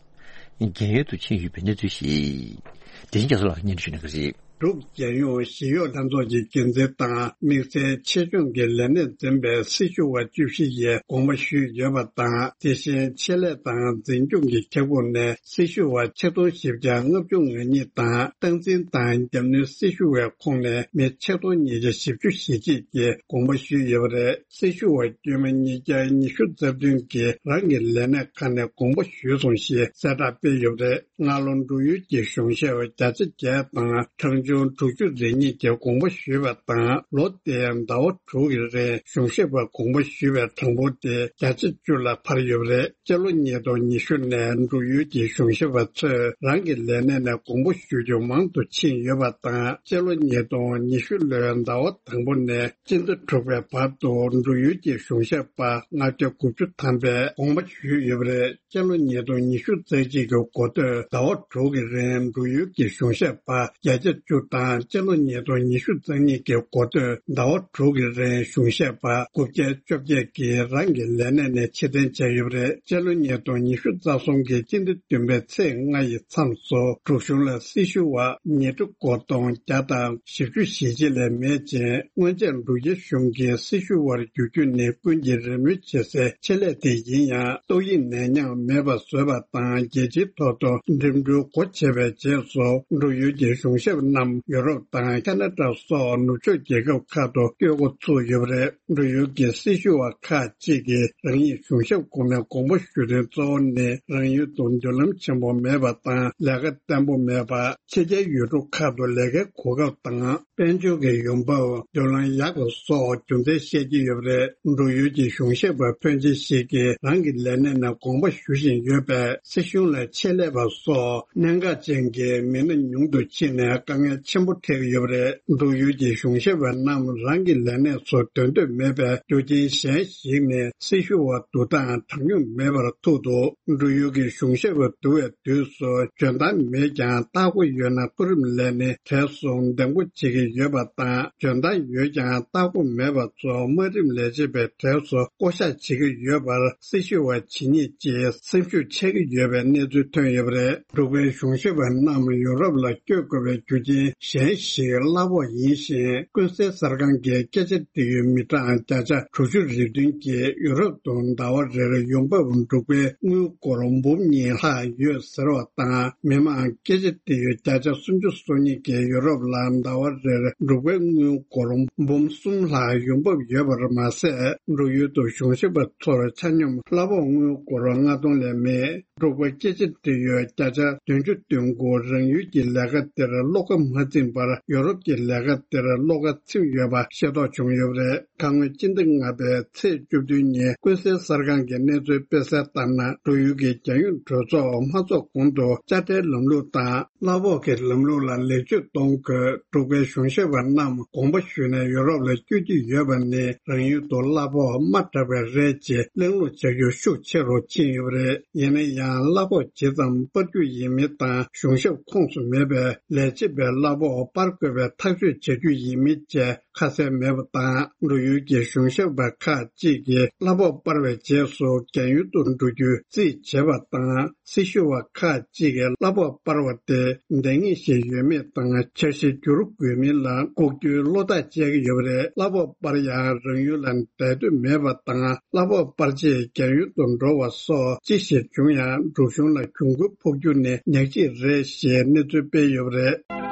རྒན་ཡོལ་དུ་ཕྱིན་ཡོད་པའི་གནས་ཚུལ་ཞིག་དེ་བཞིན་རྒྱ་མཚོ་ལགས་ཀྱིས་སྙན་སྒྲོན་ཞུ་གནང་གི་རེད། འབྲུག་རྒྱལ་ཡོངས་ཞི་གཡོག་ལྷན་ཚོགས་ཀྱི་འགན་འཛིན་དང་དམིགས་བསལ་ཆེད་སྦྱོང་གི་ལས་གནས་འཛིན་པའི་སྲི་ཞུ་བ་བཅུ་བཞི་ཡིས་དགོངས་པ་ཞུས་ཡོད་པ་དང་། དེ་བཞིན་ཆེད་ལས་དང་འཛིན་སྐྱོང་གི་ཁྱབ་ཁོངས་ནས་སྲི་ཞུ་བ་ཆིག་སྟོང་བཞི་བརྒྱ་ལྔ་བཅུ་ང་གཉིས་དང་། སྟངས་འཛིན་དང་རྒྱབ་སྣོན་སྲི་ཞུ་བའི་ཁོངས་ནས་མི་ཆིག་སྟོང་ཉིས་བརྒྱ་བཞི་བཅུ་ཞེ་གཅིག་གིས་དགོངས་པ་ཞུས་ཡོད་པ་རེད། སྲི་ཞུ་བ་དཀྱུས་མ་ཉིས་བརྒྱ་ཉི་ཤུ་རྩ་བདུན་གྱིས་རང་གི་ལས་གནས་ཁག་ནས་དགོངས་པ་ཞུས་སོང་ཞེས་གསལ་བསྒྲགས་སྤེལ་ཡོད་པ་རེད། སྔ་ལོ་འབྲུག་ཡུལ་གྱི་གཞུང་ཞབས་བརྒྱ་ཆ་བརྒྱད་དང་གྲངས་ཆུང་དྲུག་ཅུ་རེ་གཉིས་ཀྱིས་དགོངས་པ་ཞུས་པ་དང་། ལོ་དེའི་ཟླ་བ་དྲུག་གི་རིང་གཞུང་ཞབས་པ་དགོངས་པ་ཞུས་པའི་གྲངས་འབོར་དེ་བརྒྱ་ཆ་བཅུ་ལ་འཕར་ཡོད་པ་རེད། སྤྱི་ལོ་ཉིས་སྟོང་ཉི་ཤུ་ནས་འབྲུག་ཡུལ་གྱི་གཞུང་ཞབས་པ་ཚོས་རང་གི་ལས་གནས་ནས་དགོངས་པ་ཞུ་རྒྱུ་མང་དུ་ཕྱིན་ཡོད་པ་དང་། སྤྱི་ལོ་ཉིས་སྟོང་ཉི་ཤུ་ལོའི་ཟླ་བ་དང་པོ་ནས་སྤྱི་ཟླ་དྲུག་པའི་བར་དུ་འབྲུག་ཡུལ་གྱི་གཞུང་ཞབས་པ་ལྔ་བརྒྱ་དགུ་བཅུ་ཐམ་པས་དགོངས་པ་ཞུས་ཡོད་པ་རེད། སྤྱི་ལོ་ཉིས་སྟོང་ཉི་ཤུ་རྩ་གཅིག་གི་འགོ་སྟོད་ཟླ་བ་དྲུག་གི་རིང་འབྲུག་ཡུལ་གྱི་གཞུང་ཞབས་པ་བརྒྱ་ཆ་བཅུ་དང་། སྤྱི་ལོ་ཉིས་སྟོང་ཉི་ཤུ་རྩ་གཉིས་ཀྱི་འགོ་སྟོད་ཟླ་བ་དྲུག་གི་རིང་གཞུང་ཞབས་པ་དགུ་བརྒྱ་བཅོ་བརྒྱད་ཀྱིས་རང་གི་ལས་གནས་ནས་ཕྱིར་འཐེན་བྱས་ཡོད་པ་རེད། སྤྱི་ལོ་ཉིས་སྟོང་ཉི་ཤུ་རྩ་གསུམ་གྱི་སྤྱི་ཟླ་བདུན་པའི་ཚེས་ལྔ་ཡི་མཚམས་སུ་འབྲུག་གཞུང་ལ་སྲི་ཞུ་བ་ཉིས་ཁྲི་གོ་སྟོང་བརྒྱ་དང་བཞི་བཅུ་ཞེ་གཅིག་ལས་མེད་ཅིང་། སྔོན་ཆད་འབྲུག་རྒྱལ་གཞུང་གིས་སྲི་ཞུ་བར་འགྱུར་རྒྱུ་ནི་ཀུན་གྱིས་རེ་སྨོན་བྱེད་སའི་ཆེད་ལས་དེ་ཡིན་ཡང་། ཏོག་དབྱིབས་ནད་ཡམས་མེད་པ་བཟོས་པ་དང་། རྒྱལ་སྤྱིའི་ཐོག་ཏུ་འགྲིམ་འགྲུལ་སྒོ་ཕྱེ་བའི་རྗེས་སུ། འབྲུག་ཡུལ་གྱི་གཞུང་ཞབས་རྣམས་ཡུ་རོབ་དང་ཁ་ན་ཌ་སོགས་ནུབ་ཕྱོགས་རྒྱལ་ཁབ་ཁག་ཏུ་བསྐྱོད་འགོ་ཚུགས་ཡོད་པ་རེད། འབྲུག་ཡུལ་གྱི་སྲི་ཞུ་བ་ཁག་ཅིག་གིས་རང་ཉིད་གཞུང་ཞབས་ཁོངས་ནས་དགོངས་པ་ཞུ་དོན་གཙོ་བོ་ནི། རང་ཡུལ་དུ་མདུན་ལམ་ཆེན་པོ་མེད་པ་དང་། ལས་ཀ་བརྟན་པོ་མེད་པ། ཕྱི་རྒྱལ་ཡུལ་གྲུ་ཁག་ཏུ་ལས་ཀའི་གོ་སྐབས་དང་། དཔལ་འབྱོར་གྱི་ཡོང་འབབ། མདུན་ལམ་ཡག་པ་སོགས་རྒྱུ་མཚན་བཤད་ཀྱི་ཡོད་པ་རེད། འབྲུག་ཡུལ་གྱི་གཞུང་ཞབས་པ་ཕོན་ཆེ་ཞིག་གིས་རང་གི་ལས་གནས་ནས་དགོངས་པ་ཞུ་བཞིན་ཡོད་པས། སྲིད་གཞུང་ལ་ཆེད་ལས་པ་སོགས་གནད་འགག་ཅན་གྱི་མི་སྣ་ཉུང་དུ་ཕྱིན་ནས་དཀའ་ངལ་ཆེན་པོ་འཕྲད་ཀྱི་ཡོད་པ་རེད། འབྲུག་ཡུལ་གྱི་གཞུང་ཞབས་པ་རྣམས་རང་གི་ལས་གནས་སུ་སྡོད་འདོད་མེད་པའི་རྒྱུ་རྐྱེན་གཞན་ཞིག་ནི། སྲི་ཞུ་བ་བསྡུ་སྟངས་དྲང་སྙོམས་མེད་པར་ཐུག་འདུག་འབྲུག་ཡུལ་གྱི་གཞུང་ཞབས་པ་བསྡུ་བའི་དུས་སུ་འཇོན་ཐང་མེད་ཀྱང་ལྟ་སྒོ་ཡོད་ན་མཐོ་རིམ་ལས་སྣེའི་གྲས་སུ་འདེམས་བསྐོ་བྱེད་ཀྱི་ཡོད་པ་དང་། འཇོན་ཐང་ཡོད་ཀྱང་ལྟ་སྒོ་མེད་པ་ཚོ་དམའ་རིམ་ལས་བྱེད་པའི་གྲས་སུ་བསྐོ་གཞག་བྱེད་ཀྱི་ཡོད་པར་སྲི་ཞུ་བ་ཇི་སྙེད་ཀྱིས་སེམས་ཤུགས་ཆག་གི་ཡོད་པའི་གནས་ཚུལ་ཐོན་ཡོད་པ་རེད། འབྲུག་པའི་གཞུང་ཞབས་པ་རྣམས་ཡུ་རོབ་ལ་བསྐྱོད་དགོས་པའི་རྒྱུ་རྐྱེན་གཞན་ཞིག་གླ་ཕོགས་ཡིན་ཞིང་། ཀུན་གསལ་གསར་ཁང་གིས་སྐད་ཆ་འདྲི་ཡུལ་མི་གྲངས་བརྒྱ་ཆ་དྲུག་ཅུ་རེ་བདུན་གྱིས་ཡུ་རོབ་ཏུ་ཟླ་བ་རེར་ཡོང་འབབ་འབྲུག་པའི་དངུལ་སྒོར་འབུམ་གཉིས་ལྷག་ཡོད་ཟེར་བ་དང་། མི་མང་སྐད་ཆ་འདྲི་ཡུལ་བརྒྱ་ཆ་སུམ་ཅུ་སོ་གཉིས་ཀྱིས་ཡུ་རོབ་ལ་ཟླ་བ་རེར་འབྲུག་པའི་དངུལ་སྒོར་འབུམ་གསུམ་ལྷག་ཡོང་འབབ་ཡོད་པར་མ་ཟད། འབྲུག་ཡུལ་དུ་གཞུང་ཞབས་པ་ཚོར་ཆ་སྙོམས་གླ་ཕོགས་དངུལ་སྒོར་ལྔ་སྟོང་ལས་མེད། འབྲུག་པ་སྐད་ཆ་འདྲི་ཡུལ་བརྒྱ་ཆ་བདུན་ཅུ་དོན་དགུ་རང་ཡུལ་གྱི་ལས་ཀ་དེར་བློ་ཁ་མ་ཚིམ་པར་ཡུ་རོབ་ཀྱི་ལས་ཀ་དེར་བློ་ཁ་ཚིམ་ཡོད་པ་ཤེས་རྟོགས་བྱུང་ཡོད་པ་རེད། ཁ་སྔོན་སྤྱི་ཟླ་ལྔ་པའི་ཚེས་བཅུ་བདུན་ཉིན་ཀུན་གསལ་གསར་ཁང་གིས་གནས་ཚུལ་སྤེལ་གསལ་ལྟར་ན། འབྲུག་ཡུལ་གྱི་རྒྱལ་ཡོངས་གྲོས་ཚོགས་མ་ཚོགས་གོང་དུ་དཔྱ་ཁྲལ་ལམ་ལུགས་དང་གླ་ཕོགས་ཀྱི་ལམ་ལུགས་ལ་ལེགས་བཅོས་གཏོང་དགོས། འབྲུག་པའི་གཞུང་ཞབས་པ་རྣམས་དགོངས་པ་ཞུས་ནས་ཡུ་རོབ་ལ་བསྐྱོད་ཀྱི་ཡོད་པ་ནི། རང་ཡུལ་དུ་གླ་ཕོགས་དམའ་དྲགས་པས་རེད་ཅེས་གླེང་སློང་བྱ་རྒྱུ་ཤུགས་ཆེ་རུ་ཕྱིན་ཡོད་པ་རེད། ཡིན་ན་ཡང་གླ་ཕོགས་ཇི་ཙམ་སྤར་རྒྱུ་ཡིན་མིན་དང་། གཞུང་ཞབས་ཁོངས་སུ་མེད་པའི་ལས་བྱེད་པའི་གླ་ཕོགས་སྤར་དགོས་པའི་ཐག་གཅོད་བྱ་རྒྱུ་ཡིན་མིན་བཅས་ཁ་གསལ་མེད་པ་དང་། འབྲུག་ཡུལ་གྱི་གཞུང་ཞབས་པ་ཁག་ཅིག་གིས་གླ་ཕོགས་སྤར་བའི་རྗེས་སུ་རྒན་ཡོལ་དུ་འགྲོ་རྒྱུའི་རྩིས་བྱེད་པ་དང་། སྲི་ཞུ་བ་ཁག་ཅིག་གིས་གླ་ཕོགས་སྤར་བ་དེ་འདང་ངེས་ཤིག་ཡོད་མེད་དང་། འཆར་གཞི་བསྒྱུར་དགོས་མིན་ལ་ལྐོག་གྱུར་བློ་ཐག་བཅད་ཀྱི་ཡོད་པ་རེད། གླ་ཕོགས་སྤར་ཡང་རང་ཡུལ་ལ་བསྡད་འདོད་མེད་པ་དང་། གླ་ཕོགས་སྤར་རྗེས་རྒན་ཡོལ་དུ་འགྲོ་བ་སོགས་ཅི་ཞིག་བྱུང་ཡང་འབྲུག་གཞུང་ལ་གྱོང་གུན་ཕོག་རྒྱུ་ནི་ཉག་གཅིག་རེད་ཞེས་གནས་ཚུལ་སྤེལ་ཡོད་པ་རེད།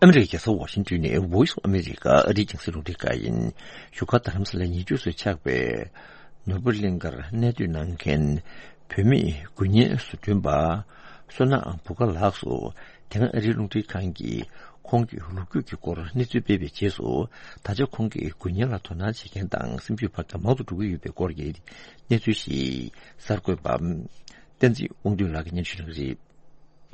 ཨ་མི་རི་ཀའི་རྒྱལ་ས་ཝ་ཤིང་ཏོན་ནས་Voice of America ཨ་རིའི་རྒྱང་སྲིང་རླུང་འཕྲིན་ཁང་ཡིན། བཞུགས་སྒར་རྡ་རམ་ས་ལའི་ཉེ་འཁྲིས་སུ་ཆགས་པའི་ནོར་བུ་གླིང་ཁར་གནས་སྡོད་གནང་མཁན་བུད་མེད་དགུ་བརྙན་བཟོ་སྐྲུན་པ་བསོད་ནམས་བུ་དགའ་ལགས་སུ། དེ་སྔ་ཨ་རིའི་རླུང་འཕྲིན་ཁང་གིས་ཁོང་གི་ལོ་རྒྱུས་ཀྱི་སྐོར་གནས་ཚུལ་སྤེལ་བའི་རྗེས་སུ། ད་ཆ་ཁོང་གིས་དགུ་བརྙན་ལ་དོ་སྣང་བྱེད་མཁན་དང་སེམས་ཤུགས་འཕར་མཁན་མང་དུ་འགྲོ་གི་ཡོད་པའི་སྐོར་གྱི་གནས་ཚུལ་ཞིག་གསར་འགོད་པ་བསྟན་འཛིན་དབང་འདུས་ལགས་ཀྱིས་སྙན་ཞུ་གནང་གི་རེད།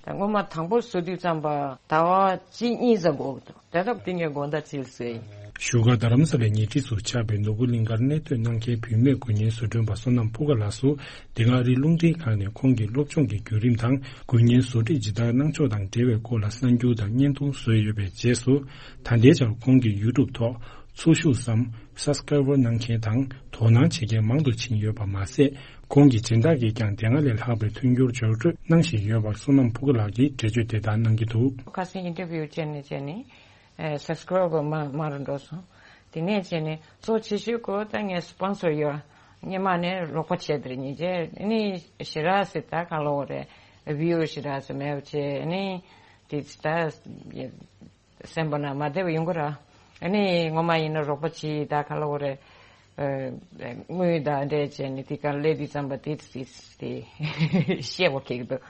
ད་སྔོན་མ་དང་པོ་བཟོ་དུས་ཙམ་པ་ཟླ་བ་གཅིག་གཉིས་ཙམ་འགོར་གི་འདུག་དེ་ལྟར་དེ་ངས་དགོང་དག་ཅིག་བཟོས་ཡིན། བཞུགས་སྒར་རྡ་རམ་ས་ལའི་ཉེ་འཁྲིས་སུ་ཆགས་པའི་ནོར་བུ་གླིང་ཁར་གནས་སྡོད་གནང་མཁན་བུད་མེད་དགུ་བརྙན་བཟོ་སྐྲུན་པ་བསོད་ནམས་ཕུག་དཀར་ལགས་སུ། འདི་ག་ཨ་རིའི་རླུང་འཕྲིན་ཁང་ནས་ཁོང་གི་སློབ་སྦྱོང་གི་བརྒྱུད་རིམ་དང་། དགུ་བརྙན་བཟོ་སྒྲིག་ཇི་ལྟར་གནང་ཕྱོགས་དང་འབྲེལ་བའི་སྐོར་ལ་གསར་འགྱུར་དང་བརྙན་ཐུང་བཟོས་ཡོད་པའི་རྗེས་སུ། ད་ལྟའི་ཆར་ཁོང་གི་ཡུ་ཊུབ་ཐོག་འཚོ་བཞུགས་སམ་སབ་སི་ཀ་རའེ་བར་གནང་མཁན་དང་དོ་སྣང་བྱེད་མཁན་མང་དུ་ཕྱིན་ཡོད་པ་མ་ཟད། ཁོང་གི་སྦྱིན་བདག་གིས་ཀྱང་དེ་སྔ་ལས་ལྷག་པའི་མཐུན་འགྱུར་འབྱོར་སྤྲོད་གནང་བཞིན་ཡོད་པར་བསོད་ནམས་ཕུག་དཀར་ལགས་ཀྱིས་འགྲེལ་བརྗོད་དེ་ལྟར་གནང་གི་འདུག་ཁ་སང་ཨིན་ཊར་བིའུ་བྱས་ནས་བྱས་ནས། ཨེ། སབ་སི་ཀ་རའེ་བར་མང་མང་རུ་འགྲོ་སོང་། དེ་ནས་བྱས་ནས་གཙོ་ཆེ་ཤོས་ཁོ་ད་ངའི་སི་པོན་སར་ཡོད། སྔོན་མ་ནས་རོགས་པ་བྱས་དེར་ཉིན་བྱས་ནི་ཞེ་དྲག་སེ་ད་ག་ལོ་རེད། བིའུ་ཞེ་དྲག་སེ་མེད་པ་བྱས་ནི་དེ་ད་སེམས་པ་ན་མ་བདེ་བ་ཡོང་གི་ར། ཨ་ནི་ངོ་མ་ཡིན་ན་རོགས་པ་བྱེད་ད་ག་ལ་འོ་རེད། ཨ། དངུལ་དང་འདྲེས་བྱས་ནས་དེ་ག་སླེབས་དུས་ཙམ་པ་དེ་དེ་དེ་བཤད་པ་གེགས་འདུག་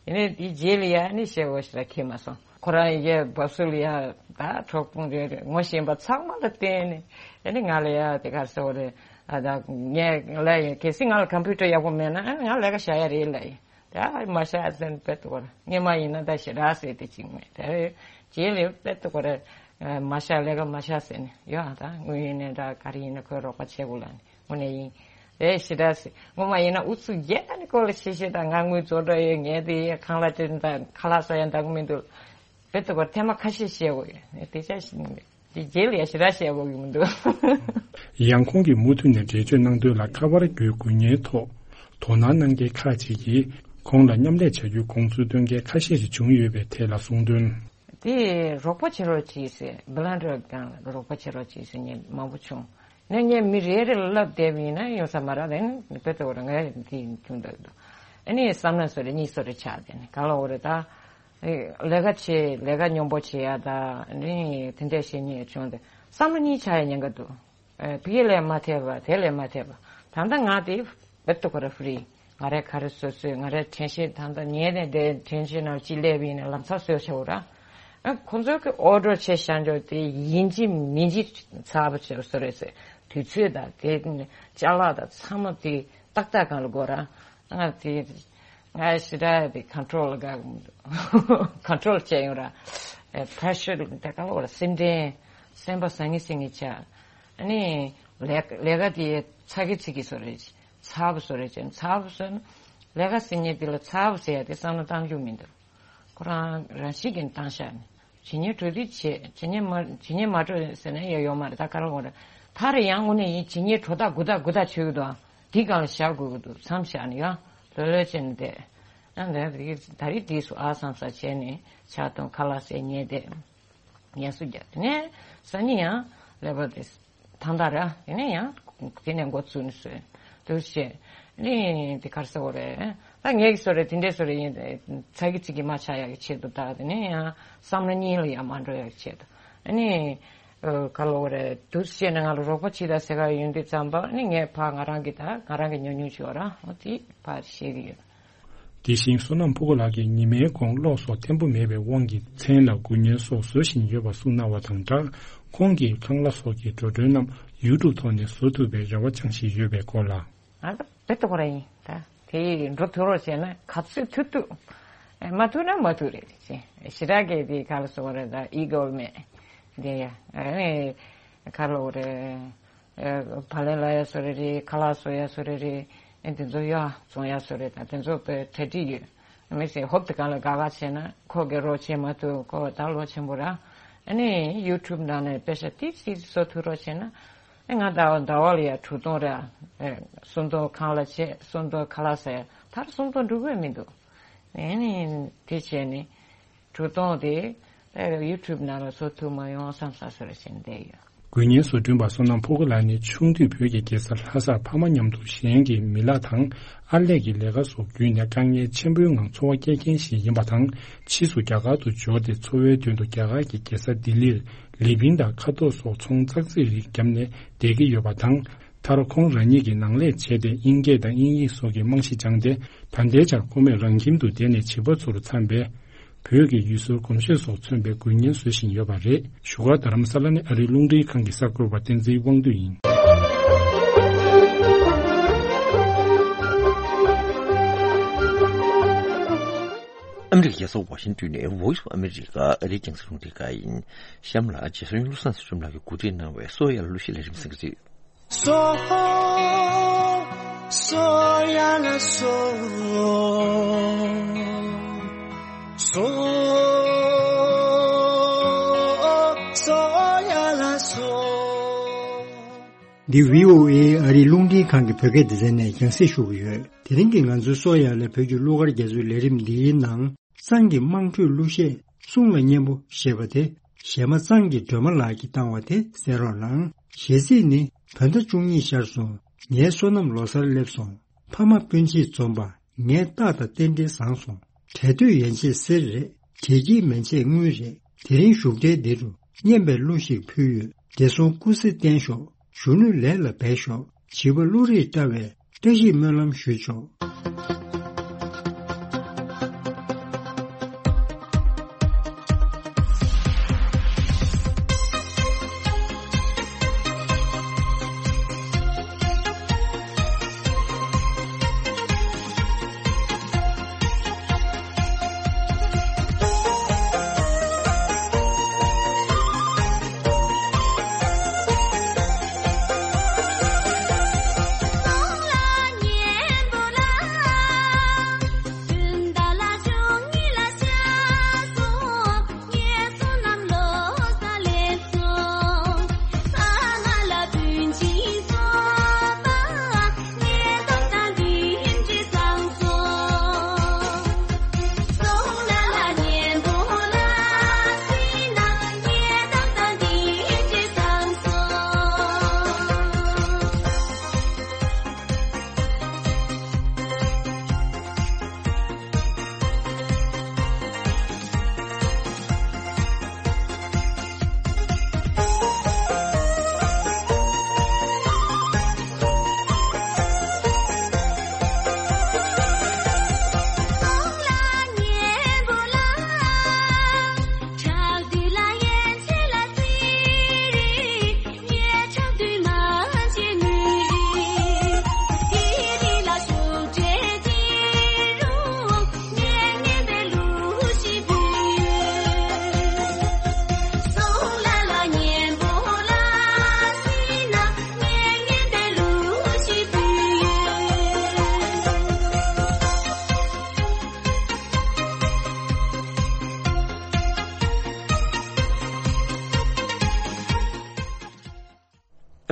ཡིན་ནའི་དེའི་རྗེས་ལ་ཡ་ནི་བཤད་པ་ཞིག་ལ་ཁེལ་མ་སོང་། ཁོ་རང་ཡའི་བབས་སུ་ལ་ཡ་ད་གྲོགས་པོ་རེ་རེ་ངོ་ཤེས་པ་ཚང་མ་ལ་བརྟེན་ནས་ཨ་ནི་ང་ལ་ཡ་དེ་ག་སོ་རེད། ཨ་ད་ངས་ལ་ཡ་གལ་སྲིད་ང་ལ་ཀམ་པུ་ཊར་ཡག་པོ་མེད་ན་ཨ་ནི་ང་ལས་ཀ་བྱ་ཡ་རེད་ལ་ཡ། ད་མ་ཤ་ཟེར་ནས་དཔེ་ཏོག་ཀོར་སྔོན་མ་ཡིན་ན་ད་ཞེ་དྲག་ཟེར་དེ་གཅིག་མེད་དེ། རྗེས་ལ་དཔེ་ཏོག་ཀོར་མ་ཤ་ལས་ཀ་མ་ཤ་ཟེར་ནས་ཡོད། ཨ་ད་དངུལ་ཡིན་ནའི་འདྲ་ག་རེ་ཡིན་ན་ཁོས་རོགས་པ་བྱེད་དགོས་ལ་ནི་དངོས་གནས་ཡིན། དེ་ཞེ་དྲག་ཟེར་སྔོན་མ་ཡིན་ན་ཨུ་ཚུགས་རྒྱས་ད་ནི་ཁོ་ལ་ཤེས་ཤེས་ད་ང་དངུལ་རྫོགས་འགྲོ་ཡོད་ངས་དེ་ཡས་ཁང་གླ་སྤྲད་ད་ཁ་ལག་ཟ་ཡ་འདང་གི་མི་འདུག་དཔེ་ཏོག་ཀོར་ཐེངས་མ་ཁ་ཤས་བཤད་དགོས་ཡོད་དེ་ཆ་ཞིག་དེ་རྗེས་ལ་ཡ་ཞེ་དྲག་བཤད་དགོས་ཀྱི་མི་འདུག་ཡང་ཁོང་གིས་མུ་མཐུད་ནས་འགྲེལ་བརྗོད་གནང་དོན་ལ་ཁ་པར་བརྒྱུད་དགོས་ཉེན་ཐོག་དོ་སྣང་གནང་མཁན་ཁག་ཅིག་གིས་ཁོང་ལ་མཉམ་ལས་བྱ་རྒྱུའི་དགོངས་ཚུལ་བཏོན་མཁན་ཁ་ཤས་ཤིག་བྱུང་ཡོད་པའི་ཐད་ལ་གསུངས་དོན། དེ་རོགས་པ་བྱེད་རོགས་བྱེད་ཟེར་བི་ལན་ཌར་སྒང་ལ་རོགས་པ་བྱེད་རོགས་བྱེད་ཟེར་མཁན་མང་པོ་བྱུང་། ནས་ངས་མི་རེ་རེ་ལ་ལབ་བསྡད་པ་ཡིན་ན་ཡོང་ས་མ་རེད་དེ་ནི་དཔེ་ཏོག་ཀོར་ངས་དེ་བྱུང་འདུག་ཨ་ནི་བསམ་ན་སོ་རེ་གཉིས་སོ་རེ་ཆགས་དེ་ནི་ག་ལ་འོ་རེད་ད། ལས་ཀ་བྱེད་ལས་ཀ་སྙོམས་པོ་བྱེད་ཡ་ད་ནི་དེ་འདྲས་བྱེད་ཉེས་བྱུང་སྟེ་བསམ་བློ་གཉིས་ཆགས་ཡ་ཉེན་ཁ་འདུག་ཨེ། ཕ་གི་ལས་མ་ཐེབས་པ་དེ་ལས་མ་ཐེབས་པ་ད་ལྟ་ང་དེ་བེད་དུ་ཁོ་ར་ཧྥི་རི་ང་རའི་ག་རེ་བཟོ་བཟོས་ང་རའི་དྲན་ཤེས་ད་ལྟ་ཉལ་ནས་བསྡད་དྲན་ཤེས་ནང་ཅི་སླེབས་ཡིན་ནས་ལམ་སང་བཟོས་བྱའོ་ར། ཨ་ཁོ་ཚོ་གི་ཨོ་ཌར་བྱས་བཞག་འཇོག་དེ་ཡིན་གཅིག་མིན་གཅིག་ཚར་བ་བྱས་བཟོ་རེད་ཟེར་དུས་ཚོད་དང་དེ་ཅ་ལག་དང་ཚང་མ་དེ་ཏག་ཏག་སྒང་ལ་དགོས་ར། ང་དེ། ང་ཞེ་དྲག་དེ་ཁོན་ཊོལ་ལ་དགའ་གི་མི་འདུག་ཁོན་ཊོལ་བྱས་ཡོང་ར། ཨེ་པེ་རེ་ཤར་དེ་ག་ལ་བ་ར་སེམས་ཁྲལ། སེམས་པ་ཟང་ངེ་ཟིང་ངེ་ཆགས། ཨ་ནི་ལས་ལས་ཀ་དེ་ཚ་གི་ཚིག་གི་བཟོ་རེད། ཚ་བོ་བཟོ་རེད་ཅེས་ཚ་བོ་བཟོས་ན། ལས་ཀ་ཟེར་མཁན་དེ་ལ་ཚ་བོ་ཟེར་ཡ་དེ་བསམ་བློ་བཏང་རྒྱུ་མི་འདུག་ཁོ་རང་རང་བཞིན་གྱིས་བཏང་བཞག་ནས། ཇི་སྙེད་འགྲོ་དུས་བྱེད། ཇི་སྙེད་མ་ཇི་སྙེད་མ་འགྲོ་ཟེར་ན་ཡང་ཡོད་མ་རེད། ད་ག་རེ་འོང་རེད། ད་རེ་ཡང་དངོས་གནས་ཡིན་ཇི་སྙེད་འགྲོ་ཐག་འགུ་ཐག་འགུ་ཐག་ཆོད་ཀྱི་འདུག་དེའི་སྒང་ལ་བཞག་དགོས་ཀྱི་འདུག་མཚམས་བཞག་ནས་ཡང་ལྷོད་ལྷོད་བྱས་ནས་བསྡད། ཡང་ད་རེས་ད་རེས་འདི་སུ་ཨ་བསམ་ས་བྱས་ནས་ཕྱག་སྟོང་ཁ་ལག་ཟས་ཉལ་བསྡད། ངལ་གསོ་རྒྱག་དེ་ནས་སང་ཉིན་ཡང་ཀླད་པ་དེ། ཐང་ཐང་ར། དེ་ནས་ཡང་དེ་ནས་འགོ་བཙུགས་ནས་བཟོས། འདུག་བྱས། ནི་དེ་གར་ཟེར་བ་རེད། ད་ངས་ཀྱི་བཟོ་རེད་དེ་འདྲས་བཟོ་རེད་ཡིན། ཚ་གི་ཚིག་གི་མ་ཆགས་ཡག་གི་ཆེད་དུ་ད་དེ་ནས་ཡང་བསམ་བློ་གཉིས་ལ་ཡང་མ་འགྲོ་ཡག་གི་ཆེད་དུ། ཨ་ནི། ག་ལ་བ་རེད་འདུག་བྱས་ནས་ང་ལ་རོགས་པ་བྱེད་ད་ཟེར་ག་ཡོང་དུས་ཙམ་པ་ནི་ངས་ཕ་ང་རང་གི་ད་ང་རང་གི་ཉུང་ཉུང་བྱེད་བ་ར་འོ་དེ་ཕར་བཤད་གི་ཡོད། དེ་བཞིན་བསོད་ནམས་ཕུར་བུ་ལགས་ཀྱིས་ཉི་མའི་གོང་གློག་སོགས་བརྟན་པོ་མེད་པའི་དབང་གིས་མཚན་ལ་དགུན་ཉལ་སོགས་བཟོ་བཞིན་ཡོད་པ་གསུངས་གནང་བ་དང་སྦྲགས། ཁོང་གིས་ཁང་གླ་སོགས་ཀྱི་འགྲོ་གྲོན་རྣམས་ཡུ་ཊུབ་ཐོག་ནས་བཟོ་ཐུབ་པའི་རེ་བ་བཅངས་བཞིན་ཡོད་པའི་སྐོར་ལ། ང་ད་དཔེ་ཏོག་ར་ཡིན་ད། དེ་འགྲོ་ཐུབ་རོགས་བྱས་ན་ག་ཚོད་ཐུབ་ཐུབ། མ་ཐུབ་ན་མ་ཐུབ་རེད་ཅེས་ཞེ་དྲག་གི་དེ་ག་ལ་སོང་རེད་ད་ཨི་གོ་མེད། དེ་ཡ་ཨ་ནི་ག་ལ་འོ་རེད། ཨེ། བག་ལེབ་ལ་ཡ་སོ་རེ་རེ་ཁ་ལག་བཟོ་ཡ་སོ་རེ་རེ། ཨེ་དེ་ཚོ་ཡ་བཙོང་ཡ་སོ་རེ་དང་དེ་ཚོ་དཔེ་གྲ་སྒྲིག་ཡོད། མི་ཚེ་ཧོབ་ཏེ་གང་ལ་དགའ་དགའ་བྱས་ན་ཁོ་གི་རོགས་བྱེད་མ་ཐུབ་ཁོ་ད་ལོ་ཆེན་པོ་ར། ཨ་ནི་ཡུ་ཊུབ་ནང་ནས་དཔེ་ཆ་ཏིག་ཙིག་བཟོ་ཐུབ་རོགས་བྱས་ན། ཨེ་ང་ཟླ་བ་ཟླ་བ་ལ་ཡ་དྲུག་སྟོང་ར། ཨེ་སུམ་སྟོང་ཁང་གླ་བྱས་སུམ་སྟོང་ཁ་ལག་ཟ་ཡ་ད་སུམ་སྟོང་འགྲོ་གི་མི་འདུག་ཨེ་ནི་དེ་བྱས་ནི། གྲུ་སྟོང་དེ་ཡུ་ཊུབ་ནང་ལ་བཟོ་ཐུབ་མ་ཡོང་བསམ་ས་སོ་རེ་བྱས་བསྡད་ཡོད། དགུན་ཉལ་བཟོ་སྐྲུན་པ་བསོད་ནམས་ཕུར་བུ་ལགས་ནི་ཆུང་དུས་བོད་ཀྱི་རྒྱལ་ས་ལྷ་སར་ཕ་མ་མཉམ་དུ་གཞན་གྱི་མི་ལག་དང་ཨར་ལས་ཀྱི་ལས་ཀ་སོགས་བརྒྱུད་ནས་དཀའ་ངལ་ཆེན་པོའི་ངང་འཚོ་བ་སྐྱེལ་མཁན་ཞིག་ཡིན་པ་དང་ཕྱིས་སུ་རྒྱ་གར་དུ་འབྱོར་ཏེ་འཚོ་བའི་དོན་དུ་རྒྱ་གར་གྱི་རྒྱལ་ས་ལྡི་ལིར་ལི་ཕིང་དང་ཁ་དོག་སོགས་ཚོང་ཙག་ཙིག་རིགས་བརྒྱབ་ནས་བསྡད་ཀྱི་ཡོད་པ་དང་། མཐར་ཁོང་རང་ཉིད་ཀྱིས་ནང་ལས་བྱས་ཏེ་དབྱིན་སྐད་དང་དབྱིན་ཡིག་སོགས་ཀྱི་རྨང་གཞི་སྦྱངས་ཏེ་ད་ལྟའི་ཆར་ཁོ་མོས་རང་ཁྱིམ་དུ་བསྡད་ནས་བྱིས་པ་ཚོར་འཚམ་པའི་བོད་ཀྱི་ཡུལ་སྲོལ་གོམས་གཤིས་སོགས་མཚོན་པའི་དགུན་ཉལ་བཟོ་བཞིན་ཡོད་པ་རེད། བཞུགས་སྒར་རྡ་རམ་ས་ལ་ནས་ཨ་རིའི་རླུང་འཕྲིན་ཁང་གི་གསར་འགོད་པ་བསྟན་འཛིན་དབང་འདུས་ཡིན། ཨ་མི་རི་ཀའི་རྒྱལ་ས་ཝ་ཤིང་ཏོན་ནས་Voice of America ཨ་རིའི་རྒྱང་སྲིང་རླུང་འཕྲིན་ཁང་ཡིན། གཤམ་ལ་རྗེ་བཙུན་བློ་བཟང་སེང་གེ་ལགས་ཀྱིས་གོ་སྒྲིག་གནང་བའི་གསོ་བ་ཡར་ལ་གླུ་གཞས་ལས་རིམ་གསན་གྱི་རེད། སོ་སོ་ཡ་ལ་སོ། སོ་སོ་ཡ་ལ་སོ། འདི་བྷི་ཨོ་ཨེ་ཨ་རིའི་རླུང་འཕྲིན་ཁང་གི་བོད་སྐད་སྡེ་ཚན་ནས་རྒྱང་སྲིང་ཞུ་གི་ཡོད། དེ་རིང་གི་ང་ཚོའི་སོ་ཡ་ལ་བོད་ཀྱི་གླུ་གར་རྒྱ་མཚོའི་ལས་རིམ་འདིའི་ནང་། གཙང་གི་དམངས་ཁྲོད་གླུ་གཞས་གསུང་ལ་སྙན་པོ་ཞེས་པ་དེ། གཞས་མ་གཙང་གི་སྒྲོལ་མ་ལགས་ཀྱིས་བཏང་བ་དེ་གསན་རོགས་གནང་། གཞས་ཚིག་ནི། བོད་ཟླ་བཅུ་གཉིས་ཤར་སོང་། ངའི་བསོད་ནམས་ལོ་སར་སླེབས་སོང་། ཕ་མ་སྤུན་མཆེད་འཛོམས་པ། ངའི་རྟགས་དང་རྟེན་འབྲེལ་བཟང་སོང་། གྲལ་སྟོད་ཡན་ཆད་གསེར་རེད། དྲེལ་སྐྱིད་མན་ཆད་དངུལ་རེད། དེ་རིང་བཞུགས་གྲལ་འདི་རུ། སྙན་པའི་གླུ་ཞིག་ཕུལ་ཡོད། བདེ་སྲུང་སྐུ་ཚེ་བརྟན་ཤོག། གཞོན་ནུ་ལས་ལ་འབད་ཤོག། བྱིས་པ་བློ་རིག་བཀྲ་བའི། བཀྲ་ཤིས་སྨོན་ལམ་ཞུས་ཆོག།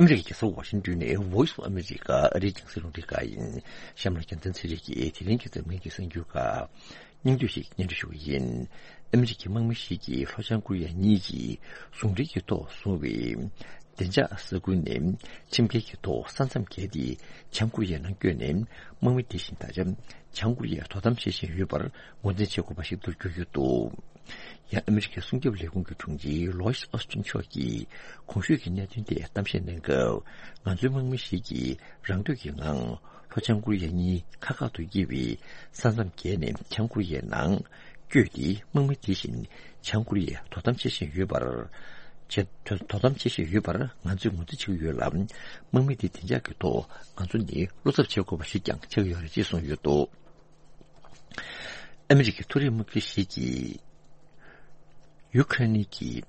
ཨ་མི་རི་ཀའི་རྒྱལ་ས་ཝ་ཤིང་ཏོན་ནས་Voice of America ཨ་རིའི་རྒྱང་སྲིང་རླུང་འཕྲིན་ཁང་ཡིན། གཤམ་ལ་རྒྱལ་མཚན་ཚེ་རིང་གིས་དེ་རིང་གི་འཛམ་གླིང་གི་གསར་འགྱུར་ཁག་སྙིང་བསྡུས་ཤིག་སྙན་སྒྲོན་ཞུ་གི་ཡིན། ཨ་མི་རི་ཀའི་དམག་མི་ཞིག་གིས་ལྷོ་བྱང་ཀོ་རི་ཡ་གཉིས་ཀྱིས་ཟུང་འབྲེལ་གྱི་ཐོག་བཟུང་བའི་བདེ་འཇགས་ས་ཁུལ་ནས་ཁྱིམ་རྒྱུད་ཀྱི་ཐོག་ས་མཚམས་བརྒལ་ཏེ་བྱང་ཀོ་རི་ཡའི་ནང་བསྐྱོད་ནས་དམག་མི་དེ་བཞིན་ད་ཆ་བྱང་ཀོ་རི་ཡས་དོ་དམ་བྱེད་བཞིན་ཡོད་པར་ངོས་འཛིན་བྱེད་དགོས་པ་ཞིག་ཏུ་གྱུར་ཡོད་འདུག། ཡང་ཨ་མི་རི་ཀའི་སྲུང་སྐྱོབ་ལས་ཁུངས་ཀྱི་དྲུང་ཆེ་ལོའིད་ཨོ་སི་ཊིན་མཆོག་གིས་གོང་ཞུས་ཀྱི་གནད་དོན་ཐད་གཏམ་བཤད་གནང་སྐབས། ང་ཚོའི་དམག་མི་ཞིག་གིས་རང་འདོད་ཀྱི་ངང་ལྷོ་བྱང་ཀོ་རི་ཡ་གཉིས་ཁ་ཁ་ཏུ་དབྱེ་བའི་ས་མཚམས་བརྒལ་ནས་བྱང་ཀོ་རི་ཡའི་ནང་བསྐྱོད་དེ་དམག་མི་དེ་བཞིན་བྱང་ཀོ་རི་ཡས་དོ་དམ་བྱེད་བཞིན་ཡོད་པར། བྱེད་དོ་དོ་དམ་བྱེད་བཞིན་ཡོད་པར་ང་ཚོས་ངོས་འཛིན་བྱེད་ཀྱི་ཡོད་ལ། དམག་མི་དེ་བདེ་འཇགས་ཀྱི་ཐོག་ང་ཚོ་ནས་བློ་འཚབ་བྱེད་དགོས་པ་ཞིག་ཀྱང་ཆགས་ཀྱི་ཡོད་རེད་ཅེས་གསུངས་ཡོད་འདུག། ཨ་མི་རི་ཀའི་མཐོ་རིམ་དམག་སྤྱི་ཞིག་གིས་ཡུ་ཁ་རེན་གྱིས་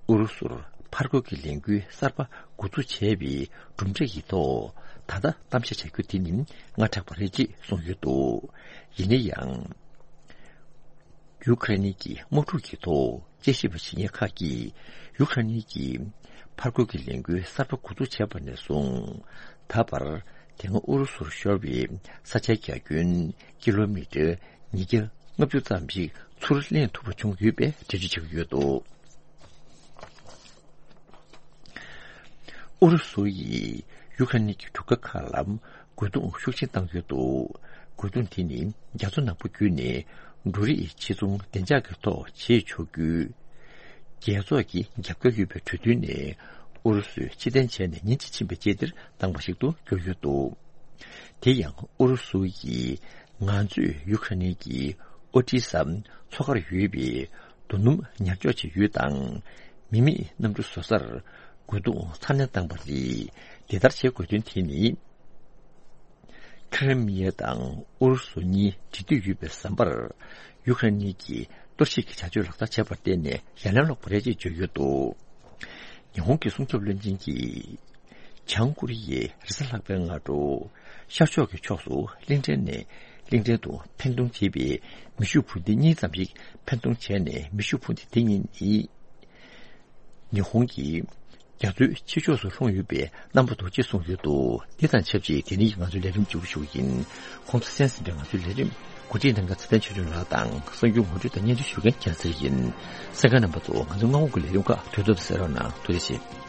ཨུ་རུ་སུར་ཕར་རྒོལ་གྱི་ལས་འགུལ་གསར་པ་འགོ་འཛུགས་བྱས་པའི་གྲུབ་འབྲས་ཀྱི་ཐོག་ད་ལྟ་གཏམ་བཤད་བྱ་རྒྱུ་དེ་ནི་སྔ་དྲགས་པ་རེད་ཅེས་གསུངས་ཡོད་འདུག། ཡིན་ན་ཡང་། ཡུ་ཁ་རེན་གྱི་དམག་འཁྲུག་གི་ཐོག་དཔྱད་ཞིབ་པ་བྱེད་མཁན་ཁག་གིས་ཡུ་ཁ་རེན་གྱིས་ཕར་རྒོལ་གྱི་ལས་འགུལ་གསར་པ་འགོ་འཛུགས་བྱས་པ་ནས་བཟུང་ད་བར། དེ་སྔ་ཨུ་རུ་སུར་ཤོར་བའི་ས་ཆའི་རྒྱ་ཁྱོན་ཀི་ལོ་མི་ཊར་ཉིས་བརྒྱ་ལྔ་བཅུ་ཙམ་ཞིག་ཚུར་ལེན་ཐུབ་པ་བྱུང་ཡོད་པའི་འགྲེལ་བརྗོད་བྱེད་ཀྱི་ཡོད་འདུག། ཨུ་རུ་སུ་ཡིས་ཡུ་ཁ་རེན་གྱི་གྲུ་ཁ་ཁག་ལ་རྒོལ་རྡུང་ཤུགས་ཆེན་བཏང་ཡོད་འདུག། རྒོལ་རྡུང་དེ་ནི་རྒྱ་མཚོ་ནག་པོ་བརྒྱུད་ནས་འབྲུ་རིགས་ཕྱིར་ཚོང་བདེ་འཇགས་ཀྱི་ཐོག་བྱེད་ཆོག་རྒྱུའི་རྒྱལ་ཚོགས་ཀྱི་རྒྱབ་སྐྱོར་ཡོད་པའི་གྲོས་མཐུན་ནས་ཨུ་རུ་སུས་ཕྱིར་འཐེན་བྱས་ནས་ཉིན་གཅིག་ཕྱིན་པའི་རྗེས་འདིར་བཏང་བ་ཞིག་ཏུ་གྱུར་ཡོད་འདུག། དེ་ཡང་ཨུ་རུ་སུ་ཡིས་ང་ཚོས་ཡུ་ཁ་རེན་གྱི་ཨོ་ཏི་ས་མཚོ་ཁར་ཡོད་པའི་རྡོ་སྣུམ་ཉར་འཇོག་བྱེད་ཡུལ་དང་མི་མེད་གནམ་གྲུ་བཟོ་སར་རྒོལ་རྡུང་ཚ་ནན་བཏང་བ་རེད། དེ་ལྟར་བྱེད་དགོས་དོན་དེ་ནི། ཁི་རི་མི་ཡ་དང་ཨུ་རུ་སུ་གཉིས་འབྲེལ་མཐུད་ཡོད་པའི་ཟམ་པར། ཡུ་ཁ་རེན་གཉིས་ཀྱིས་གཏོར་བཤིག་གི་བྱ་སྤྱོད་ལག་བསྟར་བྱས་པར་བརྟེན་ནས་ཡ་ལན་སློག་པ་རེད་ཅེས་བརྗོད་ཡོད་འདུག་ཉི་ཧོང་གི་སྲུང་སྐྱོབ་བློན་ཆེན་གྱིས། བྱང་ཀོ་རི་ཡའི་རེས་གཟའ་ལྷག་པའི་སྔ་དྲོ། ཤར་ཕྱོགས་ཀྱི་ཕྱོགས་སུ་གླིང་ཕྲན་ནས་གླིང་ཕྲན་དུ་འཕེན་གཏོང་བྱས་པའི་མེ་ཤུགས་འཕུར་མདེལ་གཉིས་ཙམ་ཞིག་འཕེན་གཏོང་བྱས་ནས། མེ་ཤུགས་འཕུར་མདེལ་དེ་གཉིས་ནི། ཉི་ཧོང་གི་རྒྱ་མཚོའི་ཕྱི་ཕྱོགས་སུ་ལྷུང་ཡོད་པའི་རྣམ་པ་འདུག་ཅེས་གསུངས་ཡོད་འདུག་འདི་དང་ཆབས་ཅིག་དེ་རིང་གི་ང་ཚོའི་ལས་རིམ་མཇུག་སྒྲིལ་ཞུ་གི་ཡིན། ཁོང་ཚོ་གསན་ཟིན་པའི་ང་ཚོའི་ལས་རིམ་གོ་སྒྲིག་གནང་མཁན་ཚེ་བརྟན་ཆོས་སྒྲོན་ལགས་དང་། གསར་འགྱུར་ངོ་སྤྲོད་དང་སྙན་སྒྲོན་ཞུ་མཁན་རྒྱལ་མཚན་ཡིན། གསན་མཁན་རྣམ་པ་ཚོ། ང་ཚོའི་སྔ་དགོང་གི་ལས་རིམ་ཁག་དུས་ཐོག་ཏུ་གསན་རོགས་གནང་། ཐུགས་རྗེ་ཆེ།